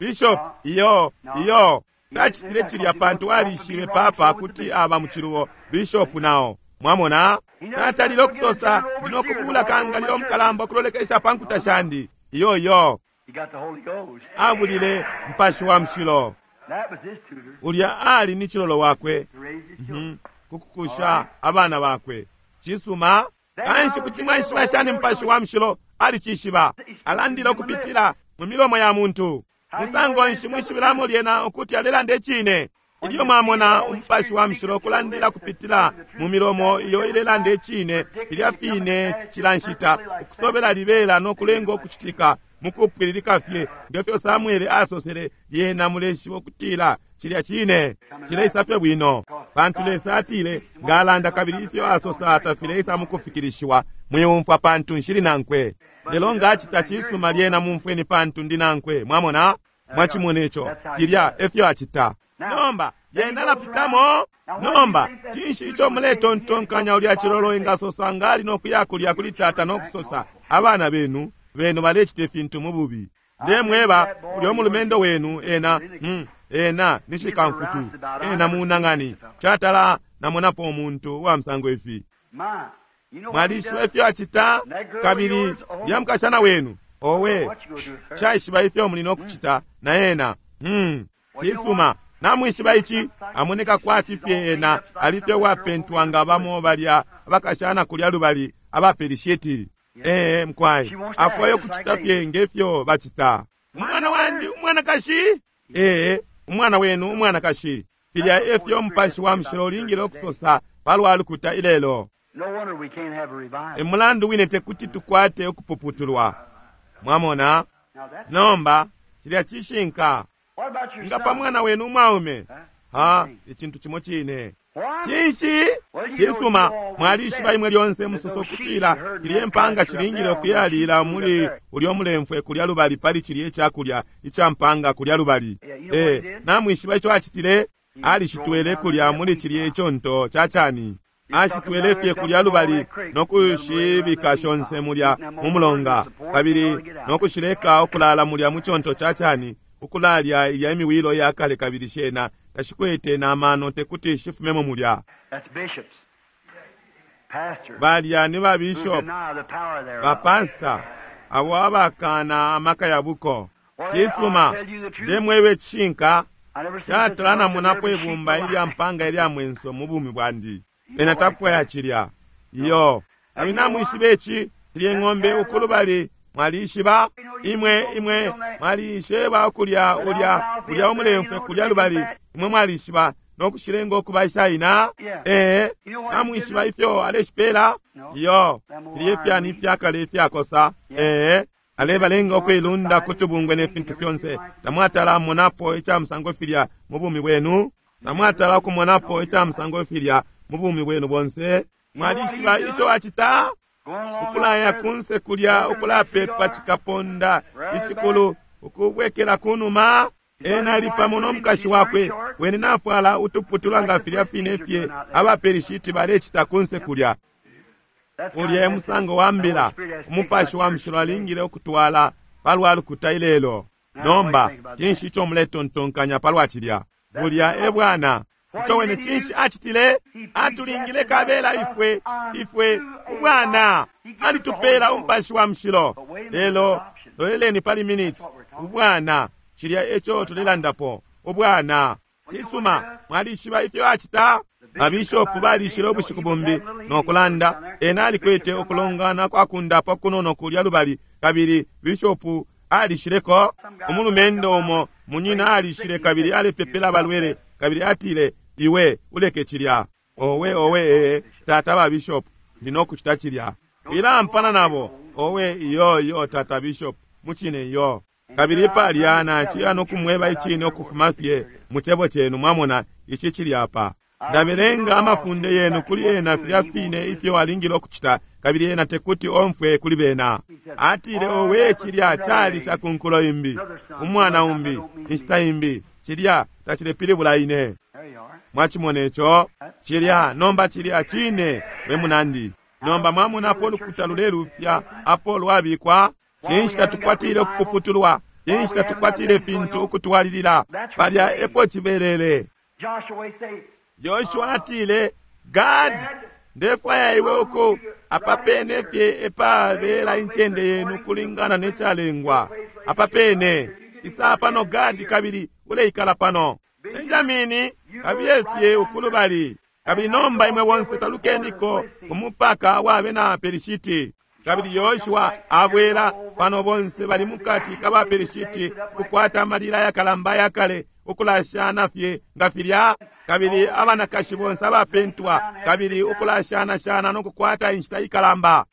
C: bishop. Iyo iyo, tacitile cilya pantu alishibe papa kuti aba mucilubo, bishop nao. Mwamona? Tatalile ukusosa, ndino kubula kangalilo mukalamba ukulolekesha pa nkuta shandi. Iyo iyo, abulile Mupashi wa Mushilo. Ulya ali ni cilolo wakwe kukukusha abana bakwe. Cisuma. Kanshi kuti mwaishiba shani Mupashi wa Mushilo? Alicishiba, alandile ukupitila mu milomo ya muntu. Musango nshi mwishibilamo lyena ukuti alelanda icine? Ilyo mwamona Umupashi wa Mushilo kulandila kupitila mu milomo iyo ilelanda icine, filya fine cila nshita, ukusobela libela no kulenga ukucitika mukupwililika fye ngefyo Samuele asosele, lyena muleshiba ukutila cilya cine cileisa fye bwino. Pantu Lesa atile ngalanda, kabili ifyo asosa tafileisa mukufikilishiwa, mwiumfwa pantu nshili nankwe. Lelo ngacita cisuma, lyena mumfweni pantu ndi nankwe. Mwamona? Mwachimona ico? Cilya efyo acita. Nomba yena alapitamo. Nomba cinshi ico muletontonkanya ulya cilolo engasosa ngali no kuya kulya kuli tata no kusosa, abana benu benu balecita ifintu mu bubi? Ndemweba, ulyo mulumendo wenu ena ena ni shikamfutu, ena munang'ani. Catala namonapo umuntu wa musango ifi. Mwalishiba ifyo acita? Kabili lya mukashana wenu, owe, caishiba ifyo muli no kucita na ena. Cisuma. Namwishiba ici, amoneka kwati fye ena alifye wapentwa nga bamo balya abakashana kulya lubali abapelishiti. Mkwai afwayo kucita fye ngefyo bacita. Umwana wandi umwanakashi, umwana wenu umwanakashi. Filya efyo Mupashi wa Mushilo ulingile ukusosa palwa lukuta ilelo. Emulandu wine tekuti tukwate ukupuputulwa. Mwamona? Nomba cilya cishinka. Nga pa mwana wenu umwaume, ha, icintu cimo cine. Cinshi? Cisuma, mwalishiba imwe lyonse musoso kutila cilye mpanga cilingile ukuyalila muli ulyo mulemfwe kulya lubali pali cilye icakulya ica mpanga kulya lubali. Namwishiba ico acitile? Alishitwele kulya muli cilye iconto ca cani. Ashitwele fye kulya lubali no kushibika shonse mulya mu mulonga, kabili no kushileka ukulala mulya mu conto ca cani, ukulalya ilya imiwilo ya kale, kabili shena tashikwete na mano tekuti shifumemo mulya. Balya ni ba bishop, ba pastor, abo abakana amaka ya buko. Cisuma, ndemwebe cishinka, catala namonapo ibumba ilya mpanga ilya mwenso mu bumi bwandi. Ena tafwaya cilya. Iyo. Kabili namwishiba ici, cilye ng'ombe ukulubali mwalishiba imwe imwe mwalisheba ukulya ulya ulya umulemfwe kulya lubali, imwe mwalishiba no kushilenga ukuba ishaina. Namwishiba ifyo aleshipela? Iyo. Filye fyani ifyakale ifyakosa. Alebalenga ukuilunda kutubungwe ne fintu fyonse. Tamwatala monapo ica musango filya mu bumi bwenu. Tamwatala kumonapo ica musango filya mu bumi bwenu bonse. Mwalishiba ico acita? Ukulaya kunse kulya, ukulapepa cikaponda icikulu, ukubwekela kunuma. Ena ali pamo no mukashi wakwe, wene nafwala utuputula nga filya fine fye abaperishiti balecita kunse kulya. Ulya musango wa mbila Umupashi wa Mushilo alingile ukutwala palwa lukuta ilelo. Nomba cinshi ico muletontonkanya palwa cilya? Bulya e bwana. Ico wene cinshi acitile? Atulingile kabela ifwe ifwe ubwana. Alitupela Umupashi wa Mushilo. Lelo loleleni pali miniti. Ubwana, cilya eco tulelandapo. Ubwana. Cisuma, mwalishiba ifyo acita? Babishopu balishile ubushiku bumbi no kulanda. Ena alikwete ukulongana kwa kundapa kunono kulya lubali, kabili bishopu alishileko. Umulumendo umo munyina alishile kabili alepepela abalwele, kabili atile, iwe uleke cilya. Owe, owe, ee, tata ba bishop, ndi nokucita cilya. Wilampana nabo. Owe, iyo, iyo, tata bishop, mucine iyo. Kabili palya naciya nokumweba icine ukufuma fye mu cebo cenu, mwamona, ici cili apa. Ndabelenga amafunde yenu kuli ena filya fine ifyo alingile ukucita, kabili ena tekuti omfwe kuli bena. Atile, owe, cilya cali cakunkulo imbi, umwana umbi, inshita imbi, cilya tacilepilibula ine. Mwachimona ico? Cilya nomba cilya cine, we munandi. Nomba mwamona apo ulukuta lulelufya, apo lwabikwa. Cinshi tatukwatile ukupuputulwa? Cinshi tatukwatile fintu ukutwalilila? Palya epo cibelele. Yoshua atile, Gad, ndefwaya iwe uku apapene fye epabela incende yenu kulingana ne calengwa. Apapene isa pano Gadi, kabili uleikala pano. Benjamini, kabiye fye ukulubali. Kabili nomba imwe bonse talukeniko umupaka wa bena Pelishiti. Kabili Yoshua abwela pano, bonse bali mukati ka ba Pelishiti, kukwata amalila yakalamba yakale, ukulashana fye nga filya. Kabili abanakashi bonse abapentwa, kabili ukulashana-shana no kukwata inshita ikalamba.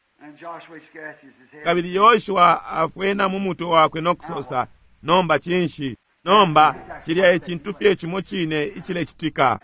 C: Kabili Yoshua afwena mu mutwe wakwe no kusosa, nomba cinshi? Nomba cilya ecintu fye cimo cine icilecitika.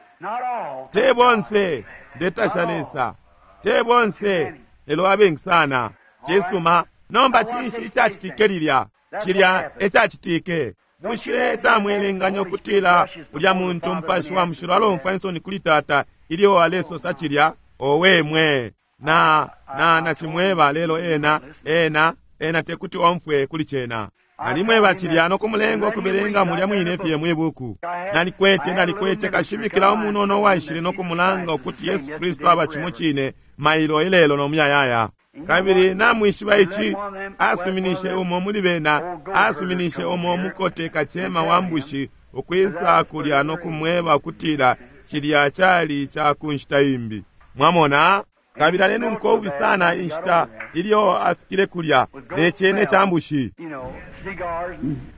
C: Te bonse, ndetasha Lesa, te bonse, lelo abengi sana. Cisuma. Nomba cinshi icacitike lilya? Cilya ecacitike. Bushe tamwelenganya ukutila ulya muntu Mupashi wa Mushilo alomfwa insoni kuli tata ilyo alesosa cilya? Owe mwe, na na nacimweba, lelo ena ena ena tekuti omfwe kuli cena. Nalimweba cilya no kumulenga ukubelenga mulya mwine fye mwibuku. Nalikwete kashimikila umunono uwaishile no kumulanga ukuti Yesu Kristu aba cimo cine mailo ilelo no muyayaya. Kabili namwishiba ici, asuminishe umo muli bena, asuminishe umo mukote kacema wa mbushi ukwisa kulya no kumweba ukutila cilya cali ca ku nshita imbi. Mwamona? Kabili alenunka ububi sana inshita ilyo afikile kulya ne cene ca mbushi.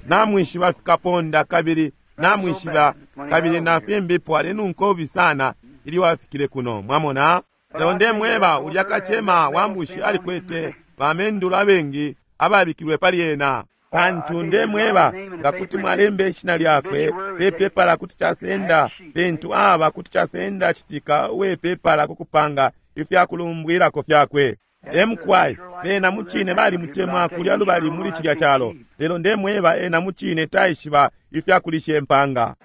C: Namwishiba fikaponda, kabili namwishiba, kabili na fimbipo, alenunka ububi sana ilyo afikile kuno. Mwamona? Lelo ndemweba, ulya kacema wa mbushi alikwete bamendulo abengi ababikilwe pali ena. Pantu ndemweba, nga kuti mwalemba ishina lyakwe pe pepala, kuti casenda pentu aba, kuti casenda citika uwe pepala kukupanga ifyakulumbwilako fyakwe. Emkwai bena mucine balimutemwa kulya lubali muli cilya calo, lelo ndemweba, ena mucine taishiba ifyakulisha impanga.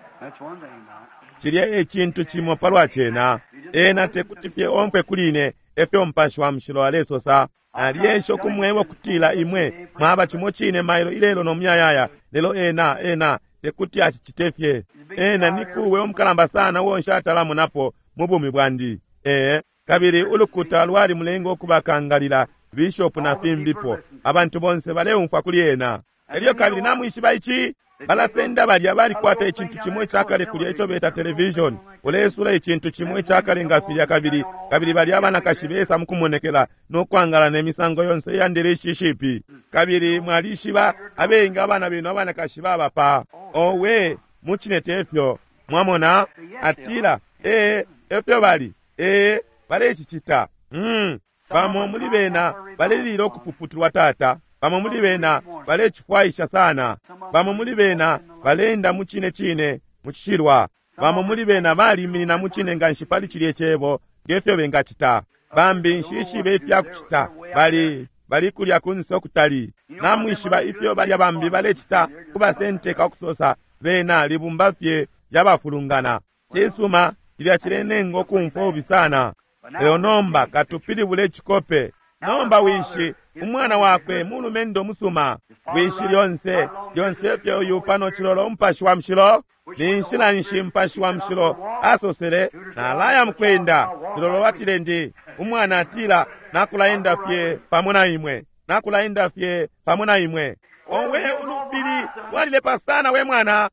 C: Cilya e cintu cimo palwa cena. Ena tekuti fye omfwe kuli ine, efyo Mupashi wa Mushilo alesosa. Nalyesha ukumweba ukutila imwe mwaba cimo cine mailo ilelo no muyayaya, lelo ena ena tekuti acicite fye. Ena ni kuwe umukalamba sana uo nshatalamonapo mu bumi bwandi. Kabili ulukuta lwali mulenga ukubakangalila bishopu na fimbipo. Abantu bonse baleumfwa kuli ena. Elyo kabili namwishiba ici, balasenda balya balikwata icintu cimo icakale kulya ico beta television. Ulesula icintu cimo icakale nga filya, kabili kabili balya abanakashi besa mukumonekela no kwangala ne misango yonse iya ndeleshi ishipi. Kabili mwalishiba abengi abana benu abanakashi babapa. Owe, mucine tefyo. Mwamona? Atila, efyo bali. Balecicita. Bamo muli bena balelila ukupuputulwa tata. Bamo muli bena balecifwaisha sana. Bamo muli bena balenda mu cine cine mu cishilwa. Bamo muli bena baliminina mu cine nganshi pali cilye cebo ngefyo bengacita. Bambi nshishibe ifyakucita, bali kulya kunse ukutali. Namwishiba ifyo balya bambi balecita kubasenteka ukusosa bena libumba fye lyabafulungana. Cisuma, cilya cilenenga ukumfwa ubi sana. Lelo nomba katupilibule icikope. Nomba wishi, umwana wakwe mulumendo musuma. Wishi lyonse, lyonse fye uyu pano cilolo Mupashi wa Mushilo. Ni nshila nshi Mupashi wa Mushilo asosele, nalaya mukwenda. Cilolo watile ndi, umwana atila, nakulaenda fye pamo na imwe. Nakulaenda fye pamo na imwe. Owe ulupili lwalilepa sana we mwana.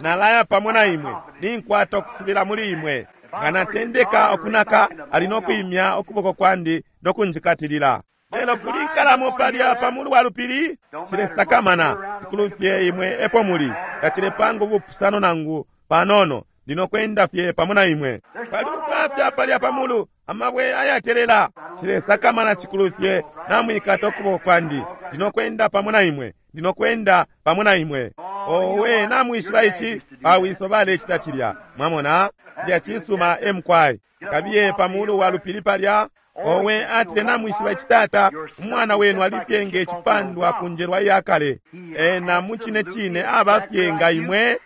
C: Nalaya pamo na imwe. Ninkwata ukusubila muli imwe. Nga natendeka ukunaka, ali no kwimya ukuboko kwandi no kunjikatilila. Lelo kuli nkalamo palya pa mulu wa lupili, cilesakamana cikulu fye imwe epo muli, tacilepanga ubupusano nangu panono, ndino kwenda fye pamo na imwe. Pali ubwafya palya pa mulu, amabwe ayatelela, cilesakamana cikulu fye namwikata ukuboko kwandi, ndino kwenda pamo na imwe, ndino kwenda pamo na imwe. Owe, namwishiba ici, bawiso balecita cilya. Mwamona, cilya cisuma emkwai. Kabiye pa mulu wa lupili palya. Owe, atile namwishiba ici tata, umwana wenu alifye nge cipandwa ku njelwa iyakale. Ena mucine cine abafye nga imwe.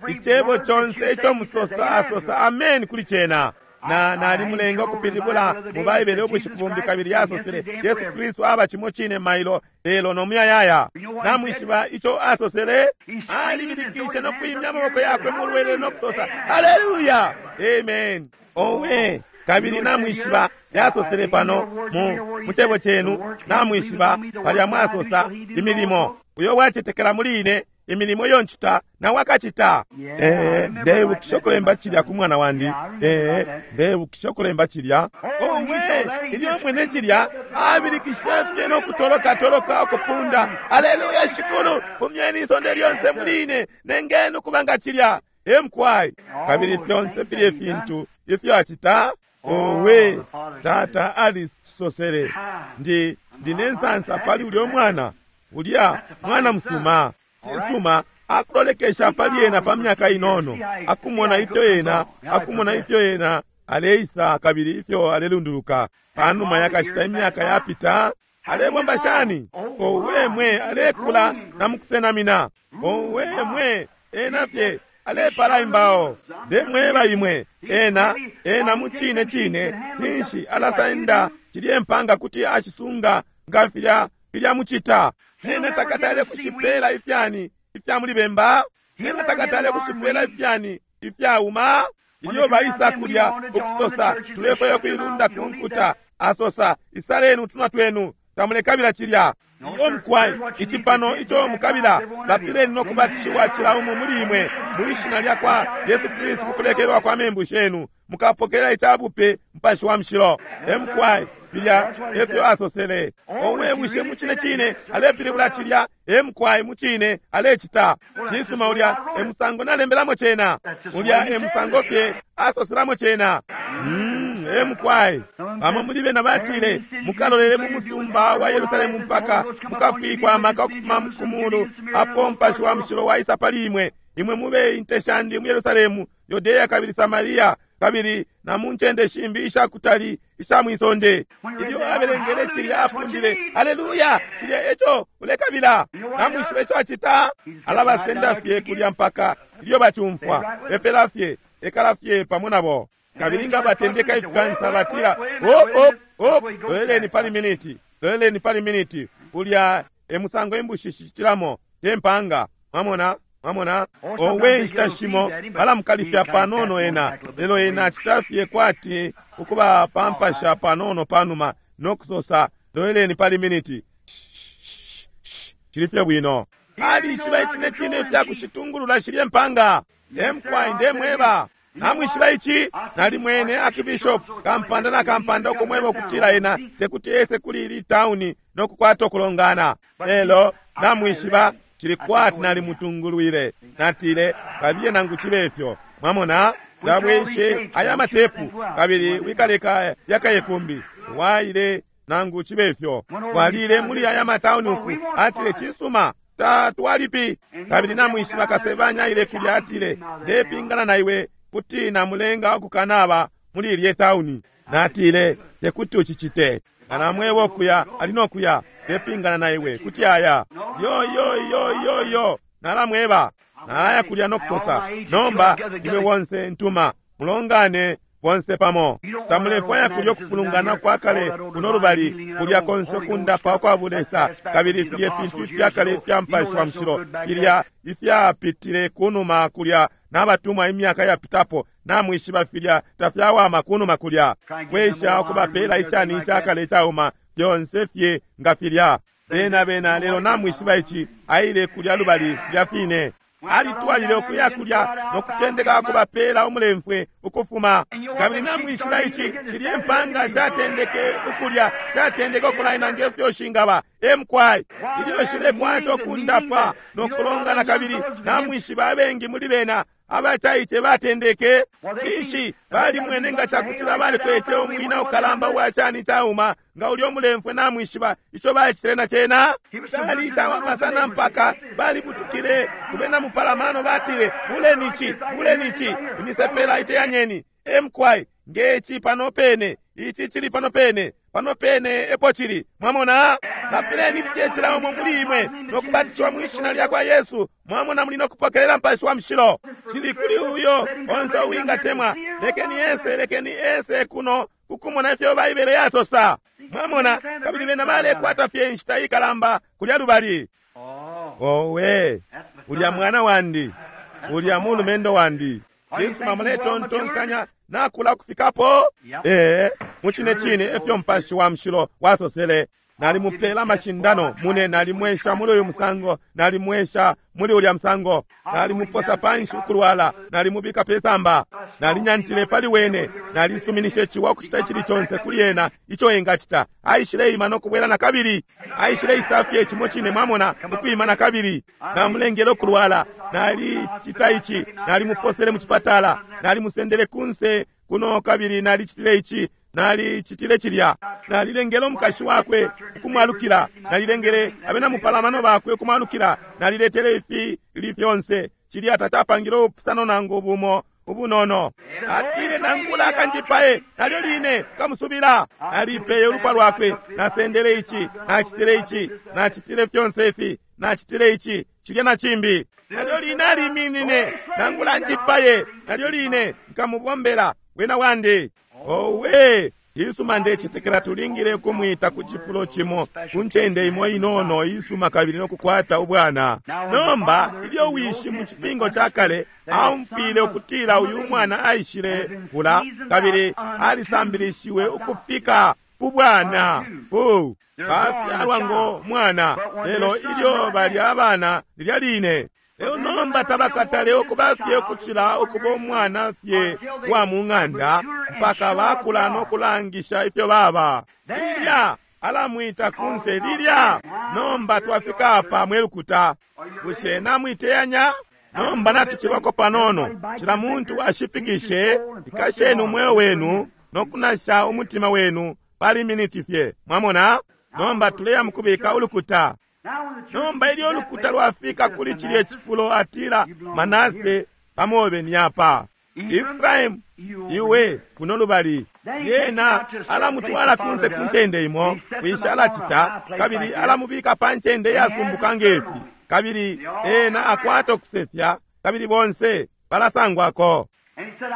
C: Icebo conse ico musosa asosa amen kuli cena. Na nalimulenga ukupilibula mu Baibele ubushiku bumbi kabili yasosele Yesu Kristu aba cimo cine mailo lelo no muyayaya. Namwishiba ico asosele, alibilikishe no kwimya amaboko yakwe mu lwelele no kusosa haleluya, amen. Owe, kabili namwishiba yasosele pano mu cebo cenu, namwishiba palya mwasosa imilimo uyo wacetekela muli ine, imilimo iyo ncita nawe akacita. Ndebukisha ukulemba cilya ku mwana wandi. Ndebukisha ukulemba cilya. Owe, ilyo mwene cilya abilikishe fye no kutoloka toloka ukupunda haleluya, shikulu fumyeni isonde lyonse muli ine, nengeni ukuba nga cilya. Emkwai. Kabili fyonse filye fintu ifyo acita. Owe, tata alisosele, ndine nsansa pali ulyo mwana, ulya mwana musuma. Cisuma akulolekesha pali ena pa myaka inono, akumona ifyo ena, akumona ifyo ena aleisa kabili ifyo alelunduluka. Panuma yakashita imyaka yapita, alebomba shani? Owe mwe, alekula na mukusenamina. Owe mwe, ena fye alepala imbao. Ndemweba imwe, ena ena mucine cine ninshi alasenda cilye mpanga kuti ashisunga nga filya filya mucita. Ena takatale kushipela ifyani ifya muli bemba, ena takatale kushipela ifyani ifyauma. Ilyo baisa kulya ukusosa tulefwaya kuilunda ku nkuta, asosa isaleni utunwa twenu, tamulekabila cilya. Iyo mkwai, icipano ico mukabila, lapileni no kubatishiwa cila umo muli imwe mwishina lya kwa Yesu Kristu kukulekelwa kwa membu shenu, mukapokela icabupe Mupashi wa Mushilo. Emkwai, filya efyo asosele. Owe, bushe mucine cine alepilibula cilya? Emkwai, mucine alecita. Cisuma, ulya emusango nalembelamo cena, ulya emusango fye asoselamo cena. Emkwai. Bamo muli bena batile mukalolele mu musumba wa Yerusalemu mpaka mukafikwa amaka ukufuma ku mulu, apo Mupashi wa Mushilo waisa pali imwe. Imwe mube inte shandi mu Yerusalemu, Yudeya kabili Samaria, kabili na mu ncende shimbi ishakutali isha mwisonde. Ilyo abelengele cilya apundile haleluya, cilya eco ulekabila. Namwishiba ico acita, alabasenda fye kulya mpaka ilyo bacumfwa, epela fye, ekala fye pamo nabo. Kabili nga batendeka ifikansa batila op op op, loleleni pali miniti, loleleni pali miniti. Ulya emusango imbushi shicilamo te mpanga. Mwamona? Mwamona? Owe, inshita shimo balamukalifya panono ena, lelo ena acita fye kwati ukuba pampasha panono panuma no kusosa loleleni pali miniti, cili fye bwino. Alishiba icine cine ifya kushitungulula shilye mpanga. Emkwai, ndemweba. Namwishiba ici, nalimwene akibishop kampanda na kampanda ukumweba ukutila ena tekuti ese kuli ili tauni no kukwata ukulongana. Lelo namwishiba cili kwati nalimutungulwile, natile kabiye nangu cibe ifyo. Mwamona, tabweshe aya matepu kabili wikaleka yakaye kumbi waile nangu cibe ifyo. Twalile muli aya matauni uku, atile cisuma tatwalipi. Kabili namwishiba kasebanya ile kulya, atile ndepingana na iwe kuti namulenga ukukanaba muli ilye tauni. Natile tekuti ucicite, anamweba okuya ali nokuya, ndepingana na iwe kuti aya yo yo yo yo yo. Nalamweba nalaya kulya nokusosa nomba imwe bonse ntuma mulongane bonse pamo. Tamulefwaya kulya ukufulungana kwa kale kuno lubali, kulya konse kundapa kwa bulesa, kabili filye fintu ifya kale ifya Mupashi wa Mushilo filya ifyapitile kunuma kulya n'abatumwa imyaka yapitapo. Namwishiba filya tafyawama kunuma kulya, kwesha ukubapela icani icakale icauma fyonse fye nga filya bena bena. Lelo namwishiba ici, aile kulya lubali filya fine. Alitwalile ukuya kulya no kutendeka kubapela umulemfwe ukufuma. Kabili namwishiba ici, shilye mpanga shatendeke ukulya, shatendeke ukulaina nge fyo shingaba. Emkwai ilyo shilekwata ukundapwa no kulongana, kabili namwishiba abengi muli bena abacaice batendeke cinshi balimwene nga cakutila balikwete umwina ukalamba uwa cani cauma nga ulya umulemfwe. Namwishiba ico bacitile na cena cali icawama sana mpaka balibutukile kubena mupalamano, batile, "Buleni ici, buleni ici, imisepela iteyanyeni." Emkwai ngeci pano pene, ici cili pano pene, pano pene epo cili. Mwamona, lapileni fye cila umo muli imwe no kubatishiwa mwi shina lya kwa Yesu, mwamona, muli no kupokelela Mupashi wa Mushilo. Cili kuli uyo onse uwingatemwa. Lekeni ese, lekeni ese kuno kukumona ifyo Baibele yasosa. Mwamona, kabili bena balekwata fye inshita ikalamba kulya lubali. Owe, ulya mwana wandi, ulya mulumendo wandi. Cisuma, muletontonkanya nakula kufikapo? Ee, mucine cine efyo Mupashi wa Mushilo wasosele. Nalimupela amashindano mune, nalimwesha muli uyu musango, nalimwesha muli ulya musango, nalimuposa panshi ukulwala, nalimubika pesamba, nalinyantile pali wene, nalisuminishe ciwa kucita icili conse kuli ena ico engacita. Aishileima no kubwela na kabili, aishileisafye cimo cine, mwamona, ukwima na kabili. Namulengele ukulwala, nalicita ici, nalimuposele mu cipatala, nalimusendele kunse kuno, kabili nalicitile ici, nalicitile cilya, nalilengele umukashi wakwe ukumwalukila, nalilengele abena mupalamano bakwe ukumwalukila, naliletele ifi li fyonse. Cilya tacapangile ubupusano nangu bumo ubunono. Atile, "Nangula akanjipaye, nalyo line kamusubila." Nalipeye ulupwa lwakwe, nasendele ici, nacitile ici, nacitile fyonse ifi, nacitile ici, cilya na cimbi, nalyo line aliminine. "Nangula njipaye, nalyo line nkamubombela wena wandi." Owe, isuma, ndecetekela tulingile kumwita ku cifulo cimo, ku ncende imo inono isuma, kabili no kukwata ubwana. Nomba ilyo wishi mu cipingo ca kale aumfwile ukutila uyu mwana aishile kula kabili alisambilishiwe ukufika ku bwana, ku bafyalwa ngo mwana, lelo ilyo bali abana lilya line, lelo nomba tabakatale ukuba fye ukucila ukuba umwana fye wa mu ng'anda mpaka bakula no kulangisha ifyo baba. Lilya alamwita kunse lilya. Nomba twafika apa, mwe lukuta, bushe namwiteyanya? Nomba natucilwako panono. Cila muntu ashipikishe, ikasheni umweo wenu no kunasha umutima wenu pali miniti fye. Mwamona, nomba tuleya mukubika ulukuta. Nomba ilyo ulukuta lwafika kuli cilye cifulo, atila, "Manase, pamobe ni apa. Efraimu, iwe kuno lubali." Yena alamutwala kunse ku ncende imo, kwisha alacita, kabili alamubika pa ncende iyasumbuka ngefi, kabili ena akwata ukusefya, kabili bonse balasangwako.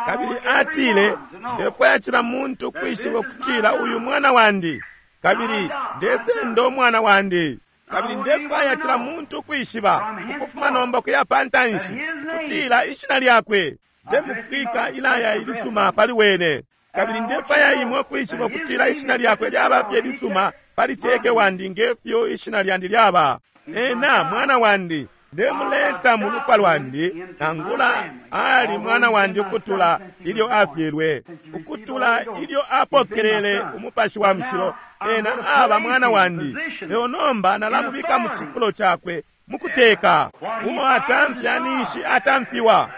C: Kabili atile, "Ndefwaya cila muntu kwishiba ukutila uyu mwana wandi, kabili ndesenda umwana wandi. Kabili ndefwaya cila muntu kwishiba ukufuma nomba kuya pa ntanshi kutila ishina lyakwe ndemufwika ilaya ilisuma pali wene. Kabili ndefwaya imwe kwishiba ukutila ishina lyakwe lyaba fye lisuma pali ceke wandi ngefyo ishina lyandi lyaba. Ena mwana wandi, ndemuleta mu lupwa lwandi, nangula ali mwana wandi ukutula ilyo afyelwe, ukutula ilyo apokelele Umupashi wa Mushilo, ena aba mwana wandi. Lelo nomba nalamubika mu cifulo cakwe mukuteka. Uo atamfya ninshi atamfiwa,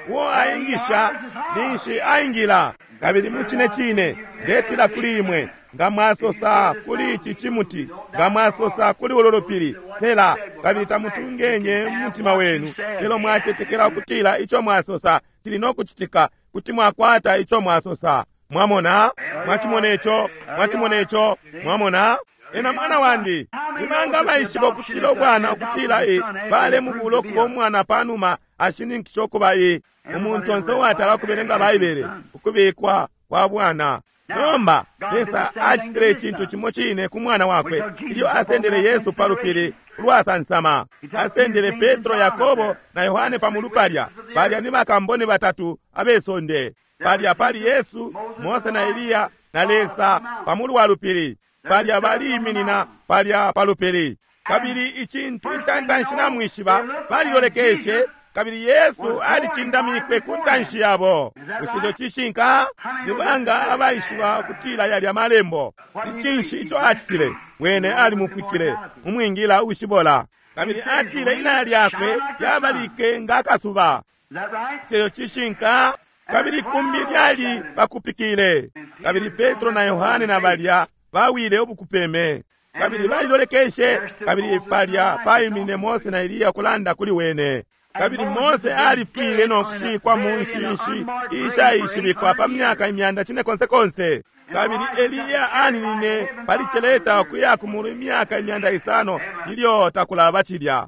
C: uo aingisha ninshi aingila. Kabili mucine cine ndetila kuli imwe, nga mwasosa kuli ici cimuti, nga mwasosa kuli ulo lupili, tela, kabili tamutungenye mu mutima wenu, lelo mwacetekela ukutila ico mwasosa cili no kucitika, kuti mwakwata ico mwasosa." Mwamona? Mwacimona ico? Mwacimona ico? Mwamona, ena mwana wandi. Nimanga baishiba ukutila ubwana ukutila e balemubula ukuba umwana panuma ashininkisha ukuba e umuntu onse uwatala ukubelenga Baibele, ukubikwa kwa bwana. Nomba Lesa acitile icintu cimo cine ku mwana wakwe ilyo asendele Yesu pa lupili ulwasansama. Asendele Petro, Yakobo na Yohane pa mulu palya. Balya ni bakambone batatu abesonde. Palya pali Yesu, Mose na Eliya na Lesa pa mulu wa lupili. Palya baliiminina palya pa lupili. Kabili icintu ica ntanshi namwishiba, balilolekeshe. Kabili Yesu alicindamikwe ku ntanshi yabo. Bushe ico cishinka? Ni banga abaishiba ukutila yalya malembo? Ni cinshi ico acitile? Wene alimufwikile umwingila ushibola. Kabili atile inaya lyakwe lyabalike nga akasuba. Bushe ico cishinka? Kabili kumbi lyali bakupikile. Kabili Petro na Yohane na balya bawile ubukupeme. Kabili balilolekeshe, kabili palya paimine Mose na Eliya kulanda kuli wene. Kabili Mose alifwile no kushikwa mu nshinshi ishaishibikwa pa myaka imyanda cine konse konse. Kabili Eliya aninine pali celeta ukuya ku mulu imyaka imyanda isano ilyo takulaba cilya.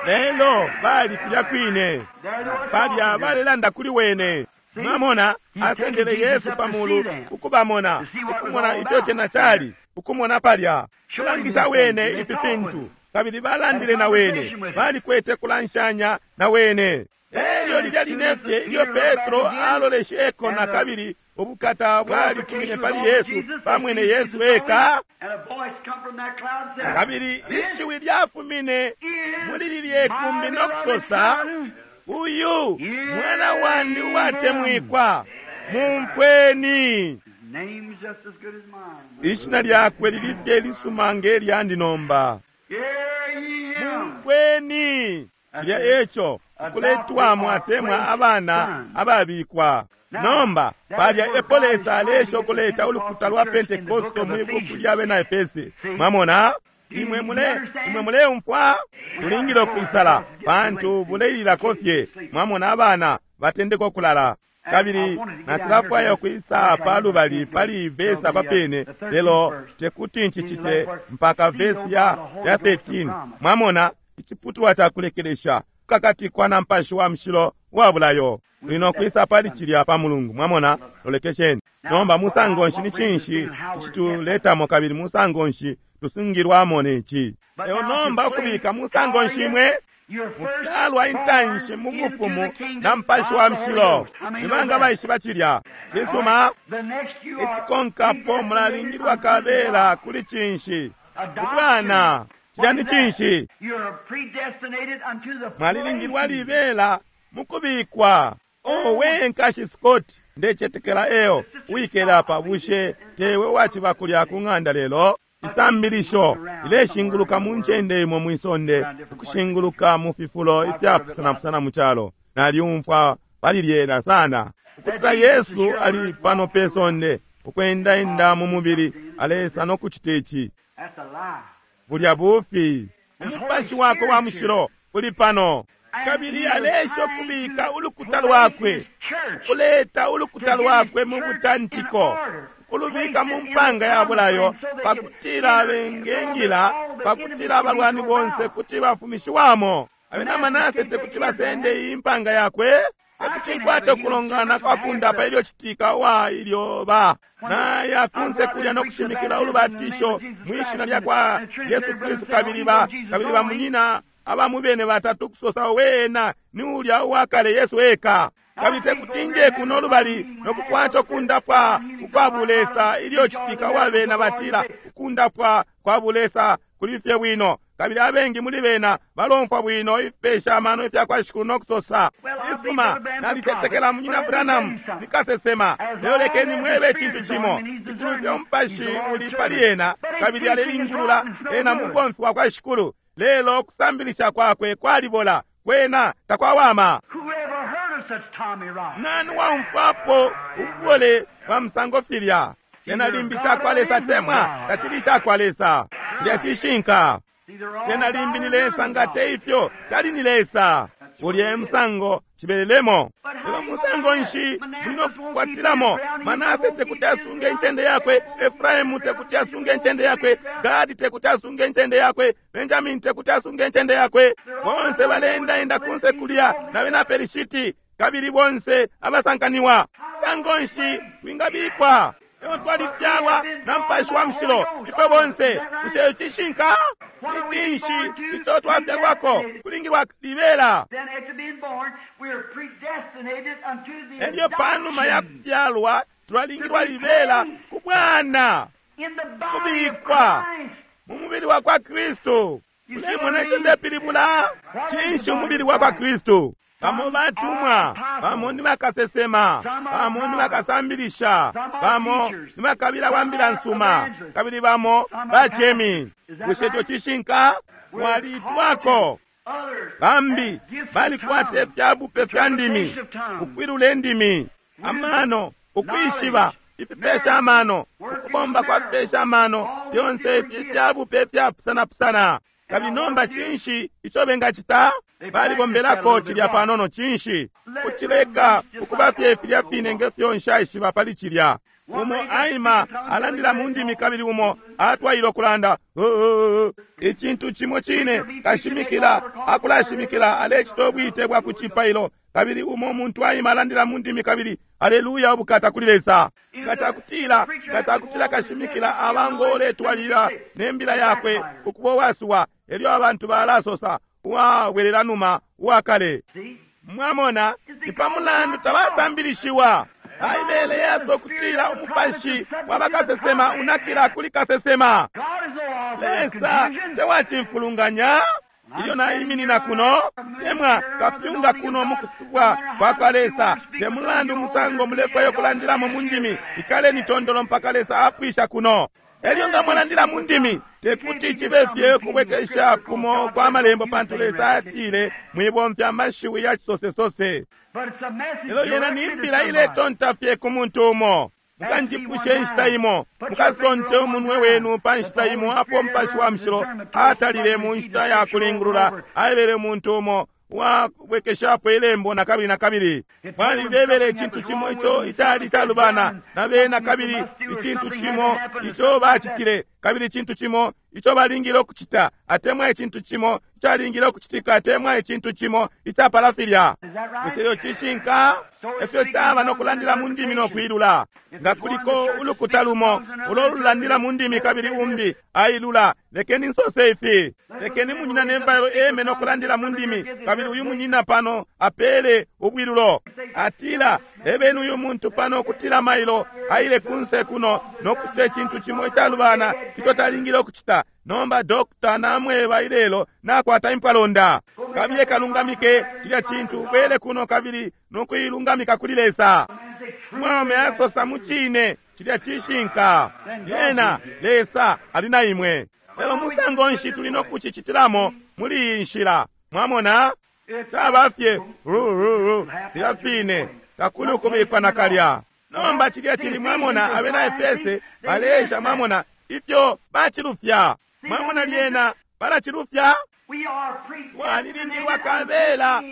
C: Lelo bali kulya kwine, palya balelanda kuli wene. Mwamona, asendele Yesu pamulu ukubamona, ukumona ifyo cena cali, ukumona palya, kulangisha wene ifi fintu. Kabili balandile na wene, balikwete kulanshanya na wene. Elyo lilya line fye ilyo Petro alolesheko na kabili, ubukata bwalifumine pali Yesu, bamwene Yesu eka. Kabili ishiwi lyafumine muli lilye kumbi no kusosa, uyu mwana wandi uwatemwikwa, mumfweni. Ishina lyakwe lili fye lisuma nge lyandi nomba. Mumfweni. Cilya eco kuletwamo atemwa abana ababikwa. Nomba palya epo Lesa alesha ukuleta ulukuta lwa Pentekoste mwi buku lya bena Efese. Mwamona? Imwe mule imwe muleumfwa? Tulingile ukwisala pantu buleililako fye. Mwamona abana batendeka ukulala. Kabili nacilafwaya ukwisa pa lubali pali vesi apa pene, lelo tekuti ncicite mpaka vesi ya 13. Mwamona iciputulwa ca kulekelesha kukakatikwa na mpashi wa mushilo wa bulayo. Tuli no kwisa pali cilya pa Mulungu. Mwamona, lolekesheni nomba musango nshi ni cinshi icituletamo kabili musango nshi tusungilwamo neci. Lelo nomba ukubika musango nshi imwe mufyalwa intanshi mu bufumu na mpashi wa mushilo. Ni banga baishiba cilya? Cisuma. Icikonkapo mulalingilwa kabela kuli cinshi? Ubwana. Cilya ni cinshi? Mwalilingilwa libela mukubikwa. Owe nkashi Scott, ndecetekela eo wikele apa. Bushe tewe waciba kulya ku ng'anda lelo? Isambilisho ileshinguluka mu ncende imo mwisonde, ukushinguluka mu fifulo ifyapusanapusana mu calo. Nalyumfwa pali lyena sana ukutila Yesu ali pano pe sonde ukwendaenda mu mubili, alesa no kucita ici. Bulya bufi. Umupashi wakwe wa mushilo uli pano, kabili alesha ukubika ulukuta lwakwe, ukuleta ulukuta lwakwe mu butantiko, ukulubika mu mpanga ya bulayo, pakutila bengengila, pakutila abalwani bonse kuti bafumishiwamo. Abena Manase tekuti basende iyi mpanga yakwe, tekuti nkwate ukulongana kwa kundapa ilyo citika wa ilyo ba naya kunse kulya no kushimikila ulubatisho mwishina lya kwa Yesu Kristu, kabili ba kabili bamunyina abamubene batatu kusosa wena ni ulya uwakale Yesu eka. Kabili tekuti nje kuno lubali no kukwata ukundapwa ukwa bulesa ilyo citika wabena batila ukundapwa kwa bulesa kuli fye bwino, kabili abengi muli bena balomfwa bwino ifipesha amano ifya kwa Shikulu no kusosa, cisuma, nalicetekela munyina Branham ni kasesema, lelo lekeni mwebe icintu cimo, cikulu fye umupashi uli pali ena kabili alelingulula ena mubomfi wa kwa Shikulu, lelo kusambilisha kwakwe kwalibola, kwena takwawama. Nani waumfwapo ububole bwa musango filya? Cena limbi cakwa Lesa temwa tacili cakwa Lesa. Cilya cishinka. Cena limbi ni Lesa, nga te ifyo tali ni Lesa. Ulya e musango cibelelemo. Lelo musango nshi muli no kukwatilamo? Manase tekuti asunge incende yakwe, Efraimu tekuti asunge incende yakwe, Gadi tekuti asunge incende yakwe, Benjamini tekuti asunge incende yakwe. Bonse baleendaenda kunse kulya na bena Pelishiti, kabili bonse abasankaniwa. Musango nshi wingabikwa? Lelo twalifyalwa na mpashi wa mushilo ifwe bonse. Bushe cishinka? Ni cinshi ico twafyalwako? Kulingilwa libela. Elyo panuma ya kufyalwa twalingilwa libela ku bwana, kubikwa mu mubili wa kwa Kristu. Ulemona ico ndepilibula? Cinshi umubili wa kwa Kristu? Bamo batumwa, bamo ni bakasesema, bamo ni bakasambilisha, bamo ni bakabila wa mbila nsuma, kabili bamo bacemi. Bushe ico cishinka? Mwalitwako. Bambi balikwata ifyabupe fya ndimi, ukwilula indimi, amano, ukwishiba ifipesha amano, ukubomba kwa fipesha amano, fyonse ifi ifyabupe ifyapusanapusana. Kabili nomba cinshi ico bengacita? Balibombelako cilya panono. Cinshi kucileka ukuba fye filya fine ngefyo nshaishiba pali cilya. Umo aima alandila mu ndimi, kabili umo atwaile ukulanda icintu cimo cine. Kashimikila akulashimikila, alecita ubwite bwa kucipailo, kabili umo muntu aima alandila mu ndimi, kabili aleluya, ubukata kuli Lesa. Nga cakutila kashimikila aba ngo uletwalilila ne mbila yakwe ukuba uwasuwa, elyo abantu balasosa uwabwelela numa uwakale. Mwamona, ni pa mulandu tabasambilishiwa. Baibele yaso kutila umupashi wa bakasesema unakila kuli kasesema. Lesa tewacimfulunganya. Ilyo naiminina kuno, temwa kapyunga kuno mukusubwa kwa kwa Lesa, te mulandu musango mulefwayo kulandilamo mu ndimi, ikaleni tondolo mpaka Lesa apwisha kuno. Elyo nga mwalandila mu ndimi, tekuti cibe fye kubwekesha kumo kwa malembo, pantu Lesa atile mwibomfya amashiwi ya cisosesose. Lelo yena ni mbila iletonta fye ku muntu umo. Mukanjipushe inshita imo, mukasonte umunwe wenu pa nshita imo apo Mupashi wa Mushilo atalile mu nshita ya kulingulula, aebele umuntu umo uwabwekeshapo ilembo na kabili na kabili. Balibebele icintu cimo ico icali calubana na bena, kabili icintu cimo ico bacitile, kabili icintu cimo ico balingile ukucita, atemwa icintu cimo icalingile ukucitika, atemwa icintu cimo icapala filya. Bushe iyo cishinka? Efyo caba no kulandila mu ndimi no kwilula. Nga kuliko ulukuta lumo ulo lulandila mu ndimi kabili umbi ailula, lekeni nsose ifi. Lekeni munyina nembayo eme no kulandila mu ndimi, kabili uyu munyina pano apele ubwilulo. Atila, ebeni uyu muntu pano kutila mailo aile kunse kuno no kucita icintu cimo icalubana ico talingile ukucita. Nomba dokta namweba ilelo nakwata impalonda. Kabiye kalungamike cilya cintu, ubwele kuno kabili nokuilungamika kuli Lesa. Mwaume asosa mucine, cilya cishinka. Lyena Lesa ali na imwe. Lelo musango nshi tuli nokucicitilamo muli iyi nshila? Mwamona, caba fye filya fine, takuli ukubikwa nakalya. Nomba cilya cili, mwamona, abena Efese baleesha, mwamona ifyo bacilufya. Mwamona lyena balacilufya. Twalilingilwa kabela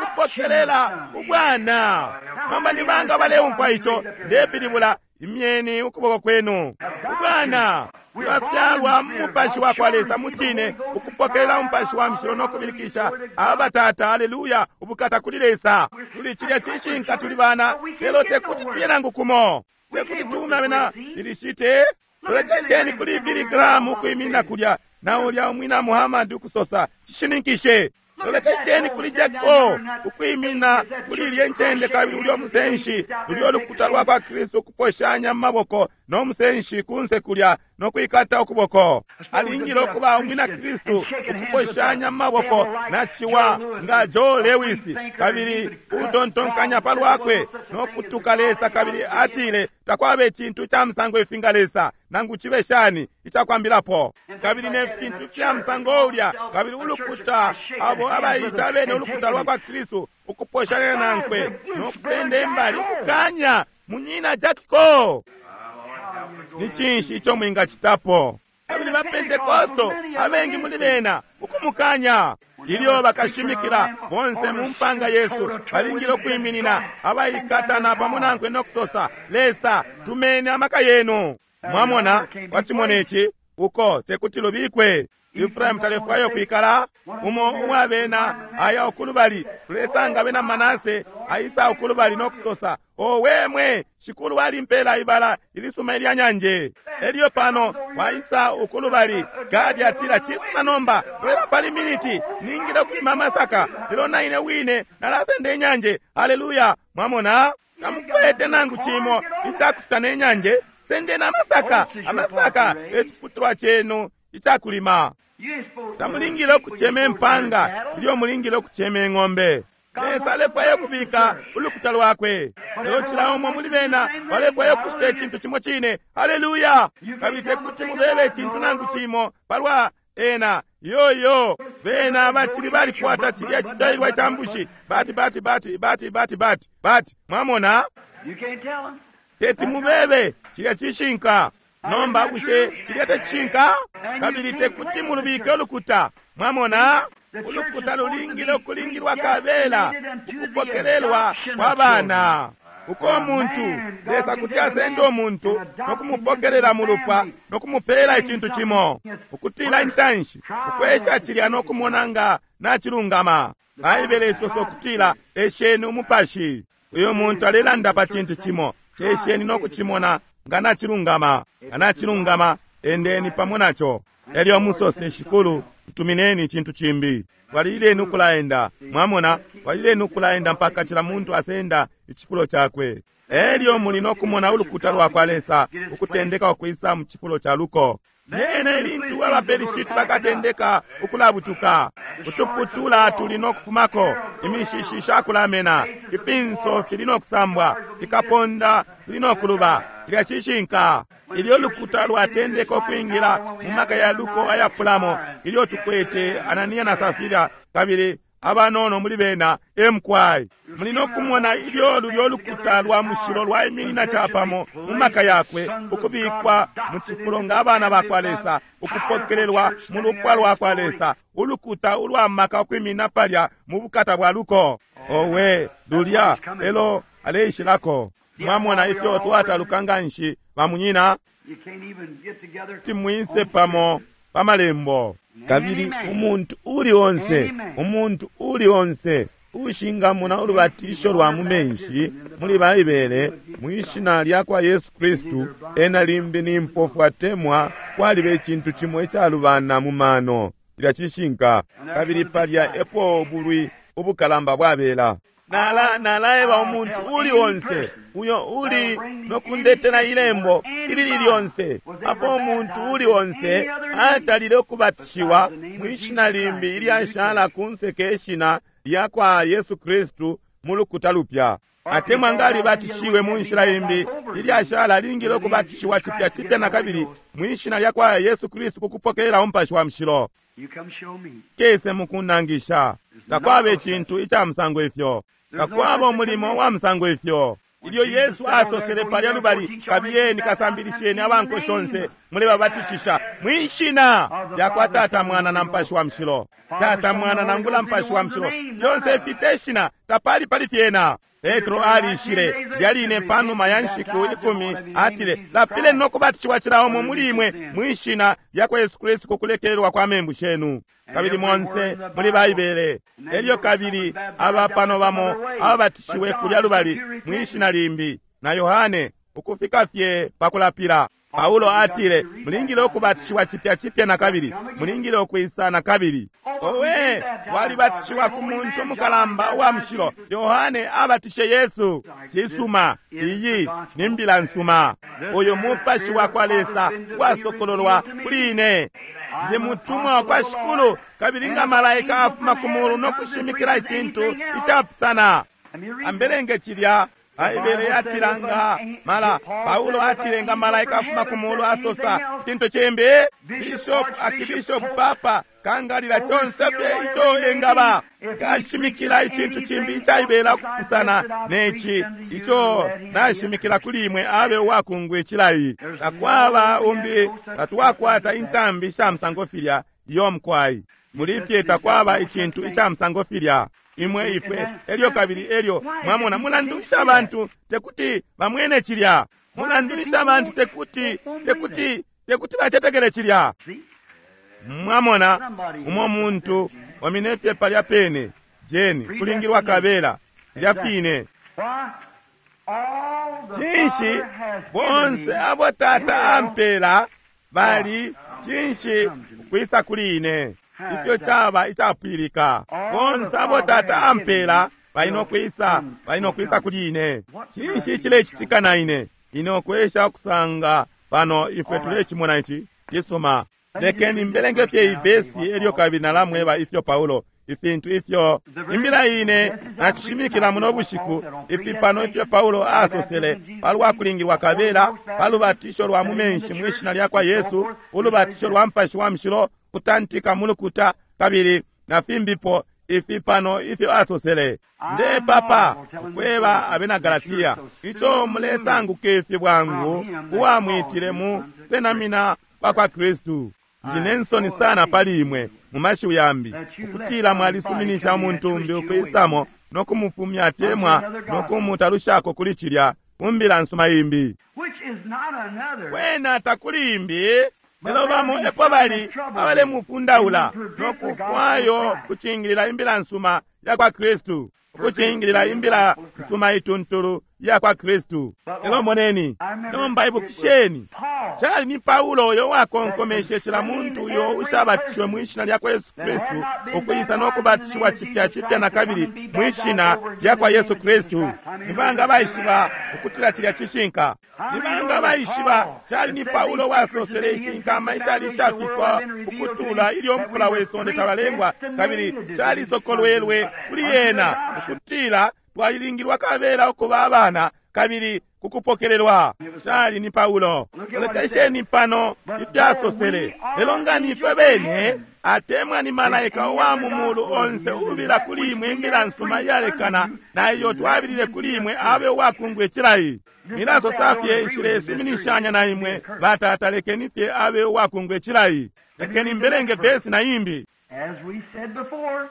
C: ukupokelela ubwana. Nomba ni banga baleumfwa ico ndepilibula? Imyeni ukuboko kwenu. Ubwana twafyalwa mu mupashi wa kwa Lesa mucine, ukupokelela umupashi wa mushilo no kubilikisha aba tata, aleluya, ubukata kuli Lesa. Tuli cilya cishinka, tuli bana, lelo tekuti tuye nangu kumo, tekuti tuume abena Filishite. Lolekesheni kuli Billy Graham ukwiminina kulya na ulya umwina Muhammad ukusosa, cishininkishe. Lolekesheni kuli Jacob ukwimina kuli ilye ncende, kabili ulyo musenshi, ulyo lukuta lwa kwa Kristu ukuposhanya mu maboko no musenshi kunse kulya no kwikata ukuboko. Alingile ukuba umwina Kristu ukuposhanya mu maboko na ciwa nga Joe Lewis, kabili utontonkanya pa lwakwe no kutuka Lesa, kabili atile takwaba icintu ca musango ifi nga Lesa, nangu cibe shani icakwambilapo, kabili ne fintu fya musango ulya, kabili ulukuta abo abaita abene ulukuta lwa kwa Kristu ukuposhanya nankwe no kusenda imbali ukukanya munyina Jack Coe. Ni cinshi ico mwingacitapo? Kabili ba Pentekosto abengi muli bena ukumukanya. Ilyo bakashimikila bonse mu mpanga yesu balingile ukwiminina abaikatana pamo nankwe no kusosa, Lesa, tumeni amaka yenu. Mwamona, wacimona ici uko tekuti lubikwe. Efraimu talefwayo kwikala umo uwabena aya ukulubali, tulesanga abena Manase aisa ukulubali no kusosa, owe mwe shikulu walimpela ibala ilisuma ilya nyanje. Elyo pano waisa ukulubali, Gadi atila, cisuma nomba lwela pali miniti ningile ukulima amasaka, lelo naine wine nalasenda inyanje. Haleluya! Mwamona, tamukwete nangu cimo icakucita ne nyanje, sendeni amasaka. Amasaka eciputulwa cenu icakulima. Tamulingile ukucema impanga ilyo mulingile ukucema ing'ombe. Lesa alefwaya ukubika ulukuta lwakwe, lelo cila umo muli bena balefwaya ukucita icintu cimo cine. Haleluya! Kabili tekuti mubebe icintu nangu cimo palwa ena. Yoyo, bena bacili balikwata cilya cifyalilwa ca mbushi. Bati bati bati bati bati bati bati, mwamona, teti mubebe cilya cishinka. Nomba bushe cilya tecishinka? Kabili tekuti mulubike ulukuta, mwamona. Ulukuta lulingile ukulingilwa kabela ukupokelelwa kwa bana. Uko umuntu, Lesa kuti asenda umuntu nokumupokelela mulupwa nokumupela icintu cimo, ukutila intanshi ukwesha cilya nokumona nga nacilungama. Baibele isosa ukutila esheni umupashi. Uyo muntu alelanda pa cintu cimo, cesheni nokucimona nga nacilungama. Nga nacilungama, endeni pamo naco. Elyo musose, Shikulu, tutumineni icintu cimbi. Twalileni ukulaenda, mwamona, twalileni ukulaenda mpaka cila muntu asenda icifulo cakwe. Elyo muli nokumona ulukuta lwa kwa Lesa ukutendeka ukwisa mu cifulo ca luko. Lyena ilintu abaPelishiti bakatendeka ukulabutuka, utuputula tuli nokufumako, imishishi shakulamena, ifinso fili nokusambwa, fikaponda fili nokuluba. Cilya cishinka. Ilyo lukuta lwatendeka ukwingila mu maka ya luko ayapulamo, ilyo tukwete Anania na Safira kabili abanono muli bena emkwai, muli nokumona ilyo lulyo lukuta lwa mushilo lwaiminina capamo mu maka yakwe, ukubikwa mu cifulo nga abana ba kwa Lesa, ukupokelelwa mu lupwa lwa kwa Lesa, ulukuta ulwa maka ukwimina palya mu bukata bwa luko. Owe, lulya elo aleishilako. Mwamona ifyo twataluka nganshi bamunyina, timwise pamo pa malembo. Kabili umuntu uli onse, umuntu uli onse ushingamona ulubatisho lwa mu menshi muli Baibele mwishina lya kwa Yesu Kristu, ena limbi ni mpofu atemwa kwaliba icintu cimo icalubana mu mano. Cilya cishinka. Kabili palya epo ubulwi ubukalamba bwabela. Nalaeba umuntu uli onse uyo uli nokundetela ilembo ilili lyonse apo umuntu uli onse atalile ukubatishiwa mwishina limbi ilyashala kunse ke shina lya kwa Yesu Kristu mu lukuta lupya, atemwa nga alibatishiwe mu nshila imbi ilyashala lingile ukubatishiwa cipya cipya na kabili mwishina lya kwa Yesu Kristu kukupokelela umupashi wa mushilo. Kese mukunangisha. Takwaba icintu ica musango ifyo. Takwaba umulimo wa musango ifyo. Ilyo Yesu asosele palya lubali, kabiyeni kasambilisheni abanko shonse mulebabatishisha mwishina lya kwa Tata, Mwana na Mupashi wa Mushilo. Tata, Mwana nangula Mupashi wa Mushilo, fyonse fite shina tapali pali fyena. Petro alishile lyaline panuma ya nshiku 10, atile, lapileni nokubatishiwa cila umo muli imwe mwishina lya kwa Yesu Kristu kukulekelelwa kwa membu shenu. Kabili monse muli Baibele. Elyo kabili aba pano bamo ababatishiwe kulya lubali mwishina limbi na Yohane ukufika fye pakulapila. Paulo atile, mulingile ukubatishiwa cipya cipya na kabili, mulingile ukwisa na kabili. Owe, twalibatishiwa ku muntu mukalamba uwa mushilo, Yohane abatishe Yesu. Cisuma, iyi ni mbila nsuma. Uyu mupashi wa kwa Lesa wasokololwa kuli ine. Ndi mutumwa wa kwa Shikulu, kabili nga malaika afuma ku mulu no kushimikila icintu icapusana. Ambelenge cilya. Baibele yatila nga mala Paulo atile nga malaika afuma ku mulu asosa icintu cimbi. Bishop, akibishop, papa kangalila conse fye ico engaba kashimikila icintu cimbi icaibela kupusana neci ico nashimikila kuli imwe, abe uwakungwa icilayi. Takwaba umbi, tatwakwata intambi sha musango filya iyo mkwai. Muli fye takwaba icintu ica musango filya. Imwe ifwe elyo kabili elyo mwamona, mulandulisha abantu tekuti bamwene cilya. Mulandulisha abantu tekuti tekuti tekuti bacetekele cilya. Mwamona umo muntu waminefye palya pene jeni kulingilwa kabela lya fine. Cinshi bonse abo Tata ampela bali cinshi ukwisa kuli ine. Ifyo caba icapwilika. Bonse abo Tata ampela bali nokwisa, bali nokwisa kuli ine. Cinshi cilecitika na ine? Ine ukwesha ukusanga pano ifwe tulecimona ici cisuma. Lekeni mbelenge fye ivesi elyo kabili nalamweba ifyo Paulo ifintu ifyo imbila ine nacishimikila muno bushiku, ifi pano ifyo Paulo asosele palwa kulingilwa kabela pa lubatisho lwa mu menshi mwi shina lya kwa Yesu, ulubatisho lwa Mupashi wa Mushilo, kutantika mu lukuta, kabili na fimbipo ifi pano ifyo asosele. Ndepapa ukweba abena Galatia ico mulesanguka ifi bwangu uwamwitile mu kusenamina kwa kwa Kristu. Ndine nsoni sana pali imwe mu mashiwi yambi ukutila mwalisuminisha umuntu umbi ukwisamo no kumufumya atemwa no kumutalushako kuli cilya kumbila nsuma imbi.
A: Which is not another.
C: Kwena takuli imbi, lelo bamo epo bali abalemufundaula no kufwayo kucingilila imbila nsuma ya kwa Kristu, ukucingilila imbila nsuma ituntulu ya kwa Kristu. Lelo moneni, nomba ibukisheni, cali ni Paulo uyo wakonkomeshe cila muntu uyo ushabatishiwe mwi shina lya kwa Yesu Kristu ukwisa no kubatishiwa cipya cipya na kabili mwi shina lya kwa Yesu Kristu. Ni banga baishiba ukutila cilya cishinka? Ni banga baishiba cali ni Paulo wasosele ishinkama ishali ishafiswa ukutula ilyo mfula we sonde talalengwa, kabili calisokolwelwe kuli yena ukutila twalilingilwa kabela ukuba abana kabili kukupokelelwa. Cali ni Paulo. Lolekesheni pano ifyasosele. Lelo nga ni fwe bene atemwa ni malaika uwa mu mulu onse ubila kuli imwe imbila nsuma iyalekana na iyo twabilile kuli imwe abe uwakungwa icilayi. Nilasosa fye nshilesuminishanya na imwe batata, lekeni fye abe uwakungwa icilayi. Lekeni mbelenge vesi na imbi.
A: As we said before,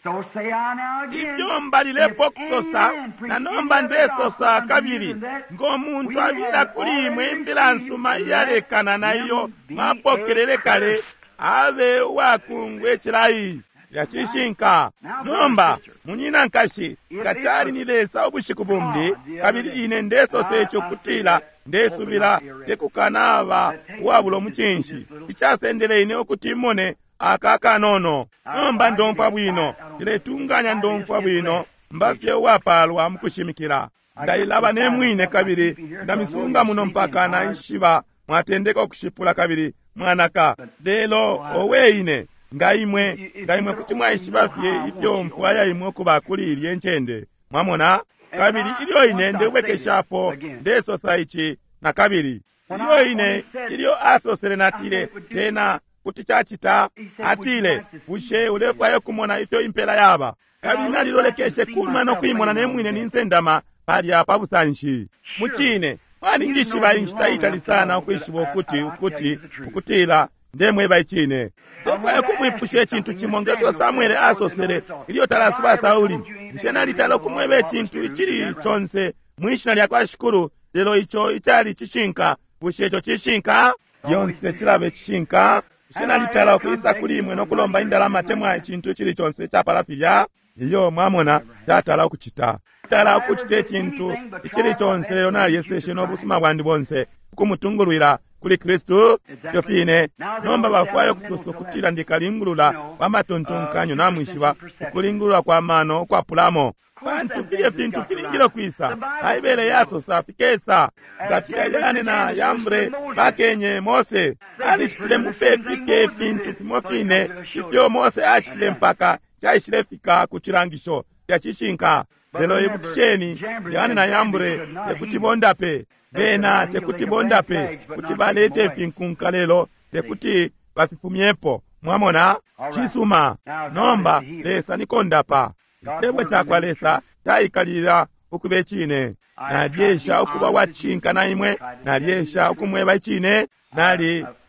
A: so say I now again.
C: Ifyo mbalilepo kusosa na nomba ndesosa kabili, ngo muntu abila kuli imwe imbila nsuma iyalekana na iyo mwapokelele kale, abe uwakungwa icilayi. Yacishinka. Nomba munyina nkashi, nga cali ni Lesa ubushiku bumbi, kabili ine ndesosa ico kutila ndesubila tekukanaba uwabula umucinshi, icasendele ine ukuti imone aka kanono. Nomba ndomfwa bwino, ndiletunganya ndomfwa bwino, mbafye uwapalwa mukushimikila. Ndailaba ne mwine kabili ndamisunga muno mpaka naishiba mwatendeka ukushipula kabili mwanaka. Lelo owe ine, nga imwe kuti mwaishiba fye ifyo mfwaya imwe ukuba kuli ilye ncende, mwamona. Kabili ilyo ine ndebwekeshapo ndesosa ici na kabili, ilyo ine ilyo asosele natile tena kuti cacita, atile bushe ulefwaya kumona ifyo impela yaba? Kabili nalilolekeshe kunuma no kuimona ne mwine ninsendama palya pa busanshi. Mucine mwalinjishiba inshita itali sana ukwishiba ukuti ukuti ukutila ndemweba icine. Ndefwaya kumwipusha icintu cimo ngefyo Samuele asosele ilyo talasuba Sauli. Bushe nalitala ukumweba icintu icili conse mwi shina lya kwa Shikulu, lelo ico icali cishinka? Bushe ico cishinka? Yonse cilaba icishinka. Bushe nalitala ukwisa kuli imwe no kulomba indalama temwa icintu icili conse icapala filya? Iyo, mwamona, tatala ukucita. Tala ukucita icintu icili conse, lelo nalyeseshe no busuma bwandi bonse ukumutungulwila kuli Kristu. Ifyo fine nomba bafwaya ukusosa ukutila ndikalingulula kwa matontonkanyo, namwishiba, ukulingulula kwa mano ukwapulamo, pantu filye fintu filingile kwisa. Baibele yasosa fikesa. Nga filya Yane na Yambre bakenye Mose, alicitile mupepi fye ifintu fimo fine ifyo Mose acitile mpaka caishile fika ku cilangisho ya cishinka. Lelo ibukisheni, Yane na Yambre tekuti bondape, bena tekuti bondape, kuti balete ifinkunka lelo tekuti bafifumyepo. Mwamona? Cisuma. Nomba Lesa nikondapa. Icebo cakwa Lesa caikalila ukuba icine. Nalyesha ukuba wacishinka na imwe, nalyesha ukumweba icine.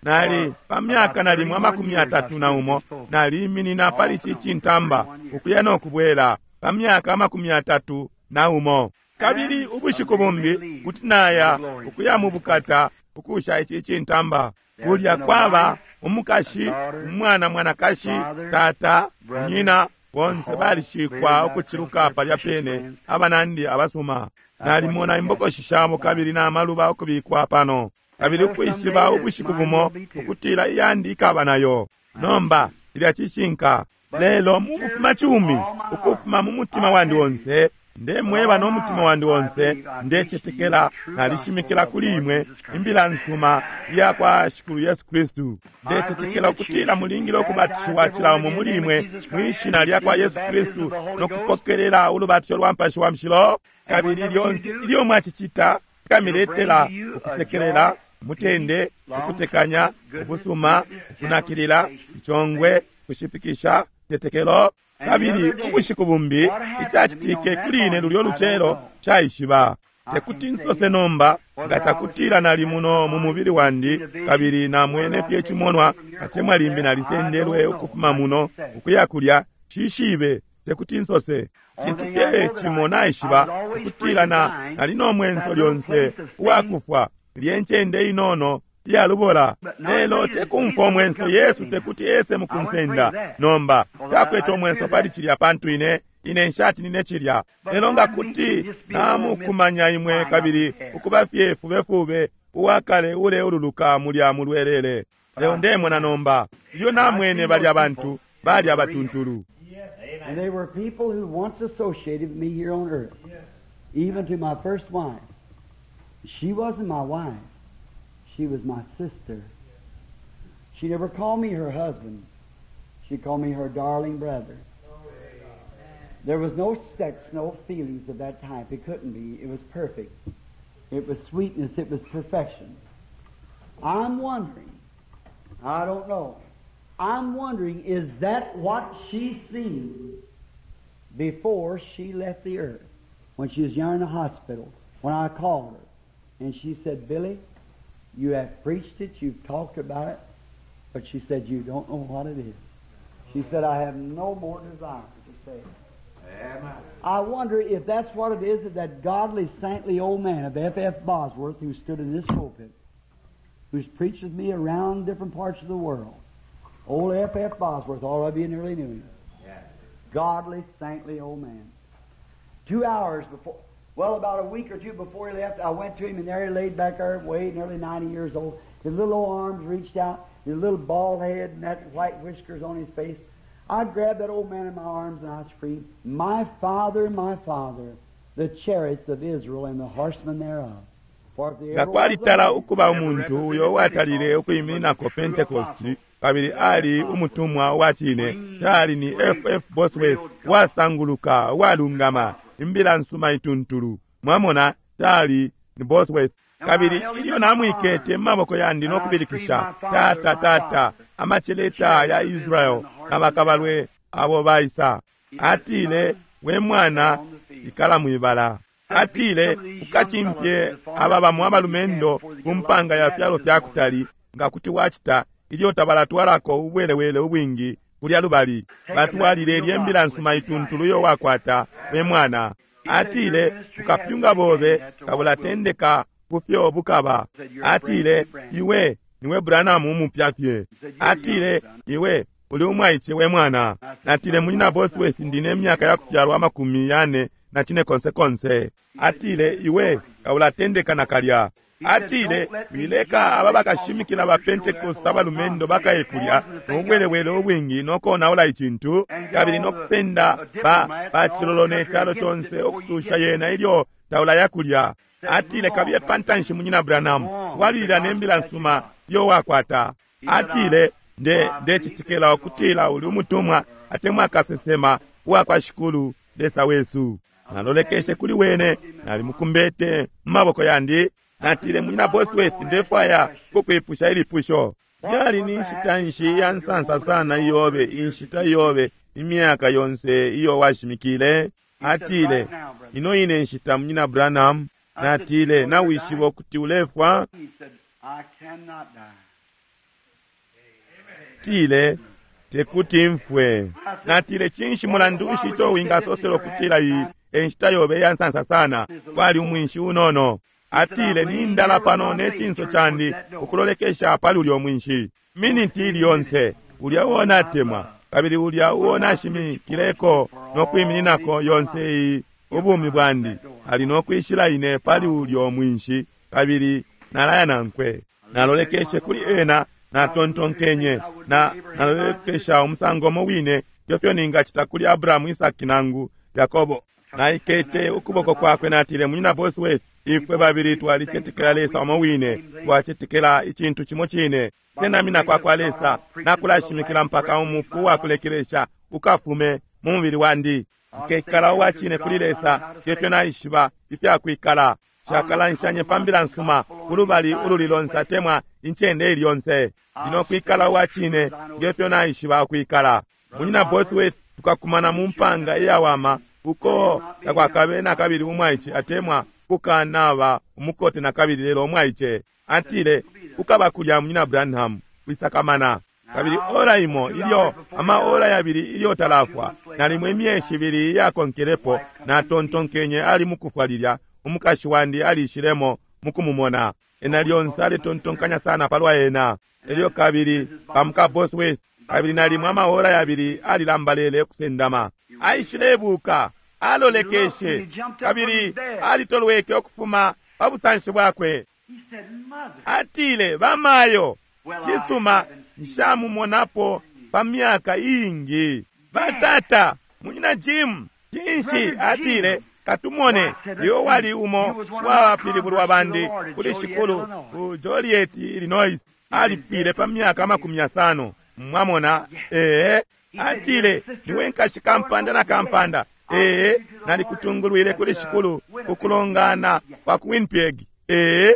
C: Nali pa myaka nalimo 31 naliiminina pali ici cintamba ukuya no kubwela pa myaka 31. Kabili ubushiku bumbi kuti naya ukuya mu bukata ukusha ici cintamba. Kulya kwaba umukashi, umwana mwanakashi, tata, nyina, bonse balishikwa ukuciluka palya pene, abanandi abasuma. Nalimona imbokoshi shabo kabili n'amaluba ukubikwa pano, kabili ukwishiba ubushiku bumo ukutila iyandi ikaba nayo. Nomba ilya cishinka. Lelo mu kufuma cumi, ukufuma mu mutima wandi onse, Ndemweba no mutima wandi onse, ndecetekela nalishimikila kuli imwe imbila nsuma iya kwa Shikulu Yesu Kristu. Ndecetekela ukutila mulingile ukubatishiwa cila umo muli imwe mwi shina lya kwa Yesu Kristu no kupokelela ulubatisho lwa Mupashi wa Mushilo. Kabili lyonse ilyo mwacicita, kamiletela ukusekelela, mutende, ukutekanya, ubusuma, ukunakilila, icongwe, kushipikisha, tetekelo. Kabili ubushiku bumbi icacitike kuli ine lulyo lucelo caishiba. Tekuti nsose nomba nga cakutila nali muno mu mubili wandi kabili namwene fye cimonwa, atemwa limbi nalisendelwe ukufuma muno ukuya kulya, shishibe, tekuti nsose. Cintu fye cimo naishiba ukutila nali no mwenso lyonse uwakufwa, lye ncende inono iyalubola. Lelo tekumfwa umwenso, Yesu tekuti ese mukunsenda. Nomba takwete umwenso pali cilya, pantu ine nshatinine cilya. Lelo nga kuti namukumanya imwe kabili ukuba fye fubefube uwakale uleululuka mulya mulwelele. Lelo ndemona nomba ilyo namwene balya bantu bali abatuntulu.
A: And they were people who once associated with me here on earth, even to my first wife. She wasn't my wife. She was my sister. She never called me her husband. She called me her darling brother. There was no sex, no feelings of that type. It couldn't be. It was perfect. It was sweetness. It was perfection. I'm wondering, I don't know, I'm wondering, is that what she seen before she left the earth? When she was young in the hospital, when I called her, and she said, Billy, you have preached it, you've talked about it, but she said, you don't know what it is. She said, I have no more desire to say it.
B: Amen.
A: I wonder if that's what it is that that godly, saintly old man of F.F. Bosworth, who stood in this pulpit, who's preached with me around different parts of the world, old F.F. Bosworth, all of you nearly knew him.
B: Yeah.
A: Godly, saintly old man. 2 hours before, well, about a week or two before he left, I went to him, and there he laid back there, way nearly 90 years old. His little old arms reached out, his little bald head and that white whiskers on his face. I grabbed that old man in my arms and I screamed, My father, my father, the chariots of Israel and the horsemen thereof. For if there
C: Nga
A: ever was a
C: kwalitala
A: man
C: ukuba umuntu uyo uwatalile ukuyimininako Pentecost kabili ali umutumwa wa cine, tali ni F.F. Bosworth wasanguluka walungama, imbila nsuma ituntulu. Mwamona, tali ni Bosworth. Kabili ilyo namwikete mu maboko yandi no kubilikisha, tata tata, amacheleta ya Israel na bakabalwe abo baisa. Atile, we mwana, ikala mwibala. Atile, ukachimpye aba bamwe abalumendo ku mpanga ya fyalo fya kutali, nga kuti wachita ilyo tabalatwalako ubwelewele ubwingi kulya lubali. Batwalile lye mbila nsuma ituntulu yo wakwata, we mwana. Atile, ukapyunga bobe kabulatendeka kufyo bukaba. Atile, iwe niwe Branham umupya fye. Atile, iwe uli umwaiche we mwana. Natile, munyina Bosworth, ndine emyaka ya kufyalwa 45 konse konse. Atile, iwe kaulatendeka nakalya. Atile, wileka aba bakashimikila ba Pentecost abalumendo bakaye kulya nobwelewele obwingi nokonaula icintu kabili nokusenda bachilolo ne chalo chonse okususha yena ilyo taula yakulya. Atile, kabiye pantanshi munyina Branham, twalilila nembila nsuma yo wakwata. Atile, ndecitikela ukutila uli umutumwa atemwa akasesema uwakwa Shikulu Lesa wesu. Nalolekeshe kuli wene, nalimukumbete mu maboko yandi. Natile, munyina Bosworth, ndefwaya kukwipusha ilipusho. Yali ni nshita nshi ya nsansa sana iyobe, inshita iyobe, imyaka yonse iyo washimikile? Atile, ino ine nshita munyina Branham. Natile, nawishiba ukuti ulefwa?
A: He said, I cannot die.
C: Atile, tekuti mfwe. Natile, cinshi mulandu nshi ico wingasosela ukutila iyi enshita yobe ya nsansa sana? Kwali umwinshi unono. Atile, nindala pano ne cinso candi ukulolekesha pali ulyo mwinshi. Miniti ili yonse, ulya uo natemwa, kabili ulya uo nashimikileko no kwimininako yonse iyi ubumi bwandi, ali no kwishila ine pali ulyo mwinshi, kabili nalaya nankwe. Nalolekeshe kuli ena, natontonkenye, na nalolekesha umusango umo wine ifyo ningacita kuli Abrahamu, Isaki nangu Yakobo. Naikete ukuboko kwakwe, natile, Munyina Bosworth, ifwe babili twalicetekela Lesa umo wine, twacetekela icintu cimo cine. Kusenamina kwa kwa Lesa nakulashimikila mpaka umupu wakulekelesha ukafume mu mubili wandi. Nkekala uwa cine kuli Lesa ngefyo naishiba ifyakwikala. Nshakalanshanye pa mbila nsuma kulubali ululi lonse atemwa incende ili yonse. Ndinokwikala uwa cine ngefyo naishiba ukwikala. Munyina Bosworth, tukakumana mu mpanga iyawama uko takwakabe nakabili umwaice atemwa kukanaba umukote nakabili, lelo umwaice. Atile, ukaba kulya Munyina Branham, wisakamana. Kabili ora imo ilyo ama ora yabili ilyo talafwa, nalimo imyeshi ibili iyakonkelepo, natontonkenye ali mukufwa lilya umukashi wandi alishilemo mukumumona. Ena lyonse aletontonkanya sana palwa ena. Elyo kabili pamuka Bosworth, kabili nalimo amaora yabili alilambalele ukusendama. Aishilebuka, alolekeshe, kabili alitolweke ukufuma pa busanshi bwakwe. Atile, bamayo, cisuma, nshamumonapo pa myaka iingi. Batata, Munyina Jim, cinshi? Atile, katumone, iwe wali umo wabapilibulwa bandi kuli shikulu ku Joliet, Illinois. Alifwile pa myaka 50. Mwamona? Ee. Atile, niwe nkashi kampanda na kampanda. Ee, nalikutungulwile kuli shikulu ukulongana kwa ku Winnipeg. Ee.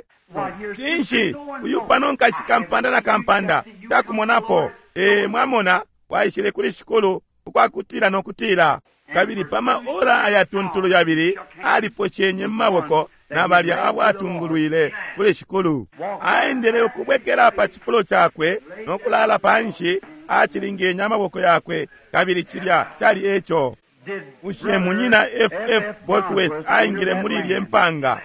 C: Cinshi, uyu pano nkashi kampanda na kampanda takumonapo. Ee, mwamona, waishile kuli shikulu ukwakutila no kutila. Kabili pa maora ayatuntulu yabili aliposhenye mu maboko na balya abo atungulwile kuli shikulu. Aendele ukubwekela pa cifulo cakwe no kulala panshi, acilingenye amaboko yakwe, kabili cilya cali eco. Bushe Munyina F.F. Bosworth aingile muli ilye mpanga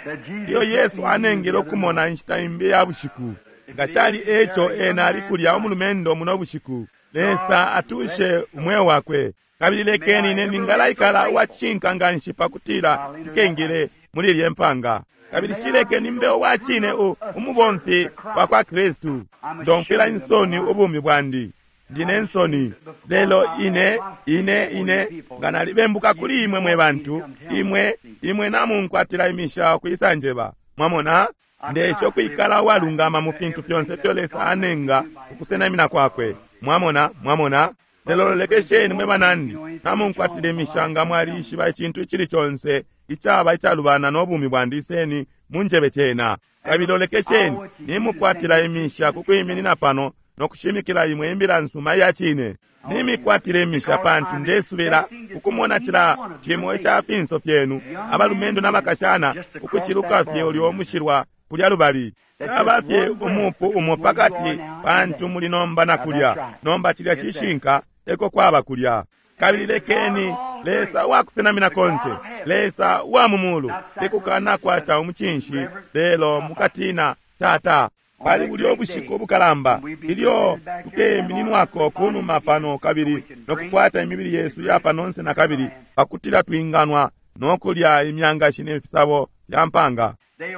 C: iyo Yesu anengele ukumona inshita imbi ya bushiku? Nga cali eco, ena ali kulya umulumendo muno bushiku. Lesa atushe umweo wakwe. Kabili lekeni ine ningalaikala uwacishinka nganshi pakutila nkengile muli ilye mpanga. Kabili shilekeni mbe uwacine umubomfi wa kwa Kristu. Ndomfwila insoni ubumi bwandi. Ndine nsoni. Lelo ine, ine, ine, nga nalibembuka kuli imwe mwe bantu, imwe, imwe namunkwatila imisha ukwisanjeba. Mwamona? Ndesha ukwikala uwalungama mu fintu fyonse ifyo Lesa anenga ukusenamina kwakwe. Mwamona? Mwamona? Lelo lolekesheni mwe banandi, namunkwatila imisha nga mwalishiba icintu icili conse icaba icalubana no bumi bwandi, iseni munjebe cena. Kabili lolekesheni, nimukwatila imisha kukwiminina pano no kushimikila imwe imbila nsuma iya cine. Nimikwatila imisha pantu ndesubila ukumona cila cimo ica finso fyenu, abalumendo n'abakashana, ukuciluka fye ulyo umushilwa kulya lubali. Caba fye umupu umo pakati pantu muli nomba na kulya. Nomba cilya cishinka eko kwaba kulya. Kabili lekeni Lesa uwakusenamina konse, Lesa uwa mu mulu, tekukanakwata umucinshi, lelo mukatina Tata. Pali bulyo bushiku ubukalamba ilyo tukemininwako kunuma pano kabili nokukwata imibili yesu ya panonse na kabili, pakutila twinganwa nokulya imyangashi ne fisabo fya mpanga.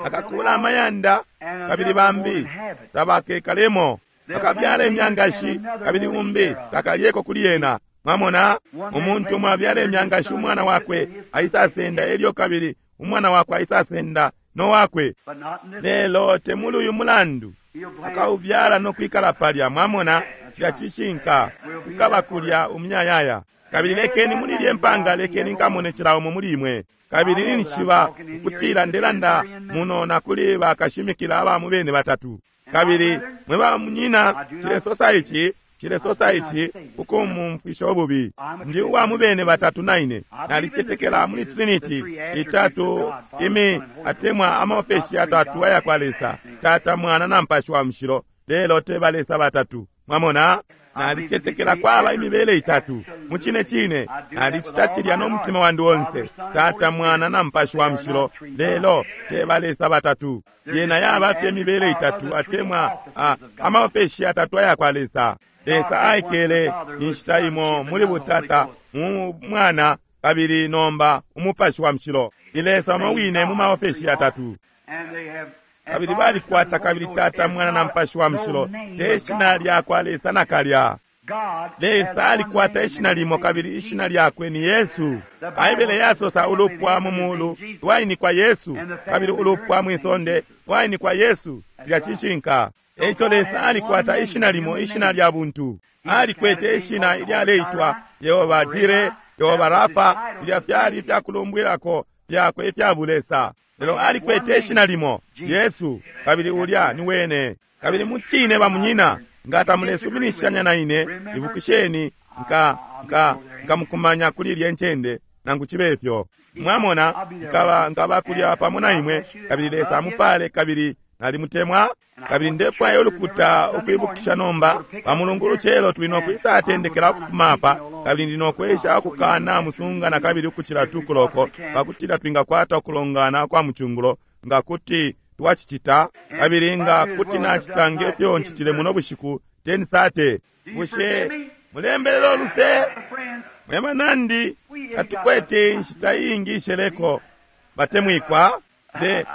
C: Akakula amayanda kabili bambi tabakekalemo, akabyala imyangashi kabili umbi takalyeko kuli yena. Mwamona, umuntu umwe abyala imyangashi, umwana wakwe aisasenda, elyo kabili umwana wakwe aisasenda no wakwe. Lelo temuli uyu mulandu akaubyala no kwikala palya. Mwamona, cilya cishinka, tukaba kulya umuyayaya. Kabili lekeni muli ilye mpanga, lekeni nkamone cila umo muli imwe. Kabili ninshiba ukutila ndelanda muno na kuli bakashimikila aba mu bene batatu. Kabili mwe ba munyina, cilesosa ici, cilesosa ici ukumumfwisha ububi. Ndi uwa mu bene batatu naine. Nalicetekela muli Trinity itatu imi atemwa amaofeshi atatu aya kwa Lesa, Tata, Mwana na Mupashi wa Mushilo, lelo te ba Lesa batatu. Mwamona? Nalicetekela kwaba imibele itatu. Mucine cine nalicita cilya no mutima wandi onse, Tata, Mwana na Mupashi wa Mushilo, lelo te ba Lesa batatu. Yena yaba fye imibele itatu atemwa amaofeshi atatu aya kwa Lesa. Lesa aikele inshita imo muli butata mu Mwana, kabili nomba Umupashi wa Mushilo. Ni Lesa umo wine mu maofeshi atatu. Kabili balikwata kabili Tata, Mwana na Mupashi wa Mushilo te shina lya kwa Lesa nakalya. Lesa alikwata ishina limo kabili ishina lyakwe ni Yesu. Baibele yasosa ulupwa mu mulu lwainikwa Yesu, kabili ulupwa mwisonde lwainikwa Yesu. Cilya cishinka. Eico Lesa alikwata ishina limo, ishina lya buntu. Alikwete ishina ilyaleitwa Yehova Jire, Yehova Rafa, ilya fyali ifyakulumbwilako fyakwe ifya bulesa. Lelo alikwete ishina limo, Yesu, kabili ulya ni wene. Kabili mucine bamunyina, nga tamulesuminishanya na ine, ibukisheni nka nka nkamukumanya kuli ilye ncende, nangu cibe ifyo. Mwamona, nkaba nkaba kulya pamo na imwe, kabili Lesa amupale, kabili nalimutemwa. Kabili ndefwaya ulukuta ukwibukisha nomba, pa Mulungu lucelo tuli nokwisatendekela ukufuma apa, kabili ndi nokwesha ukukana musunga na kabili ukucila tukuloko, pakutila twingakwata ukulongana kwa mucungulo, nga kuti twacicita, kabili nga kuti nacita ngefyo ncitile muno bushiku 10:30. Bushe mulembelela uluse? Mwe banandi, katukwete inshita iingi isheleko. Batemwikwa,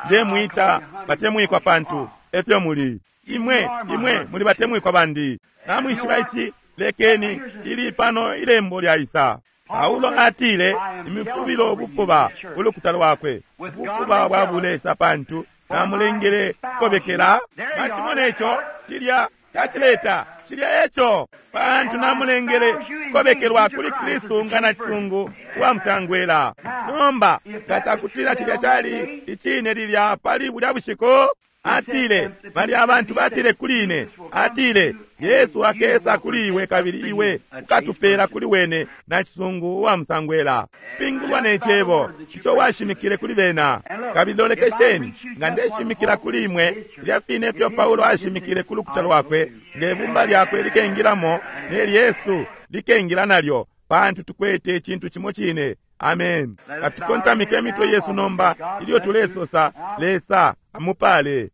C: ndemwita batemwikwa pantu efyo muli. Imwe, imwe muli batemwikwa bandi. Namwishiba ici, lekeni ili pano ilembo lyaisa. Paulo atile imifubilo ubufuba ulukuta lwakwe, ubufuba bwa bulesa pantu namulengele kobekela. Mwacimona ico, cilya tacileta, cilya eco, pantu namulengele kobekelwa kuli Kristu nga na cisungu wa musangwela. Nomba nga cakutila cilya cali icine lilya pali bulya bushiku, atile balya abantu batile kuli ine, atile Yesu akesa kuli iwe kabili iwe ukatupela kuli wene na cisungu wa musangwela. Pingulwa ne cebo ico washimikile kuli bena. Kabili lolekesheni, nga ndeshimikila kuli imwe filya fine ifyo Paulo ashimikile ku lukuta lwakwe, nge bumba lyakwe likengilamo, ne Yesu likengila nalyo, pantu tukwete icintu cimo cine. Amen. Katukontamike imitwe yesu nomba ilyo tulesosa, Lesa amupale.